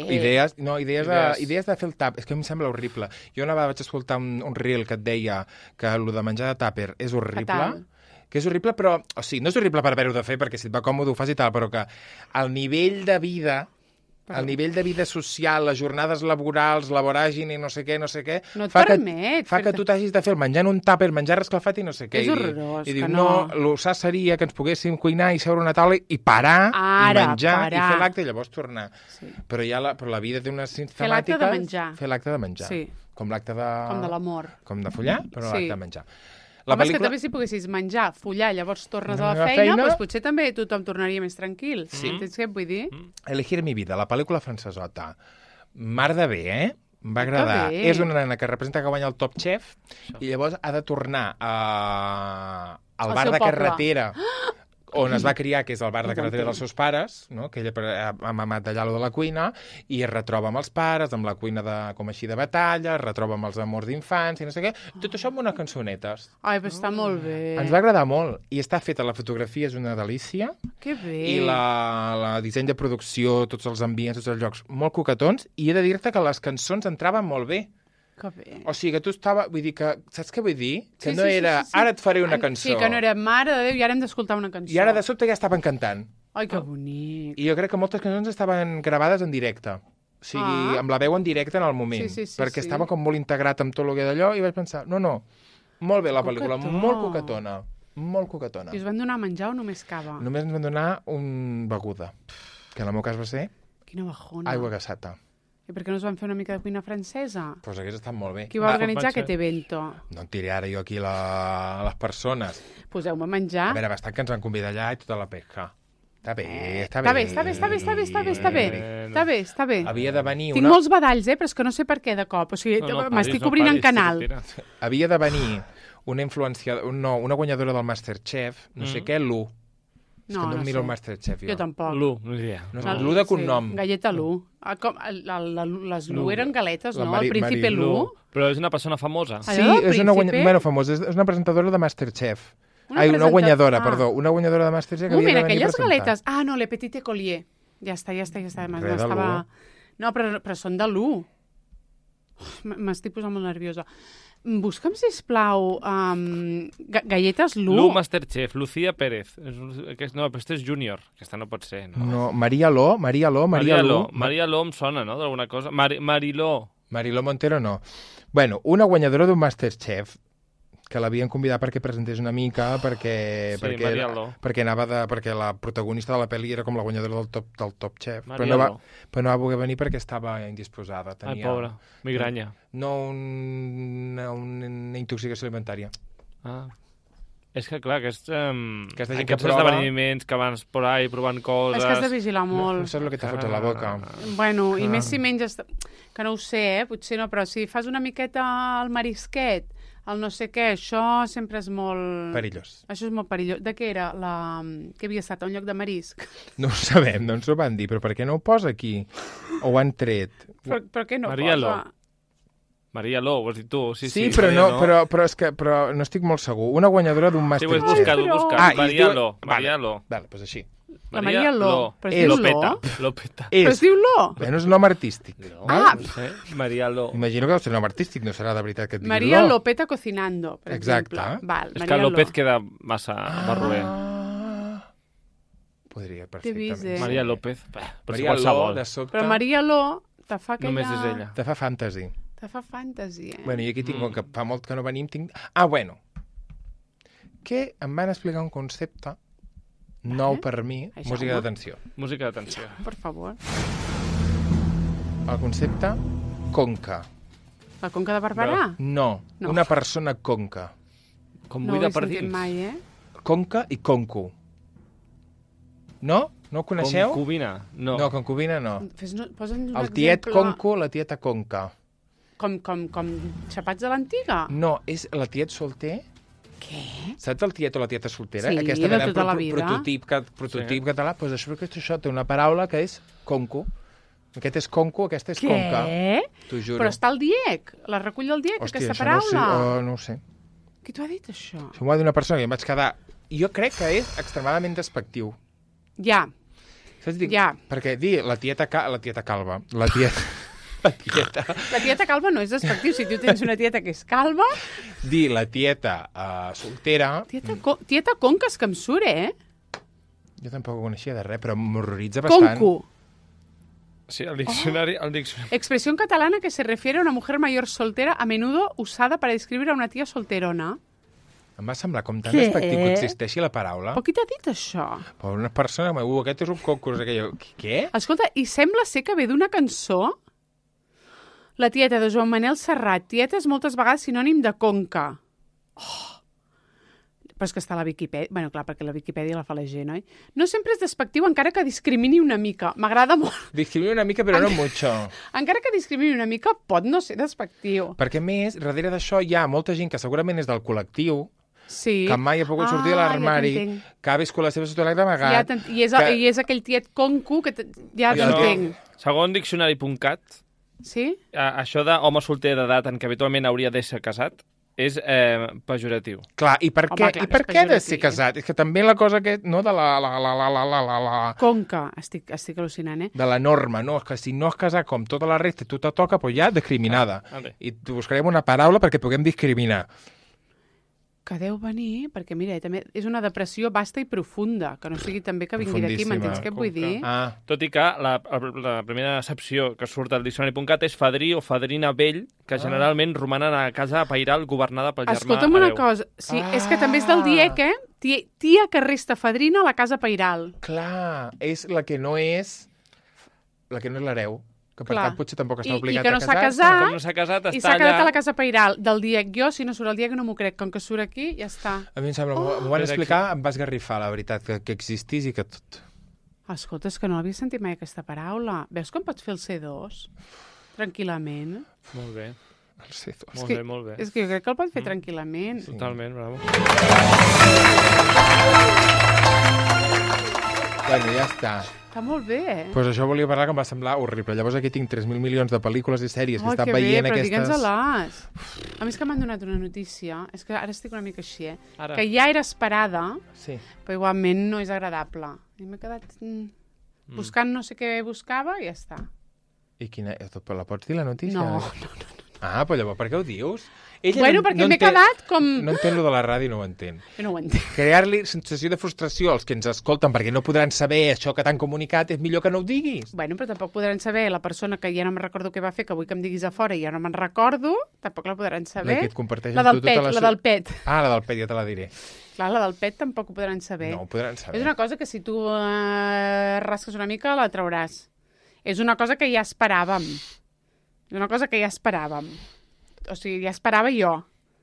Idees de fer el tàper, és que a mi em sembla horrible. Jo una vegada vaig escoltar un reel que et deia que el de menjar de tàper és horrible, que és horrible, però, o sigui, no és horrible per haver-ho de fer, perquè si et va còmode ho fas i tal, però que el nivell de vida social, les jornades laborals, la voràgine i no sé què, no et permet. Fa que tu t'hagis de fer el menjar en un tàper, menjar escalfat i no sé què. És horrorós, i diu, no, el sa seria que ens poguéssim cuinar i seure a una taula i parar, i menjar, i fer l'acte i llavors tornar. Sí. Però la vida té unes sistemàtiques... Fer l'acte de menjar. Sí. Com l'acte de... Com de l'amor. Com de follar, però l'acte de menjar. Home, és que també si poguessis menjar, follar, llavors tornes a la feina, doncs potser també tothom tornaria més tranquil. Sí. Entens què et vull dir? Elegir mi vida, la pel·lícula francesota. Mar de bé, Em va agradar. És una nena que representa que guanya el Top Chef i llavors ha de tornar al bar de carretera on es va criar, que és el bar de carretera dels seus pares, no? Que ella ha mamat d'allà de la cuina, i es retroba amb els pares, amb la cuina com així de batalla, es retroba amb els amors d'infants, i no sé què. Tot això amb unes cançonetes. Ai, però està molt bé. Ens va agradar molt. I està feta, la fotografia és una delícia. Que bé. I la disseny de producció, tots els ambients, tots els llocs, molt coquetons, i he de dir-te que les cançons entraven molt bé. Que bé. O sigui, que tu estava... Vull dir que... Saps què vull dir? Que no era... Ara et faré una cançó. Sí, que no era Mare de Déu i ara hem d'escoltar una cançó. I ara de sobte ja estaven cantant. Ai, que bonic. I jo crec que moltes cançons estaven gravades en directe. O sigui, amb la veu en directe en el moment. Perquè estava com molt integrat amb tot el que d'allò i vaig pensar, no, molt bé la pel·lícula, molt coquetona. Molt coquetona. I us van donar a menjar o només cava? Només ens van donar un beguda, que en el meu cas va ser... Quina bajona. Aigua gassata. I per què no us van fer una mica de cuina francesa? Doncs pues hagués estat molt bé. Qui va organitzar aquest evento? No en diré ara jo aquí les persones. Poseu-me a menjar. A veure, bastant que ens van convidar allà i tota la pesca. Està bé. Havia de venir Tinc molts badalls, però és que no sé per què de cop. O sigui, m'estic obrint en canal. Havia de venir una guanyadora del Masterchef, no sé què, Lu. És que no em miro el Masterchef, jo. Jo tampoc. Lu, no diria. Lu de cognom. Galleta Lu. Les Lu eren galetes, no? El príncipe Lu. Però és una persona famosa. Sí, és una famosa. És una presentadora de Masterchef. Una guanyadora, perdó. Una guanyadora de Masterchef que havia de venir a presentar. Aquelles galetes... no, Le Petit Écolier. Ja està. No, però són de Lu. M'estic posant molt nerviosa. Busca'm, sisplau, galletes Lu. Lu Masterchef, Lucía Pérez. No, però aquesta és júnior. Aquesta no pot ser, no? No, Maria Lo. Maria Lo em sona, no?, d'alguna cosa. Mariló Montero no. Bueno, una guanyadora d'un Masterchef que l'havien convidat perquè presentés una mica, perquè la protagonista de la pel·li era com la guanyadora del Top Chef, però no va voler venir perquè estava indisposada. Ai, pobra, migranya. No, una intoxicació alimentària. És que, clar, aquests esdeveniments que van por ahí provant coses... És que has de vigilar molt. No saps el que te fots a la boca. Bueno, i més si menges... Que no ho sé, potser no, però si fas una miqueta al marisquet, el no sé què, això sempre és molt... Perillós. Això és molt perillós. De què era? Què havia estat? A un lloc de marisc? No ho sabem, no ens ho van dir, però per què no ho posa aquí? O ho han tret? Per què no posa? Maria Lo, ho has dit tu. Sí, però és que no estic molt segur. Una guanyadora d'un Masterchef. Sí, ho he buscat. Maria Lo. Vale, doncs així. La Maria Lo. Però es diu Lo? Lopeta. Però es diu Lo? Bueno, és un nom artístic. No sé, Maria Lo. Imagino que deu ser un nom artístic, no serà de veritat que et digui Maria Lo. Lopeta cocinando, per Exacte. exemple. Val, És Maria que López Lo. queda massa barroer. Podria, T'he vist, perfectament. Maria López, però Maria Lo, qualsevol. de sobte, Però Maria Lo te fa aquella... Només és ella. te fa fantasy. Te fa fantasy, Bueno, i aquí tinc, com que fa molt que no venim, tinc... Ah, bueno. Que em van explicar un concepte nou per mi, Això, música home. d'atenció. Música d'atenció. Per favor. El concepte conca. La Conca de Barberà? No, No. una persona conca. Com No ho buida he per sentit dins. mai, eh? Conca i conco. No? No ho coneixeu? Concubina. No. No, concubina no. Posa'ns un El tiet exemple. conco, la tieta conca. Com xapats de l'antiga? No, és la tiet solter. Què? Saps el tiet o la tieta soltera? Sí, Aquesta de gran tota la vida. prototip català. Doncs això té una paraula que és conco. Aquest és conco, aquesta és conca. Què? T'ho juro. Però està al DIEC, la recull del DIEC, Hòstia, aquesta això paraula. no ho sé. Qui t'ho ha dit, això? Això m'ho va dir una persona que em vaig quedar... Jo crec que és extremadament despectiu. Ja, Saps dir? Ja. Perquè dir la tieta calva, la tieta... La tieta... la tieta calva no és despectiu. Si tu tens una tieta que és calva... Dir la tieta soltera... Tieta conques que em surt, eh? Jo tampoc ho coneixia de res, però m'horroritza bastant. Conco. Sí, el diccionari... Expresión catalana que se refiere a una mujer mayor soltera, a menudo usada para describir a una tía solterona. Em va semblar com tan Què? despectiu que existeixi la paraula. Però qui t'ha dit això? Per una persona que m'ha aquest és un concurs. Què? Escolta, i sembla ser que ve d'una cançó. La tieta de Joan Manel Serrat. Tieta és moltes vegades sinònim de conca. Però és que està a la Viquipèdia. Bueno, clar, perquè la Viquipèdia la fa la gent, oi? No sempre és despectiu, encara que discrimini una mica. M'agrada molt. Discrimina una mica, però no mucho. Encara que discrimini una mica, pot no ser despectiu. Perquè, a més, darrere d'això hi ha molta gent que segurament és del col·lectiu, Sí. que mai ha pogut sortir de l'armari, que ha viscut la seva ciutat d'amagat... I és aquell tiet conco que ja t'entenc. Segons diccionari.cat, Sí? això d'home solter d'edat en què habitualment hauria de ser casat és pejoratiu. Clar, i per Home, què, clar, i per és què ha de pejoratiu. ser casat? És que també la cosa que... No, de la Conca. Estic al·lucinant, eh? de la norma, no? És que si no has casat com tota la resta i tu te toca, doncs ja discriminada. Vale. I buscarem una paraula perquè puguem discriminar. Que deu venir, perquè mira, també és una depressió vasta i profunda, que no sigui també que vingui d'aquí, m'entens què et vull dir? Ah, Tot i que la primera accepció que surt al diccionari.cat és fadrí o fadrina vell, que generalment romanen a casa pairal governada pel germà Escolta'm una hereu. cosa, sí, és que també és del DIEC, eh? Tia que resta fadrina a la casa pairal. clar, és la que no és l'hereu, que per Clar. tant potser tampoc està I obligat que no a s'ha casar. casat, Com no s'ha casat, i està s'ha quedat allà... a la casa pairal del DIEC. Jo, si no surt el DIEC, no m'ho crec. Com que surt aquí, ja està. A mi em sembla, m'ho van explicar, em va esgarrifar, la veritat, que existís i que tot... Escolta, és que no l'havia sentit mai aquesta paraula. Veus com pots fer el C2? Tranquil·lament. Molt bé, El C2. molt que- bé, molt bé. És que jo crec que el pot fer tranquil·lament. Totalment, bravo. Bueno, ja està. Està molt bé, eh? Pues això volia parlar que em va semblar horrible. Llavors aquí tinc 3.000 milions de pel·lícules i sèries que Oh, estan que bé, veient però aquestes... digue'ns-les. A mi és que m'han donat una notícia. És que ara estic una mica així, eh? Ara. Que ja era esperada, Sí. però igualment no és agradable. I m'he quedat buscant no sé què buscava i ja està. I quina... La pots dir, la notícia? No. Ah, però llavors per què ho dius? Ella Bueno, perquè m'he quedat com... No entén lo de la ràdio, no ho entén. Jo no ho entenc. Crear-li sensació de frustració als que ens escolten perquè no podran saber això que t'han comunicat, és millor que no ho diguis. Bueno, però tampoc podran saber la persona que ja no me'n recordo què va fer, que vull que em diguis a fora i ja no me'n recordo, tampoc la podran saber. La que et comparteix La amb del tu tota pet, la... la del pet. Ah, la del pet, ja te la diré. Clar, la del pet tampoc ho podran saber. No ho podran saber. És una cosa que si tu rasques una mica la trauràs. És una cosa que ja esperàvem. És una cosa que ja esperàvem. O sigui, ja esperava jo.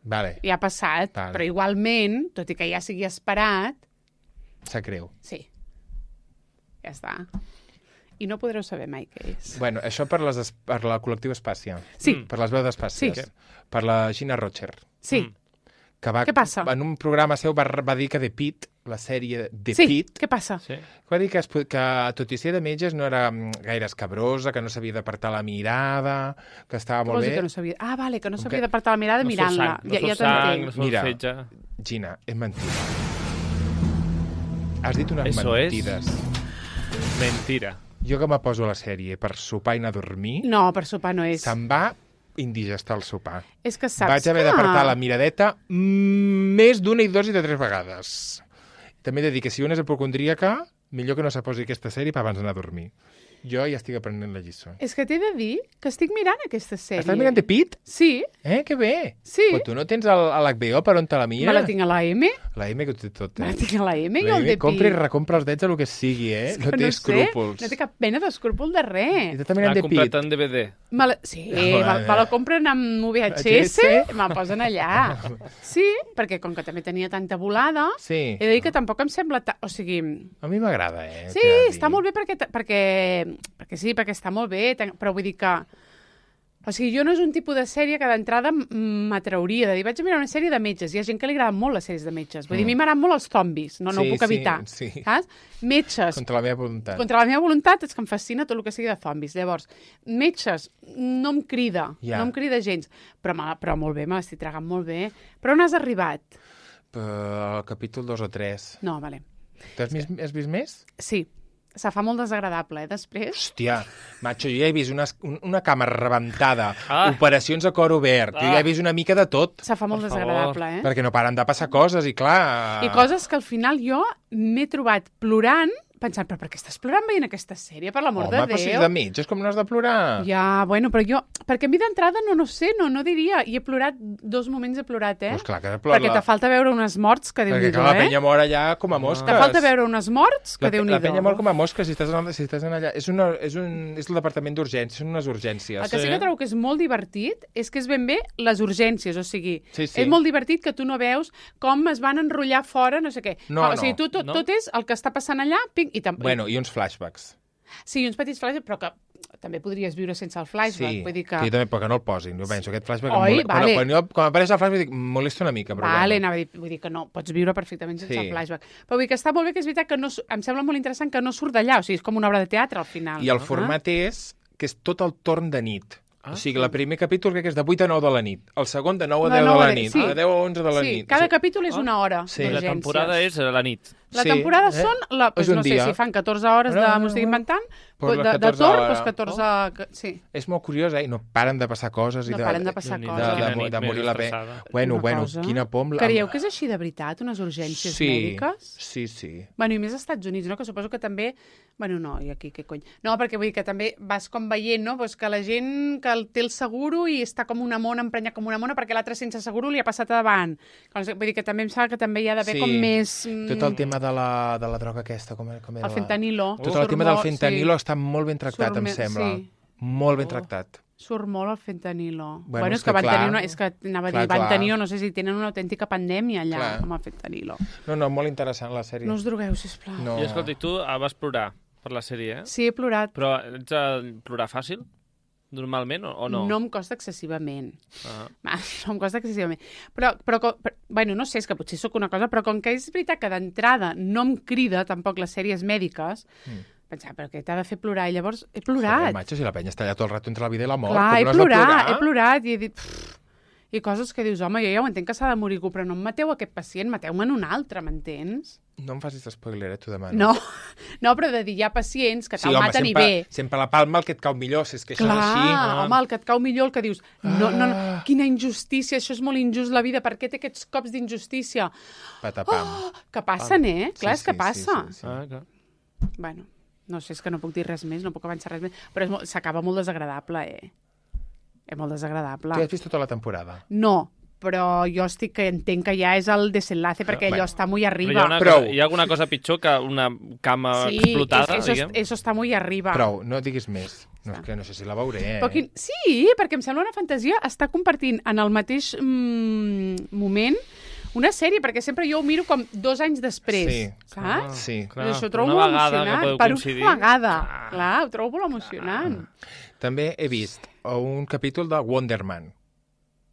Vale, Ja ha passat. Vale. Però igualment, tot i que ja sigui esperat, sap greu. sí. Ja està. I no podreu saber mai què és. Bueno, això per la col·lectiva Espàcia. Sí. Per les veus d'Espàcies. Sí. Per la Gina Rocher. Sí. Que va, Què passa? En un programa seu va dir que The Pitt, la sèrie The Sí, Pitt, què passa? Sí. va dir que tot i ser de metges no era gaire escabrosa, que no s'havia d'apartar la mirada, que estava Què molt vols dir bé. que no sabia... Ah, vale, que no Com s'havia que- d'apartar la mirada mirant-la. No Ja fos sang, t'entenc. no fos Mira. fetge. Gina, és mentida. Has dit unes Eso mentides. Mentira. Jo que me poso la sèrie per sopar i anar a dormir, No, per sopar no és. se'm va indigestar el sopar. És que saps Vaig haver d'apartar la miradeta més d'una i dos i de 3 vegades. També he de dir que si una és hipocondríaca, millor que no se posi aquesta sèrie per abans d'anar a dormir. Jo ja estic aprenent la lliçó. És que t'he de dir que estic mirant aquesta sèrie. Estàs mirant The Pitt? Sí. Que bé. Sí. Però tu no tens a l'HBO per on te la mira? Me la tinc a la M. La M que ho té tot, Me la tinc a la M i La el M de compra i Pi. recompra els drets a lo que sigui, És No que té escrúpols. No té cap pena d'escrúpol de I res. tu també mirant L'ha The comprat Pitt. en DVD. Sí, Bueno. me la compren amb VHS, me'l posen allà. Sí, perquè com que també tenia tanta volada, Sí. he de dir que tampoc em sembla... O sigui, A mi m'agrada, sí, t'he de dir. està molt bé perquè està molt bé, però vull dir que... O sigui, jo no és un tipus de sèrie que d'entrada m'atrauria. De dir, vaig a mirar una sèrie de metges. Hi ha gent que li agraden molt les sèries de metges. Vull dir, a mi m'agraden molt els zombis. No ho puc evitar. Sí. Saps? Metges. Contra la meva voluntat. Contra la meva voluntat és que em fascina tot el que sigui de zombis. Llavors, metges, no em crida. Ja. No em crida gens. Però molt bé, me l'estic tragant molt bé. Però on has arribat? El capítol 2 o 3. No, vale. Has vist més? Sí. Se fa molt desagradable, després. Hòstia, macho, jo ja he vist una cama rebentada, Ah. operacions a cor obert, jo ja he vist una mica de tot, Se fa molt Per favor. desagradable, perquè no paren de passar coses, i clar... I coses que al final jo m'he trobat plorant, pensant, però per què estàs plorant veient aquesta sèrie, per l'amor de Home, però si és Déu? de metges, com no has de plorar? Ja, bueno, però jo... Perquè a mi d'entrada no sé, no diria. I he plorat, 2 moments he plorat, Pues clar que he plorat Perquè te falta veure unes morts que Perquè Déu-n'hi-do, clar, la penya mor allà com a mosques. Te falta veure unes morts que La Déu-n'hi-do. penya mor com a mosques si estàs en allà. És el departament d'urgències, són unes urgències. El que sí que trobo que és molt divertit és que és ben bé les urgències, o sigui, Sí, sí. és molt divertit que tu no veus com es van enrotllar fora, no sé què. No, O sigui, no. tot és el que està passant allà, ping, Bueno, i uns flashbacks. Sí, uns petits flashbacks, però que també podries viure sense el flashback. Sí, Vull dir que... jo també, però que no el posin. Jo penso, aquest flashback... Oi, vale. Quan apareix el flashback, dic, molesta una mica, però Vale, bueno. anava a dir, vull dir que no, pots viure perfectament sense Sí. el flashback. Però vull dir que està molt bé, que és veritat que no, em sembla molt interessant que no surt d'allà, o sigui, és com una obra de teatre al final. I el format és que és tot el torn de nit. O sigui, el primer capítol crec que és de 8 a 9 de la nit. El segon de 9 a 10 de la nit. sí. De 10 a 11 de la Sí, nit. cada capítol és una hora Sí. La d'urgències. temporada és a la nit. La Sí, temporada eh? són, pues, És un no sé dia. si fan 14 hores de... M'ho estic inventant? Pues les de 14 torn, hores. doncs 14... Sí. És molt curiós, I no paren de passar coses. No paren de passar Déu-n'hi-do, coses. quina nit de morir més la estressada. Bueno, Una cosa. quina pom. Creieu que és així de veritat, unes urgències Sí, mèdiques? sí. Bueno, i més als Estats Units, no? Que suposo que també... Bueno, no, i aquí què cony? No, perquè vull dir que també vas com veient, no? Pues que la gent que té el seguro i està com una mona, emprenyat com una mona, perquè l'altre sense seguro li ha passat a davant. Vull dir que també em sembla que també hi ha d'haver com més... Tot el tema de la droga aquesta, com era El fentanilo. Tot el tema del fentanilo està molt ben tractat, em Surt sembla. sí. Molt ben tractat. Surt molt el fentanilo. Bueno, Bueno, és és que que van clar, tenir una... És que anava a dir, clar. van tenir, no sé si tenen una autèntica pandèmia allà Clar. amb el fentanilo. No, molt interessant la sèrie. No us drogueu, sisplau. No. I escolta, tu vas plorar per la sèrie, eh? Sí, he plorat. Però ets de plorar fàcil? Normalment, o no? No em costa excessivament. Ah. No em costa excessivament. Però, bueno, no sé, és que potser sóc una cosa, però com que és veritat que d'entrada no em crida tampoc les sèries mèdiques, pensava, però què t'ha de fer plorar? I llavors he plorat. Joder, macho, si la penya està allà tot el rato entre la vida i la mort. Clar, com no has de plorar? he plorat i he dit... I coses que dius, home, jo ja ho entenc que s'ha de morir algú, però no em mateu aquest pacient, mateu-me'n un altre, m'entens? No em facis spoiler, t'ho demano. No, però de dir, hi ha pacients que te'l maten sempre, i bé. Sempre la palma el que et cau millor, si és que això Clar, és així. home, el que et cau millor, el que dius, no, quina injustícia, això és molt injust la vida, per què té aquests cops d'injustícia? Patapam. Que passen, Clar, és que passa. Sí. Ah, clar. Bueno, no sé, és que no puc dir res més, no puc avançar res més, però s'acaba molt desagradable, És molt desagradable. Tu has vist tota la temporada? No, però jo que entenc que ja és el desenlace, perquè allò està molt arriba. Hi ha alguna cosa pitjor que una cama explotada, diguem? Eso està molt arriba. Prou, no diguis més. No, és que no sé si la veuré, Però sí, perquè em sembla una fantasia estar compartint en el mateix moment una sèrie, perquè sempre jo ho miro com 2 anys després, saps? Sí. Clar, Això ho trobo una molt vegada emocionant. que podeu Per coincidir. una vegada. Clar, ho trobo molt emocionant. També he vist un capítol de Wonder Man,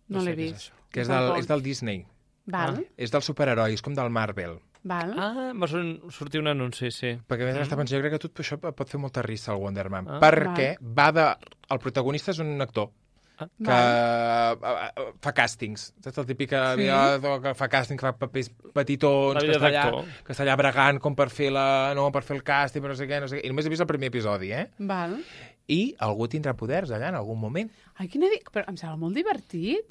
No l'he sé què és vist. això. que és del Disney. Val, És dels superherois, com del Marvel. val. Ah, va sortir un anunci, sí. Perquè a més està pensant, jo crec que tot això pot fer molta risa, el Wonder Man. Ah. Perquè el protagonista és un actor. que fa càstings. Saps el típic aviador que fa càstings, fa papers petitons, que està allà bregant com per fer el càsting, però no sé què. I només he vist el primer episodi, Val. I algú tindrà poders allà en algun moment. Ai, però em sembla molt divertit.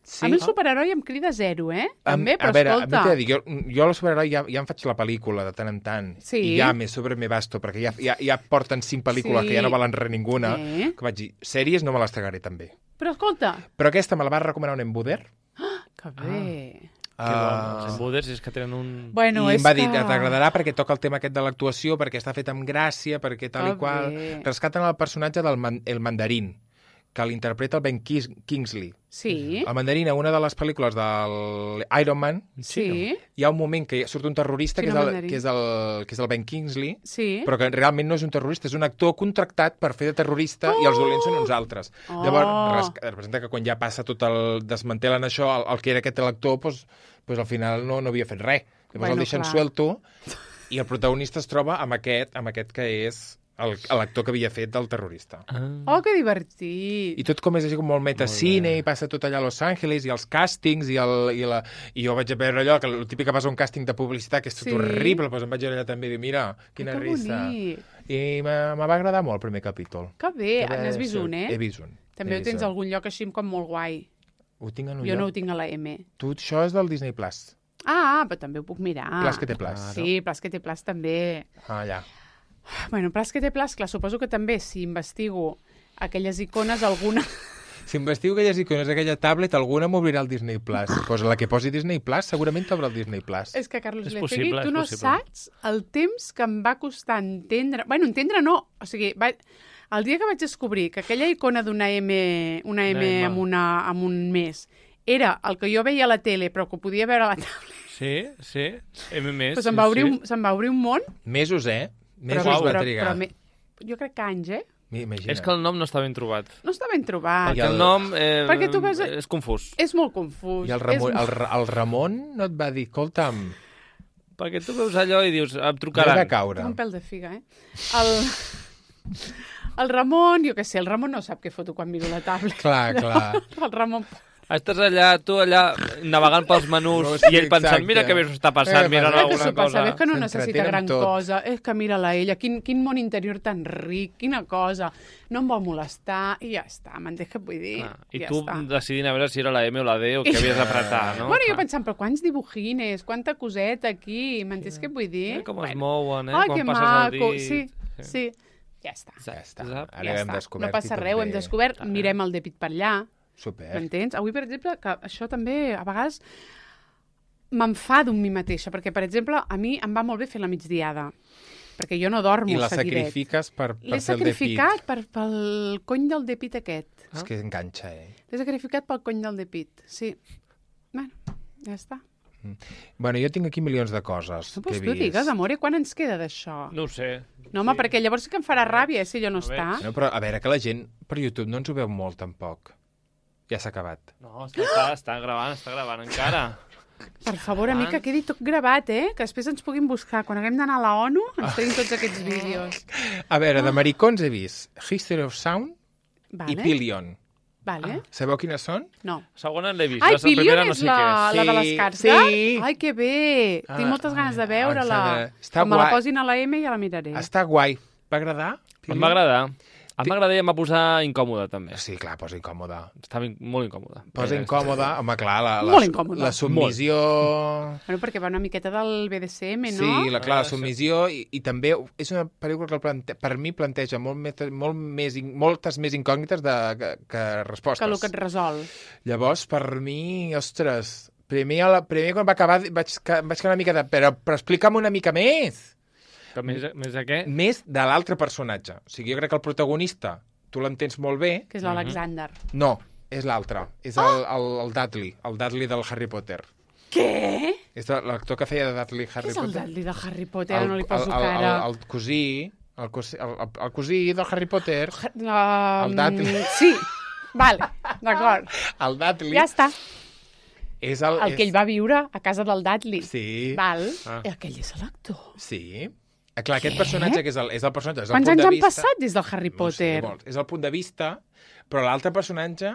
Sí. A mi el superheroi em crida zero, També, però a veure, escolta... A mi t'he de dir, jo el superheroi ja em faig la pel·lícula de tant en tant. Sí. I ja me sobre me basto, perquè ja porten 5 pel·lícules que ja no valen res ninguna. Que vaig dir, sèries no me les tragaré també. Però escolta... Però aquesta me la va recomanar un embuder. Que bé... Que bon, els embuders és que tenen un... Bueno, I em va dir, t'agradarà perquè toca el tema aquest de l'actuació, perquè està fet amb gràcia, perquè tal i qual... Rescaten el personatge del Mandarín, que l'interpreta el Ben Kingsley. Sí. El Mandarín, a una de les pel·lícules del Iron Man, hi ha un moment que surt un terrorista que és el Ben Kingsley, però que realment no és un terrorista, és un actor contractat per fer de terrorista i els dolents són uns altres. Llavors, representa que quan ja passa tot el... desmantelen això, el que era aquest l'actor, doncs al final no havia fet res. Llavors el deixen suelto i el protagonista es troba amb aquest que és l'actor que havia fet del terrorista. Oh, que divertit! I tot com és així com molt metacine, i passa tot allà a Los Angeles, i els càstings, i jo vaig a veure allò, que el típic que vas a un càsting de publicitat, que és tot horrible, doncs em vaig allà també i dir, mira, quina risa. I me va agradar molt el primer capítol. Que bé, n'has vist un, He vist un. També ho tens a algun lloc així com molt guai. Ho tinc en un lloc? Jo no ho tinc a la M. Tu, això és del Disney Plus. Ah, però també ho puc mirar. Plus que té Plus. Sí, Plus que té Plus també. Ah, ja. Bueno, Plus que té Plus, clar, suposo que també, si investigo aquelles icones, alguna... Si investigo aquelles icones d'aquella tablet, alguna m'obrirà el Disney Plus. Pues la que posi Disney Plus segurament t'obre el Disney Plus. És que, Carlos Lecegui, tu no saps el temps que em va costar entendre... Bueno, entendre no, o sigui... El dia que vaig descobrir que aquella icona d'una M amb un mes era el que jo veia a la tele, però que ho podia veure a la tablet... Sí, M més. Però se'm va obrir un món... Mesos, Mesos va trigar. Jo crec que anys, Imagina. És que el nom no està ben trobat. No està ben trobat. Perquè el nom és confús. És molt confús. I el Ramon no et va dir, escolta'm... Perquè tu veus allò i dius, em trucaran. Has de caure. Un pèl de figa, El Ramon, jo què sé, el Ramon no sap què foto quan miro la tablet. Clar. El Ramon... Estàs tu allà, navegant pels menús i ell pensant, mira que bé s'ho està passant, mira alguna cosa. És que no necessita gran cosa, és que mira-la ella, quin món interior tan ric, quina cosa, no em vol molestar, i ja està, m'entens què vull dir? I tu decidint a veure si era la M o la D o què havies d'apretar, no? Bueno, jo pensant, però quants dibujines, quanta coseta aquí, m'entens què vull dir? Com es mouen, quan passes el dit. Sí, ja està. Ara hem descobert. No passa res, ho hem descobert, mirem el dèpit per allà. Super. M'entens? Avui, per exemple, que això també a vegades m'enfado amb mi mateixa, perquè, per exemple, a mi em va molt bé fer la migdiada, perquè jo no dormo seguidet. I la sacrifiques per fer el dèpit. L'he sacrificat pel cony del dèpit aquest. És que enganxa, L'he sacrificat pel cony del dèpit, sí. Bueno, ja està. Bueno, jo tinc aquí milions de coses que he vist. Tu digues, amore, quan ens queda d'això? No ho sé. No, home, perquè llavors sí que em farà ràbia, si allò no està. No, però a veure, que la gent per YouTube no ens ho veu molt, tampoc. Ja s'ha acabat. No, està gravant encara. Per favor, amic, que quedi tot gravat, que després ens puguin buscar. Quan haguem d'anar a la ONU, ens tenim tots aquests vídeos. A veure, de maricons he vist History of Sound i Pillion. Vale. Sabeu quines són? No. Segona l'he vist. Ai, Pillion és la de l'Escarza? Sí. Ai, que bé. Tinc moltes ganes de veure-la. Quan me la posin a la M ja la miraré. Està guai. Va agradar? Em va agradar. Em va agradar i em va posar incòmode, també. Sí, clar, posa incòmode. Estava molt incòmode. Posa incòmode, home, clar, la submissió... Bueno, perquè va una miqueta del BDSM, no? Sí, la submissió, i també és una pel·lícula que per mi planteja moltes més incògnites que respostes. Que el que et resol. Llavors, per mi, ostres, primer quan va acabar vaig quedar una mica de... Però explica'm una mica més! Més de què? Més de l'altre personatge. O sigui, jo crec que el protagonista, tu l'entens molt bé... Que és l'Alexander. No, és l'altre. És el Dudley, el Dudley del Harry Potter. Què? És l'actor que feia de Dudley Harry Potter. Què és el Dudley del Harry Potter? No li poso cara. El cosí... El cosí del Harry Potter. El Dudley. Sí, vale, d'acord. El Dudley. Ja està. És el que ell va viure a casa del Dudley. Sí. Val. Aquell és l'actor. Sí. Clar, aquest personatge que és el personatge... Quants anys han passat des del Harry Potter? No sé, és el punt de vista, però l'altre personatge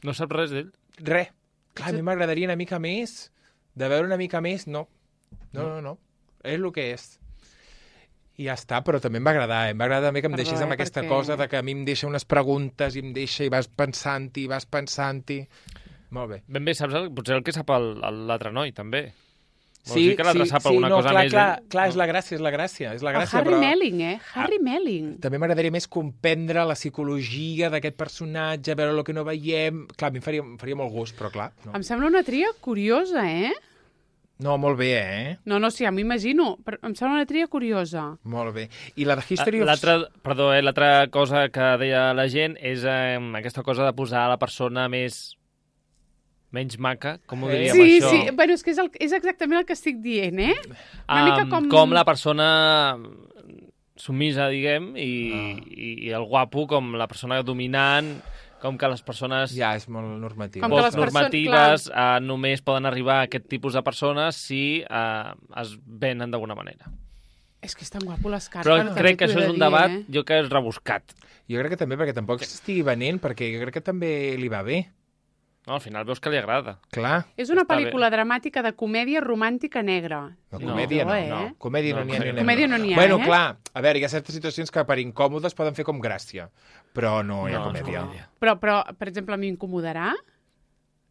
No saps res d'ell? Res. Clar, a mi m'agradaria una mica més, de veure una mica més, no. No. És el que és. I ja està, però també em va agradar. Em va agradar també que em deixés amb aquesta cosa de que a mi em deixa unes preguntes i em deixa i vas pensant-hi. Molt bé. Ben bé, saps potser el que sap l'altre noi, també. Sí, que l'altre sap alguna cosa més. Clar, és la gràcia. El Harry Melling, Harry Melling. També m'agradaria més comprendre la psicologia d'aquest personatge, veure el que no veiem. Clar, a mi em faria molt gust, però clar. No. Em sembla una tria curiosa, No, molt bé, No, sí, ja m'imagino, però em sembla una tria curiosa. Molt bé. I la de History of... L'altra cosa que deia la gent és aquesta cosa de posar la persona menys maca, com ho diríem això? Sí, bueno, és que és exactament el que estic dient, Una mica com la persona sumisa, diguem, i el guapo com la persona dominant, com que les persones... Ja, és molt normatiu. Normatives només poden arribar a aquest tipus de persones si es venen d'alguna manera. És que és tan guapo l'escarpa. Però crec que això és un debat, jo que és rebuscat. Jo crec que també, perquè tampoc s'estigui venent, perquè jo crec que també li va bé. No, al final veus que li agrada. Clar. És una pel·lícula dramàtica de comèdia romàntica negra. No, comèdia no. Comèdia no n'hi ha. Comèdia no n'hi ha, Bueno, clar, a veure, hi ha certes situacions que per incòmodes poden fer com gràcia, però no hi ha comèdia. Però, per exemple, a mi m'incomodarà?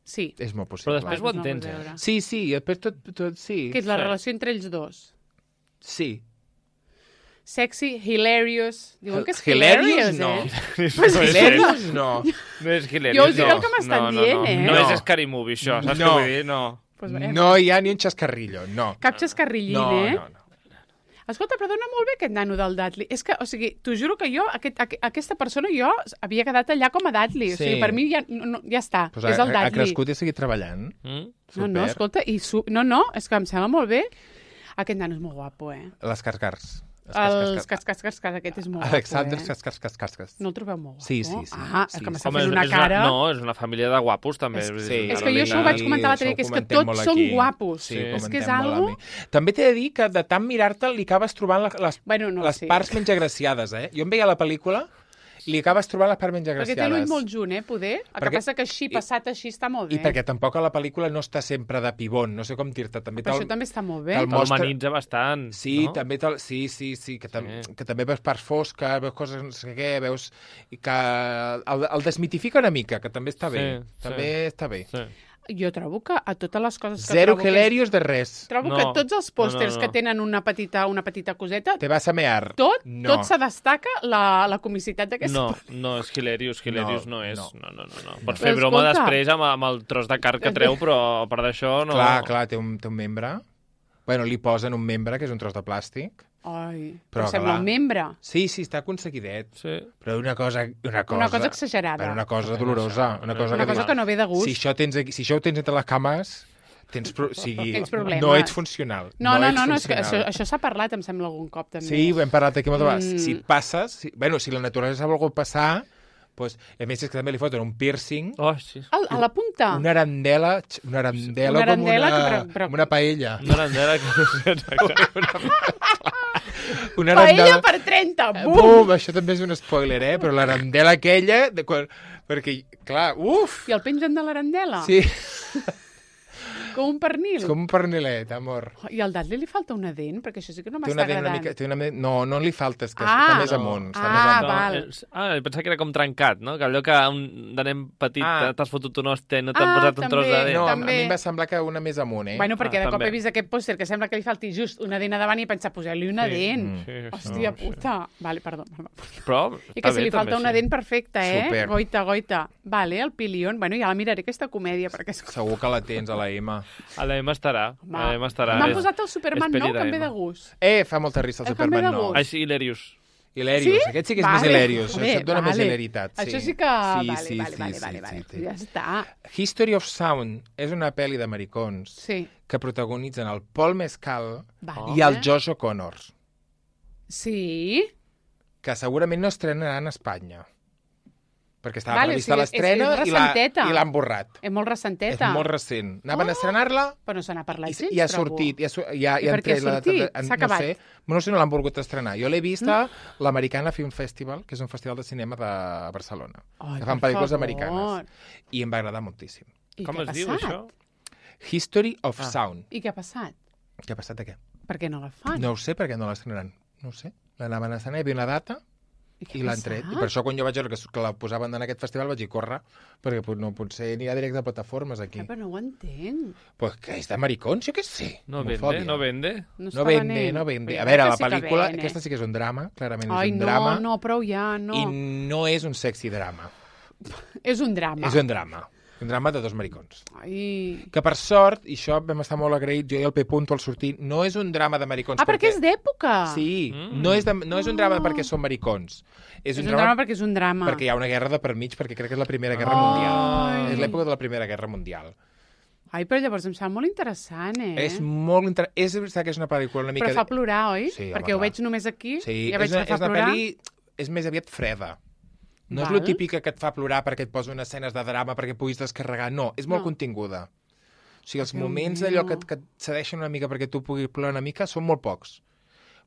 Sí. És molt possible. Però després ho entens, Sí, i després tot sí. Que és la relació entre ells dos. Sí. Sexy, hilarious... Diuen que és hilarious, no. Hilarious, no. No és hilarious, jo us dic el que m'estan dient, No és Scary Movie, això, saps què vull dir? No. No hi ha ni un xascarrillo, no. Cap xascarrillín, No. Escolta, però dona molt bé aquest nano del Dudley. És que, o sigui, t'ho juro que jo, aquesta persona, jo havia quedat allà com a Dudley. O sigui, per mi ja està, és el Dudley. Ha crescut i ha seguit treballant. No, escolta, és que em sembla molt bé. Aquest nano és molt guapo, Les Cascars. Els cascas, aquest és molt Alexander guapo, No el trobeu molt guapo? Sí. És que m'està fent una cara... No, és una família de guapos, també. És que jo això ho vaig comentar l'altre dia, que és que tots són guapos. És que és algo... També t'he de dir que de tant mirar-te'l li acabes trobant les parts menys agraciades, Jo em veia la pel·lícula i li acabes trobant les parts menys agraciades. Perquè té l'ull molt junt, poder? El que passa que així, passat així, està molt bé. I perquè tampoc a la pel·lícula no està sempre de pibón, no sé com dir-te. Però això també està molt bé. L'humanitza bastant, sí, no? També que també veus parts fosques, veus coses, no sé què, veus... I que el desmitifica una mica, que també està bé. També està bé. Jo trobo que a totes les coses que Zero hilarious de res. Trobo que tots els pòsters que tenen una petita coseta... Te vas a mear. Tot se destaca la comicitat d'aquesta... No, és hilarious no és. No. Pot fer broma després amb el tros de carn que treu, però a part d'això no... Clar, té un membre. Bueno, li posen un membre, que és un tros de plàstic. Ai, però sembla un membre. Sí, està aconseguidet. Sí. Però una cosa exagerada. Una cosa dolorosa. Una cosa que no ve de gust. Si això ho tens entre les cames, tens problemes. No ets funcional. No, és que això s'ha parlat, em sembla, algun cop, també. Sí, ho hem parlat aquí moltes vegades. Si et passes... Si la naturalesa ha volgut passar... Pues, a més, és que també li foten un piercing. Sí. A la punta. Una arandela com una paella. Una arandela Una paella per 30, bum! Això també és un spoiler, però l'arandela aquella... Perquè, clar, I el pengen de l'arandela? Sí. Com un pernil. Com un pernilet, amor. I al Dudley li falta una dent? Perquè això sí que no m'està agradant. No li falta, és que està més amunt. Val. Pensava que era com trencat, no? Que allò que de nen petit t'has fotut un hoste, no t'han posat un tros de dent. No, a mi em va semblar que una més amunt, Bueno, perquè de cop he vist aquest pòster que sembla que li falti just una dent a davant i he pensat, posar-li una dent. Hòstia puta. Vale, perdó. I que si li falta una dent perfecta, Goita. Vale, el Pilion. Bueno, ja la miraré, aquesta comèdia. Segur que la tens a la M. A la M estarà. M'han posat el Superman nou, que em ve de gust. Fa molta risa el Superman nou. Així, hilarious. Hilarious, aquest sí que és més hilarious. Això et dona més hilaritat. Això sí que... Vale. Ja està. History of Sound és una pel·li d'americans que protagonitzen el Paul Mescal i el Josh O'Connor. Sí? Que segurament no estrenaran a Espanya. perquè estava prevista l'estrena i l'han borrat. És molt recenteta. És molt recent. Anaven a estrenar-la... Però no se n'ha parlat gens, i ha sortit. I per què ha sortit? S'ha acabat? No sé, no l'han volgut estrenar. Jo l'he vista a l'Americana Film Festival, que és un festival de cinema de Barcelona. Que fan pel·lícules americanes. I em va agradar moltíssim. Com es diu, això? History of Sound. I què ha passat? Què ha passat de què? Per què no la fan? No ho sé, per què no l'estrenaran. No ho sé. L'anaven a estrenar, hi havia una data... I l'han tret. I per això, quan jo vaig veure que la posaven en aquest festival, vaig dir, corre, perquè no potser n'hi ha directe a plataformes aquí. Però no ho entenc. Pues que és de maricons, jo què sé. No vende. No vende. A veure, la pel·lícula, aquesta sí que és un drama, clarament és un drama. Ai, no, prou ja, no. I no és un sexy drama. És un drama. És un drama. Un drama de dos maricons. Ai. Que per sort, i això vam estar molt agraïts, jo i el P. Punto al sortir, no és un drama de maricons. Perquè és d'època. Sí, no és un drama perquè són maricons. És un drama perquè és un drama. Perquè hi ha una guerra de per mig, perquè crec que és la Primera Guerra Mundial. És l'època de la Primera Guerra Mundial. Ai, però llavors em sembla molt interessant, És molt interessant. És veritat que és una pel·lícula una mica... Però fa plorar, oi? Sí, perquè ho veig només aquí, sí, ja veig que fa plorar. Sí, és més aviat freda. No és lo típic que et fa plorar perquè et posa unes escenes de drama perquè puguis descarregar. No, és molt continguda. O sigui, els moments d'allò que et cedeixen una mica perquè tu puguis plorar una mica són molt pocs.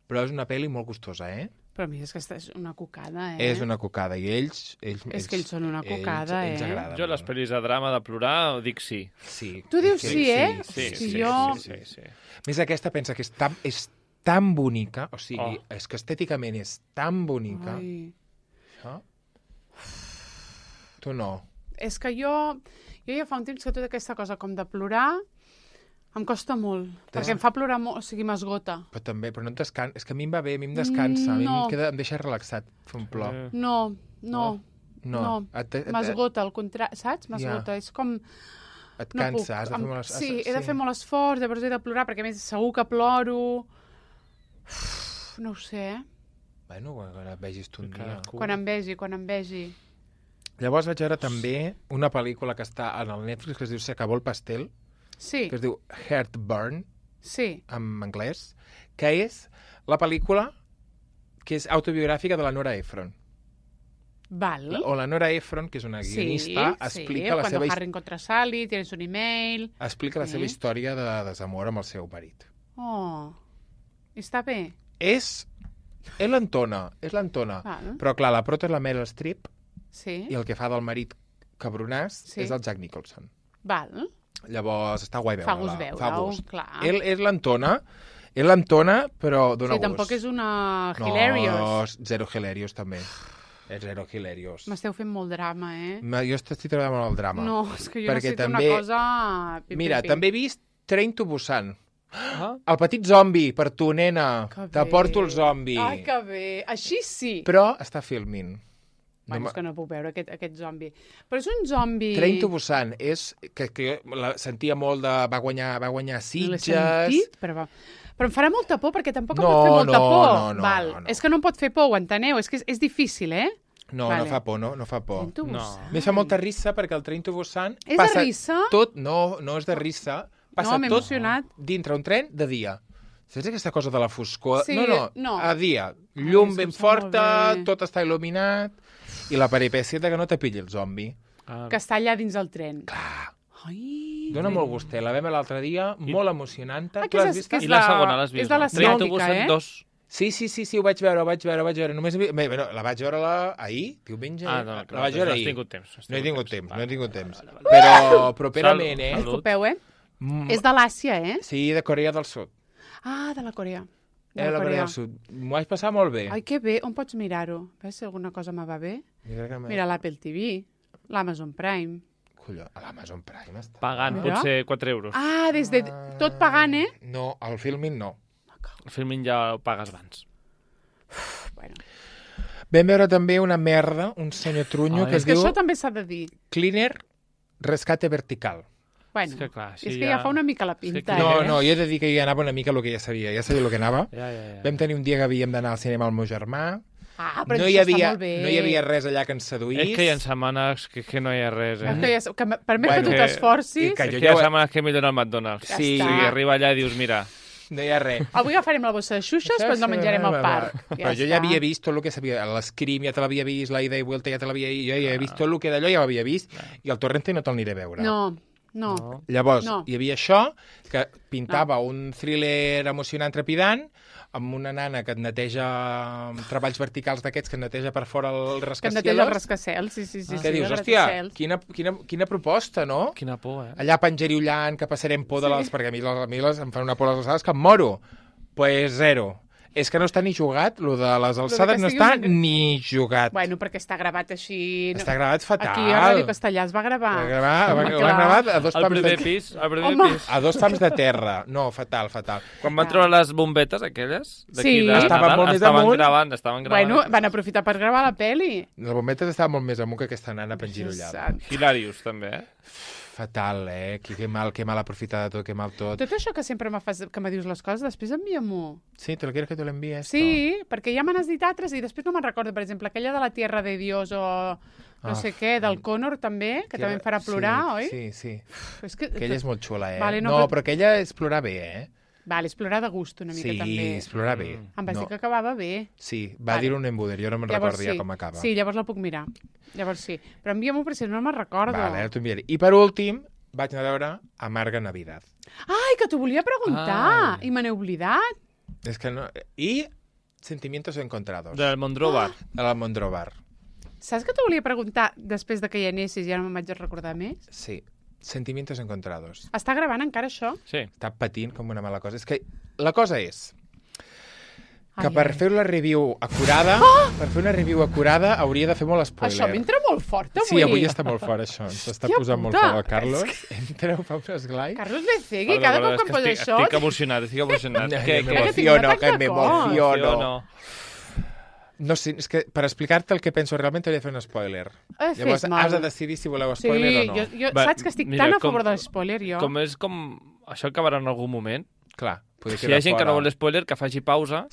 Però és una pel·li molt gustosa, Però a mi és que és una cocada, És una cocada, i ells... És que ells són una cocada, ells agraden, jo les pel·lis de drama de plorar dic sí. Sí. Tu dius sí, Sí. Més aquesta pensa que és tan bonica, o sigui, és que estèticament és tan bonica. Això... Tu no. És que jo ja fa un temps que tota aquesta cosa com de plorar em costa molt, perquè em fa plorar molt, o sigui, m'esgota. Però no et descansa. És que a mi em va bé, a mi em descansa, a mi em deixa relaxat fer un plor. No. M'esgota, al contrari, saps? M'esgota, és com... Et cansa, has de fer molt esforç. Sí, he de fer molt esforç, llavors he de plorar, perquè a més segur que ploro... No ho sé, Bueno, quan et vegis tu un dia. Quan em vegi. Llavors vaig veure també una pel·lícula que està en el Netflix que es diu Se acabó el pastel, que es diu Heartburn, en anglès, que és la pel·lícula que és autobiogràfica de la Nora Ephron. Val. O la Nora Ephron, que és una guionista, explica la seva... Cuando Harry encontra a Sally, tienes un email... Explica la seva història de desamor amb el seu marit. Està bé? És l'Antona. Però clar, la prota és la Meryl Streep, i el que fa del marit cabronàs és el Jack Nicholson. Val. Llavors està guai veure-la. Fa gust, clar. Ell és l'Antona, però dona gust. Tampoc és una hilarious. No, zero hilarious també. És zero hilarious. M'esteu fent molt drama, Jo estic treballant molt el drama. No, és que jo necessito una cosa... Mira, també he vist Train to Busan. El petit zombi, per tu, nena. Te porto el zombi. Ai, que bé. Així sí. Però està filming. Bueno, és que no puc veure aquest zombi. Però és un zombi... Train to Busan és... Que jo la sentia molt de... Va guanyar Sitges... No l'he sentit, però em farà molta por, perquè tampoc em pot fer molta por. No. És que no em pot fer por, ho enteneu? És que és difícil, No, no fa por, no fa por. Train to Busan. M'he fa molta rissa perquè el Train to Busan... És de rissa? No és de rissa. Passa tot dintre un tren de dia. Saps aquesta cosa de la foscor? Sí, no. A dia. Llum ben forta, tot està il·luminat... I la peripècia que no te pilli el zombi. Que està allà dins el tren. Clar. Ai, dona molt gust. La vam l'altre dia, molt emocionant. I la segona l'has vist? És de l'asiàtica, Sí, ho vaig veure. Només la vaig veure ahir, diumenge. La vaig veure ahir. No he tingut temps. Però properament, Disculpeu, És de l'Àsia, Sí, de Corea del Sud. De la Corea. De la Corea del Sud. M'ho vaig passar molt bé. Ai, que bé. On pots mirar-ho? Veus si alguna cosa me va bé? Mira l'Apple TV, l'Amazon Prime. Colló, a l'Amazon Prime està. Pagant, potser 4 euros. Des de... Tot pagant, No, el filming no. El filming ja ho pagues abans. Bueno. Vam veure també una merda, un senyor trunyo que es diu... És que això també s'ha de dir. Cleaner Rescate Vertical. Bueno, és que ja fa una mica la pinta, No, jo he de dir que ja anava una mica el que ja sabia el que anava. Vam tenir un dia que havíem d'anar al cinema al meu germà. Però no hi havia res allà que ens seduís. És que hi ha setmanes que no hi ha res, Per més que tu t'esforcis... Hi ha setmanes que millor al McDonald's. Sí. Arriba allà i dius, mira... No hi ha res. Avui agafarem la bossa de xuxes, però ens la menjarem al parc. Però jo ja havia vist tot el que sabia. L'Scream ja te l'havia vist, la Ida i Vuelta ja te l'havia vist, jo ja he vist tot el que d'allò ja ho havia vist, i el Torrente no te'l aniré a veure. No. Llavors, hi havia això, que pintava un thriller emocionant trepidant, amb una nana que et neteja treballs verticals d'aquests, que et neteja per fora el rascacielos. Que et neteja el rascacielos, sí. Que dius, hòstia, quina proposta, no? Quina por, Allà penjeriollant, que passarem por de les... Perquè a mi em fan una por les alçades que em moro. Pues zero. És que no està ni jugat, lo de les alçades no està ni jugat. Bueno, perquè està gravat així... Està gravat fatal. Aquí a Ràdio Castellà es va gravar. Ho han gravat a dos pams de terra. A dos pams de terra. No, fatal. Quan van treure les bombetes aquelles? Sí. Estaven molt més amunt. Estaven gravant. Bueno, van aprofitar per gravar la peli. Les bombetes estaven molt més amunt que aquesta nana pengirollada. Hilarious, també, Fatal, que mal aprofitada tot, que mal tot. Tot això que sempre que me dius les coses, després envia-m'ho. Sí, te lo quieres que te lo envíe esto? Sí, perquè ja me n'has dit altres i després no me'n recordo, per exemple, aquella de la Tierra de Dios o no sé què, del Connor també, que també em farà plorar, oi? Sí. És que aquella és molt xula, Vale, no, però aquella és plorar bé, Vale, és plorar de gust una mica també. Sí, és plorar bé. Em vas dir que acabava bé. Sí, va dir un embuder, jo no me'n recordo ja com acaba. Sí, llavors la puc mirar. Llavors sí. Però envia-m'ho perquè no me'n recordo. Vale, ara t'ho enviaré. I per últim, vaig anar a veure Amarga Navidad. Ai, que t'ho volia preguntar! I me n'he oblidat. És que no... I Sentimientos Encontrados. Del Mondrobar. De la Mondrobar. Saps que t'ho volia preguntar després de que hi anessis i ara me'n vaig recordar més? Sí. Sentimientos Encontrados. Està gravant encara això? Sí. Està patint com una mala cosa. És que la cosa és que per fer una review acurada, hauria de fer molt spoiler. Això m'entra molt fort avui. Sí, avui està molt fort això. Ens està posant molt fort el Carlos. Entra, fa un esglai. Carlos Becegui, cada cop que em posa això... Estic emocionat. Que m'emociono. No sé, és que per explicar-te el que penso realment t'hauria de fer un spoiler. Llavors has de decidir si voleu spoiler o no. Jo saps que estic tan a favor de l'espoiler, jo. Com és com... Això acabarà en algun moment. Clar. Si hi ha gent que no vol spoiler, que faci pausa,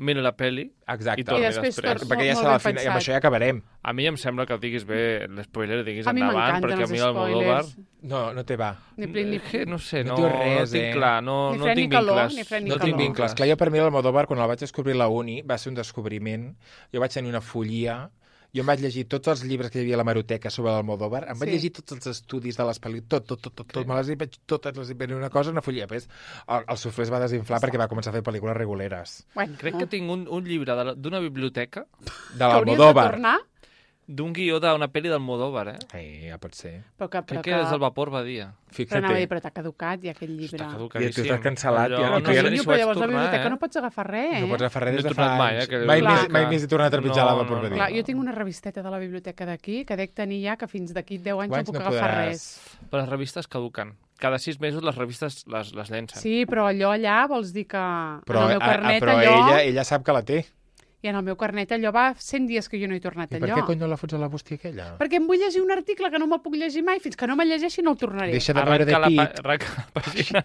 mira la peli i torni després. Perquè ja serà el final, i amb això ja acabarem. A mi em sembla que diguis bé l'espoiler, diguis endavant, perquè a mi el Modóvar... No te va. No sé, no tinc clar, no tinc vincles. No tinc vincles. Clar, jo per mi el Modóvar, quan el vaig descobrir a la uni, va ser un descobriment. Jo vaig tenir una follia. Jo em vaig llegir tots els llibres que hi havia a l'hemeroteca sobre l'Almodóvar, em vaig llegir tots els estudis de les pel·lícules, tot, me les vaig totes, les vaig una cosa, una follia. Després el suflé es va desinflar perquè va començar a fer pel·lícules reguleres. Crec que tinc un llibre d'una biblioteca de l'Almodóvar. D'un guió d'una pel·li d'Almodóvar, ja pot ser. Crec que és el Vapor Badia. Però t'ha caducat ja aquell llibre. I tu t'has cancel·lat. Però llavors a la biblioteca no pots agafar res, No pots agafar res des de fa anys. Mai més he tornat a trepitjar la Vapor Badia. Jo tinc una revisteta de la biblioteca d'aquí que dec tenir ja que fins d'aquí 10 anys no puc agafar res. Però les revistes caduquen. Cada 6 mesos les revistes les llencen. Sí, però allò allà vols dir que... Però ella sap que la té. I en el meu carnet allò va 100 dies que jo no he tornat allò. I per què cony no la fots a la bústia aquella? Perquè em vull llegir un article que no me'l puc llegir mai. Fins que no me'l llegeixi no el tornaré. Deixa de veure de pit. Arranca la pàgina.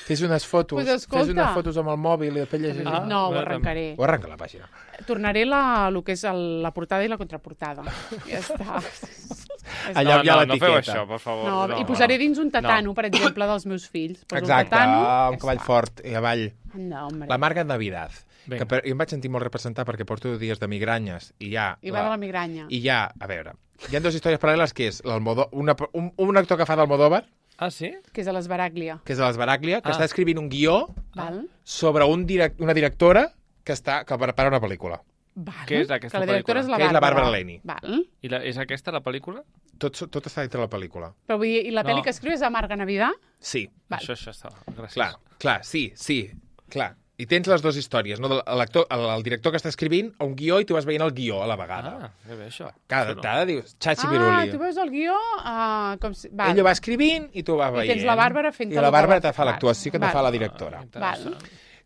Fes unes fotos. Fes unes fotos amb el mòbil i després llegir. No, ho arrencaré. O arrenca la pàgina. Tornaré el que és la portada i la contraportada. Ja està. Allà hi ha l'etiqueta. No feu això, per favor. I posaré dins un tatano, per exemple, dels meus fills. Exacte, un cavall fort i avall. La Amarga Navidad. Que jo em vaig sentir molt representar perquè porto dies de migranyes i ja... I va de la migranya. I ja, a veure, hi ha dues històries paral·leles que és un actor que fa d'Almodóvar. Ah, sí? Que és de l'Esbaraglia. Que està escrivint un guió sobre una directora que prepara una pel·lícula. Què és aquesta pel·lícula? Que la directora és la Bàrbara. Que és la Bàrbara Leni. I és aquesta la pel·lícula? Tot està dintre la pel·lícula. Però vull dir, i la pel·li que escriu és Amarga Navidad? Sí. Això està. Gràcies. Clar, sí, clar. I tens les dues històries, no? El director que està escrivint un guió i tu vas veient el guió a la vegada. Que bé, això. Cada dius, xachi piruli. Tu veus el guió com si... Ell ho va escrivint i tu ho vas veient. I tens la Bàrbara fent... I la Bàrbara te fa l'actuació que te fa la directora. Val.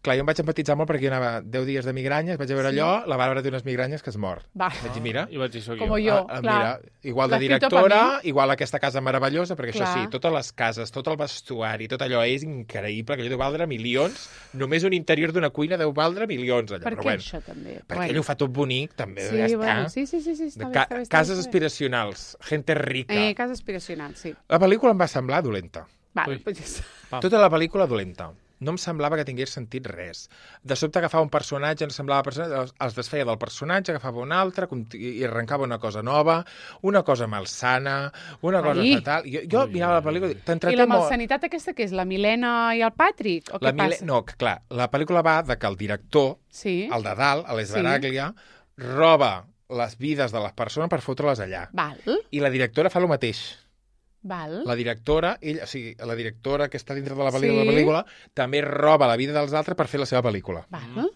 Clar, jo em vaig empatitzar molt perquè jo anava 10 dies de migranyes, vaig a veure allò, la Bàrbara té unes migranyes que es mor. Vaig dir, mira. I vaig dir, soc jo. Com jo, clar. Mira, igual de directora, igual aquesta casa meravellosa, perquè això sí, totes les cases, tot el vestuari, tot allò és increïble, que allò deu valdre milions, només un interior d'una cuina deu valdre milions. Per què això, també? Perquè ell ho fa tot bonic, també. Sí, està bé. Cases aspiracionals, gente rica. Cases aspiracionals, sí. La pel·lícula em va semblar dolenta. Vale, tota la pel·lícula dolenta. no em semblava que tingués sentit res. De sobte agafava un personatge, no semblava personatge, els desfeia del personatge, agafava un altre i arrencava una cosa nova, una cosa malsana, una cosa fatal. Jo mirava la pel·lícula i t'entreté molt. I la malsanitat aquesta que és la Milena i el Patrick? O què passa? No, clar, la pel·lícula va de que el director, el de dalt, l'Esbaraglia, roba les vides de les persones per fotre-les allà. Val. I la directora fa el mateix. Val. La directora, la directora que està dintre de la pel·lícula, també roba la vida dels altres per fer la seva pel·lícula. Val.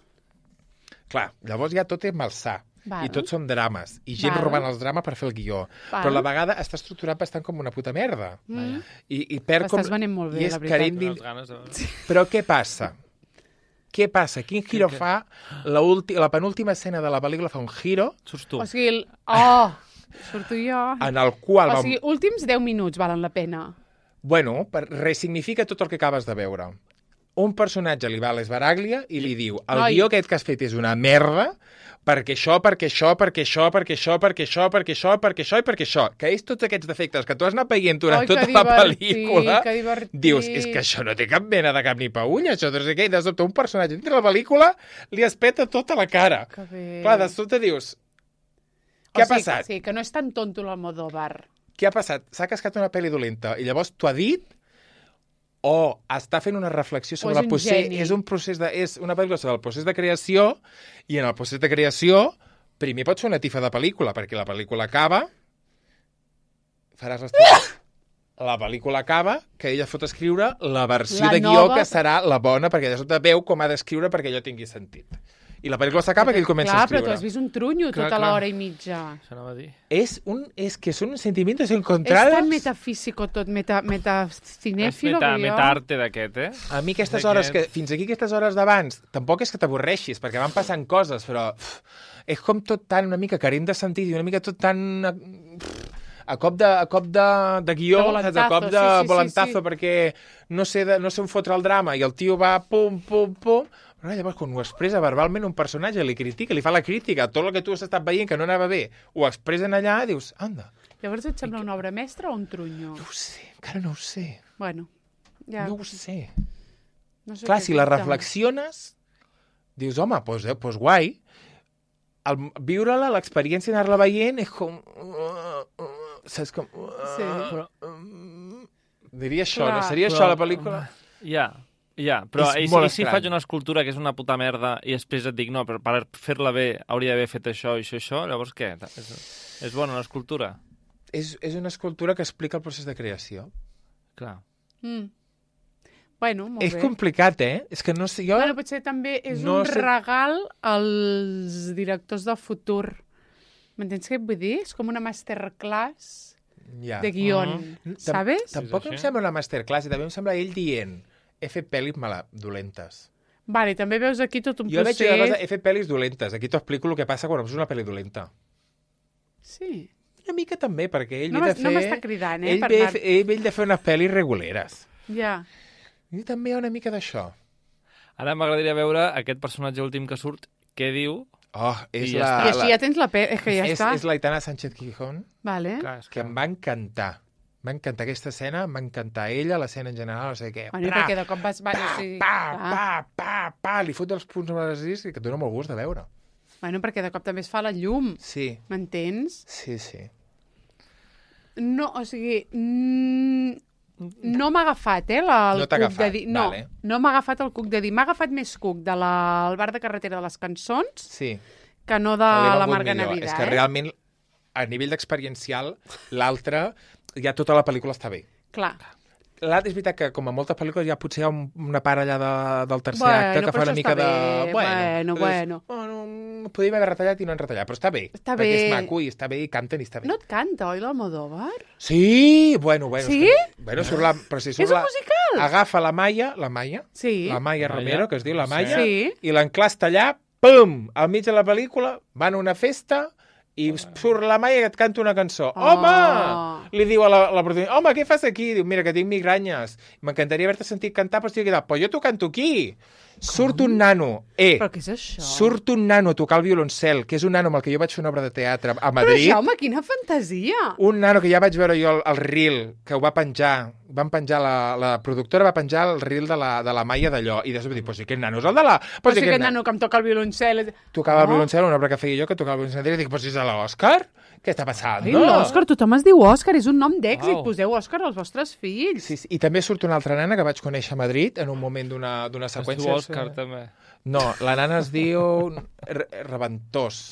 Clar, llavors ja tot és malsà. I tots són drames. I gent robant els drames per fer el guió. Però a la vegada està estructurat bastant com una puta merda. I perd com... Estàs venent molt bé, la veritat. Però què passa? Què passa? Quin giro fa? La penúltima escena de la pel·lícula fa un giro. Surts tu. O sigui, surto jo. En el qual... O sigui, últims 10 minuts valen la pena. Bueno, resignifica tot el que acabes de veure. Un personatge li va a l'Esbaraglia i li diu el guió aquest que has fet és una merda perquè això, que és tots aquests defectes que tu has anat veient durant tota la pel·lícula. Dius, és que això no té cap mena de cap ni paulla, això no sé què, i de sobte un personatge dintre la pel·lícula li es peta tota la cara. Clar, de sobte dius, què ha passat? Sí, que no és tan tonto l'Almodóvar. Què ha passat? S'ha cascat una pel·li dolenta i llavors t'ho ha dit o està fent una reflexió sobre el procés. És una pel·lícula sobre el procés de creació i en el procés de creació primer pots fer una tifa de pel·lícula perquè la pel·lícula acaba la pel·lícula acaba que ella fot escriure la versió de guió que serà la bona perquè de sobte veu com ha d'escriure perquè allò tingui sentit. I la pel·lícula s'acaba que ell comença a escriure. Clar, però tu has vist un trunyo tota l'hora i mitja. Això anava a dir. És que són sentimientos encontrados. És tan metafísico tot, metacinèfilo. Metarte d'aquest, A mi aquestes hores, fins aquí aquestes hores d'abans, tampoc és que t'avorreixis, perquè van passant coses, però és com tot tan una mica carent de sentit i una mica tot tan... a cop de guió, a cop de volantazo, perquè no sé on fotre el drama i el tio va pum, pum, pum... Però llavors, quan ho expressa verbalment un personatge, li critica, li fa la crítica, tot el que tu has estat veient que no anava bé, ho expressen allà i dius, anda. Llavors et sembla una obra mestra o un trunyo? No ho sé, encara no ho sé. Bueno, ja... No ho sé. Clar, si la reflexiones, dius, home, doncs guai. Viure-la, l'experiència d'anar-la veient, és com... Saps com... Sí. Diria això, no seria això la pel·lícula? Ja, però i si faig una escultura que és una puta merda i després et dic, no, però per fer-la bé hauria d'haver fet això i això, llavors què? És bona una escultura? És una escultura que explica el procés de creació. Clar. Bueno, molt bé. És complicat, És que no sé, jo... Bueno, potser també és un regal als directors del futur. M'entens què vull dir? És com una masterclass de guion, ¿sabes? Tampoc em sembla una masterclass, i també em sembla ell dient he fet pel·lis dolentes. Vale, també veus aquí tot un procés... Jo veig una cosa, he fet pel·lis dolentes. Aquí t'ho explico el que passa quan veus una pel·li dolenta. Sí. Una mica també, perquè ell no m'està cridant, ell ve de fer unes pel·lis reguleres. Ja. I també hi ha una mica d'això. Ara m'agradaria veure aquest personatge últim que surt, què diu... és I així ja tens la és que ja està. És l'Aitana Sánchez Gijón, vale. Que em va encantar. M'ha encantat aquesta escena, m'ha encantat ella, l'escena en general, no sé què. Bueno, perquè de cop vas... Li fot els punts amb les discs que et dona molt gust de veure. Bueno, perquè de cop també es fa la llum. Sí. M'entens? Sí. No, o sigui... No m'ha agafat, el cuc de dir... No, vale. No m'ha agafat el cuc de dir. M'ha agafat més cuc del bar de carretera de les cançons que no de la Marga Navidad. És que realment, a nivell d'experiencial, l'altre... ja tota la pel·lícula està bé. Clar. L'altre és veritat que, com a moltes pel·lícules, ja potser hi ha una part allà del tercer acte que fa una mica de... Bueno. Podríem haver retallat i no han retallat, però està bé. Està bé. Perquè és maco i està bé i canten i està bé. No et canta, oi, l'Almodóvar? Sí! Bueno. Sí? Surt la... Però si surt és un musical! Agafa la Maia sí. La Maia Romero, que es diu la Maia, sí. I l'enclasta allà, pum! Al mig de la pel·lícula, van a una festa... i surt la Maia que et canta una cançó. Home! Li diu a la protagonista, home, què fas aquí? Diu, mira, que tinc migranyes. M'encantaria haver-te sentit cantar, però estic aquí. Però jo t'ho canto aquí. Surt un nano, Però què és això? Surt un nano a tocar el violoncel, que és un nano amb el que jo vaig fer una obra de teatre a Madrid. Però, Jaume, quina fantasia! Un nano que ja vaig veure jo el reel, que ho va penjar, la productora va penjar el reel de la Maia d'allò, i després va dir, pues si aquest nano és el de la... Però si aquest nano que em toca el violoncel... Tocava el violoncel, una obra que feia jo, que tocava el violoncel, i dic, pues si és l'Òscar? Què està passant? Ai, l'Òscar, tothom es diu Òscar, és un nom d'èxit, poseu Òscar als vostres fills. Sí, i també surt una altra nana que vaig conèixer a Madrid en un moment d'una seqüència. Es diu Òscar, també. No, la nana es diu Reventós.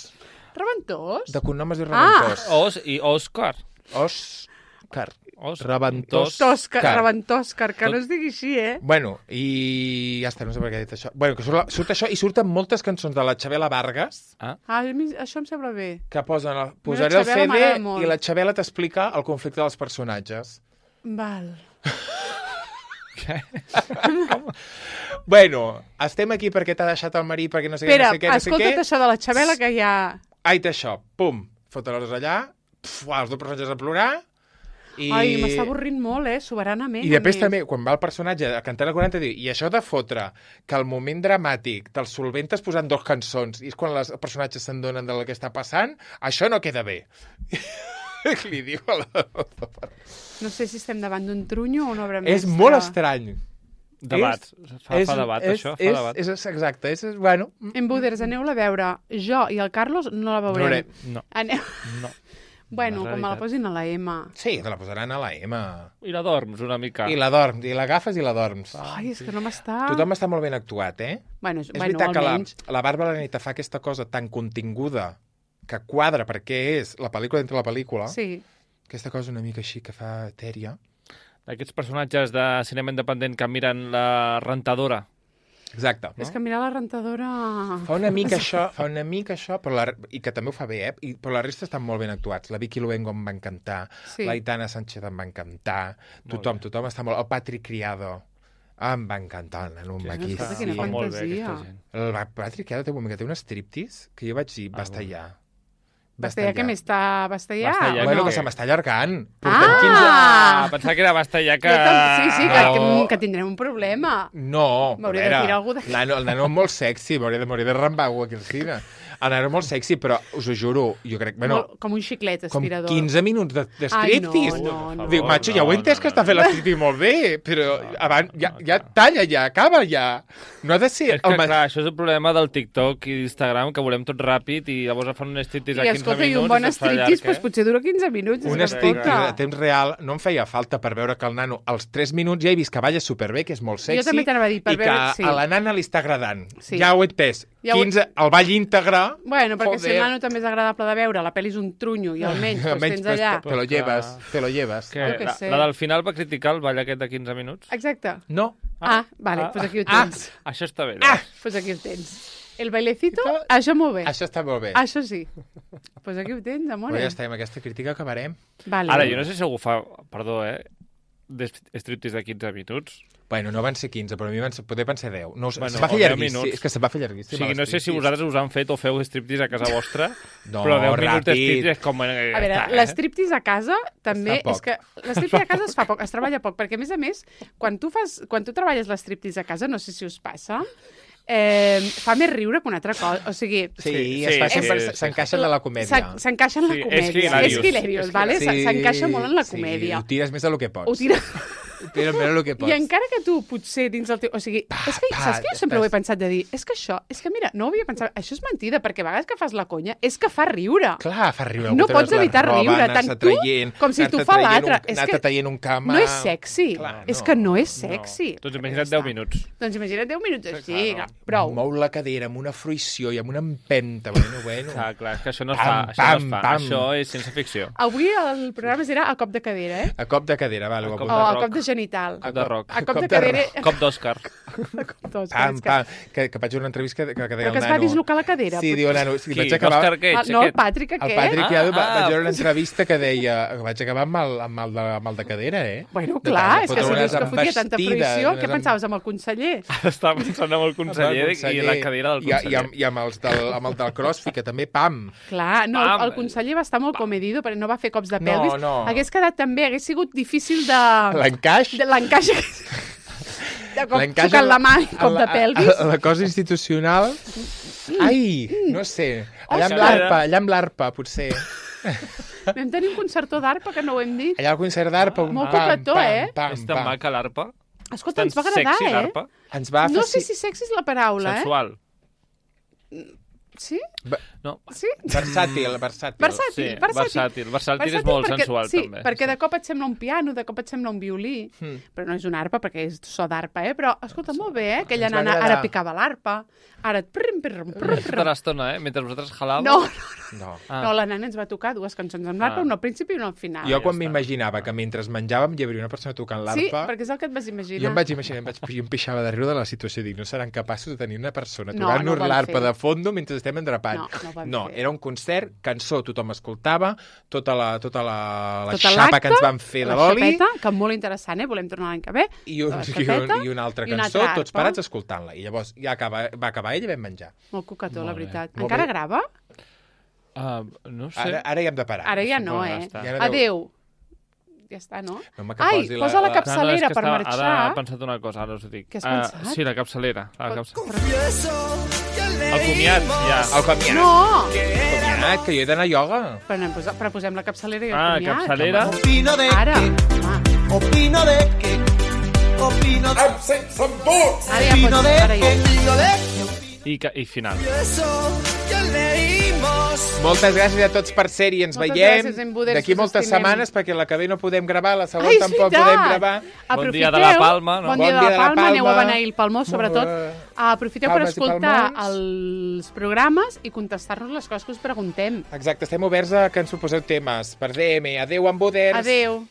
Reventós? De cognom es diu Reventós. I Òscar. Òscar. Reventós. Reventòscar, que no es digui així, Bueno, i ja està, no sé per què he dit això. Bueno, que surt això, i surten moltes cançons de la Xabela Vargas. Això em sembla bé. Que posaré el CD i la Xabela t'explica el conflicte dels personatges. Val. Què? Bueno, estem aquí perquè t'ha deixat el marit, perquè no sé què, no sé què, no sé què. Escolta't això de la Xabela que ja... Aita això, pum, fotre-los allà, els dos personatges a plorar, i... Ai, m'està avorrint molt, soberanament. I després també, quan va el personatge a cantar la 40, diu, i això de fotre que el moment dramàtic te'l solventes posant 2 cançons, i és quan els personatges se'n donen del que està passant, això no queda bé. Li diu a la... No sé si estem davant d'un trunyo o una obra mestra. És molt estrany. Debat. Fa debat, això. Fa debat. És exacte. Bueno. Embuders, aneu-la a veure. Jo i el Carlos no la veurem. No. No. Bueno, com me la posin a la M. Sí, te la posaran a la M. I la dorms una mica. I la dorms, i l'agafes i la dorms. Ai, és que no m'està... Tothom està molt ben actuat, Bueno, és veritat almenys... que la Bàrbara Lanita fa aquesta cosa tan continguda que quadra perquè és la pel·lícula dintre la pel·lícula. Sí. Aquesta cosa una mica així que fa etèria. D'aquests personatges de cinema independent que miren la rentadora. Exacte. No? És que mirar la rentadora... Fa una mica això, però i que també ho fa bé, però la resta estan molt ben actuats. La Vicky Luengo em va encantar, l'Aitana Sánchez em va encantar, tothom està molt... El Patrick Criado em va encantar, el nano maquíssim. Quina fantasia. El Patrick Criado té un moment que té un striptease que jo vaig dir, basta ja. Bastellà, què més està? Bastellà? Bueno, que se m'està allargant. Pensava que era Bastellà que... Sí, que tindrem un problema. No, m'hauria de tirar algú d'aquí. El nano és molt sexy, m'hauria de rambar-ho aquí al cine. El nano és molt sexy, però us ho juro, jo crec... Bueno, com un xiclet aspirador. Com 15 minuts de striptease. No. Dic, macho, ja ho he entès que està fent l'striptease molt bé, però abans ja talla, ja acaba, ja. No ha de ser... És que, clar, això és el problema del TikTok i d'Instagram, que volem tot ràpid i llavors fan un striptease a 15 minuts. I escolta, un bon striptease, doncs potser dura 15 minuts. Un striptease a temps real no em feia falta per veure que el nano, als 3 minuts ja he vist que balla superbé, que és molt sexy, jo també t'anava a dir, per veure... i que a la nana li està agradant. Ja ho he entès. 15, el ball íntegre... Bueno, perquè si el nano també és agradable de veure, la pel·li és un trunyo i almenys tens allà... Te lo lleves. La del final va criticar el ball aquest de 15 minuts? Exacte. No. Vale, doncs aquí ho tens. Això està bé. Doncs aquí ho tens. El bailecito, això molt bé. Això està molt bé. Això sí. Doncs aquí ho tens, amore. Però ja està, amb aquesta crítica acabarem. Ara, jo no sé si algú fa, perdó, striptease de 15 minuts. Bueno, no van ser 15, però a mi poder van ser 10. No, se va fer llarguíssim. És que se va fer llarguíssim. O sigui, no sé si vosaltres us han fet o feu striptease a casa vostra, però 10 minuts de striptease és com... A veure, l'estriptease a casa també és que... L'estriptease a casa es fa poc, es treballa poc, perquè a més, quan tu treballes l'estriptease a casa, no sé si us passa, fa més riure que una altra cosa. O sigui... Sí, s'encaixen de la comèdia. S'encaixen en la comèdia. És hilarious, vale? S'encaixa molt en la comèdia. Ho tires més del que pots. Però el que pots. I encara que tu potser dins el teu... O sigui, és que saps que jo sempre ho he pensat de dir, és que mira, no ho havia pensat, això és mentida, perquè a vegades que fas la conya és que fa riure. Clar, fa riure. No pots evitar riure, tant tu com si tu fa l'altre. Anar-te traient un cama... No és sexy. És que no és sexy. Doncs imagina't 10 minuts. Doncs imagina't 10 minuts així, prou. Mou la cadera amb una fruïció i amb una empenta. Bueno. Clar, és que això no es fa. Això és ciència ficció. Avui el programa serà a cop de cadera, A cop de cadera, vale. O a cop de genital. Rock. A cop de cadera... Cop d'Òscar. Que vaig veure una entrevista que deia el nano... Però que es va dislocar la cadera. Sí, diu el nano... Qui? L'Òscar aquest? No, el Patrick aquest. El Patrick Criado vaig veure una entrevista que deia... Vaig acabar amb el de cadera, Bueno, clar, és que si dius que fotia tanta fruïció, què pensaves, amb el conseller? Estava pensant amb el conseller i la cadira del conseller. I amb el del CrossFit, que també, pam! Clar, no, el conseller va estar molt comedido, perquè no va fer cops de pelvis. No. Hagués quedat també, hagués sigut difícil de... L'encaix? L'encaix. De cop tocant la mà i cop de pelvis. La cosa institucional... Ai, no sé. Allà amb l'arpa, potser. Vam tenir un concertó d'arpa que no ho hem dit. Allà al concert d'arpa... Molt cocató, És tan maca l'arpa. Escolta, ens va agradar, sexy, l'arpa. No sé si sexy és la paraula, Sensual. Sí? No. Sí? Versàtil. Versàtil és molt sensual, també. Sí, perquè de cop et sembla un piano, de cop et sembla un violí, però no és una arpa, perquè és so d'arpa, però, escolta, molt bé, aquella nana ara picava l'arpa, ara... Tota l'estona, mentre vosaltres jalàveu. No, la nana ens va tocar dues cançons amb l'arpa, una al principi i una al final. Jo quan m'imaginava que mentre menjàvem hi hauria una persona tocant l'arpa... Sí, perquè és el que et vas imaginar. Jo em vaig imaginar, jo em pixava de riure de la situació, dic, no seran capaços de tenir una persona tocant-nos l'arpa de fondo mentre estem endrapant. No, era un concert, cançó, tothom escoltava, tota la xapa que ens van fer de l'oli... La xapeta, que molt interessant, volem tornar l'any que ve. I una altra cançó, tots parats escoltant-la. I llavors ja va acabar ell i vam menjar. Molt cocató, la veritat. Encara grava? No sé. Ara ja hem de parar. Ara ja no, Adéu. Ja està, no? Ai, posa la capçalera per marxar. Ara he pensat una cosa, ara us ho dic. Què has pensat? Sí, la capçalera. El comiat, ja. El comiat. No! Comiat, que jo he d'anar a ioga. Però posem la capçalera i el comiat. Capçalera. Ara. Opino de que... Ara ja I final. Moltes gràcies a tots per ser-hi. Ens veiem d'aquí moltes setmanes, perquè la que ve no podem gravar, la següent tampoc podem gravar. Bon dia de la Palma. Bon dia de la Palma. Aneu a beneir el Palmó, sobretot. Aprofiteu per escoltar els programes i contestar-nos les coses que us preguntem. Exacte, estem oberts a que ens proposeu temes per DM. Adéu, Amboders. Adéu.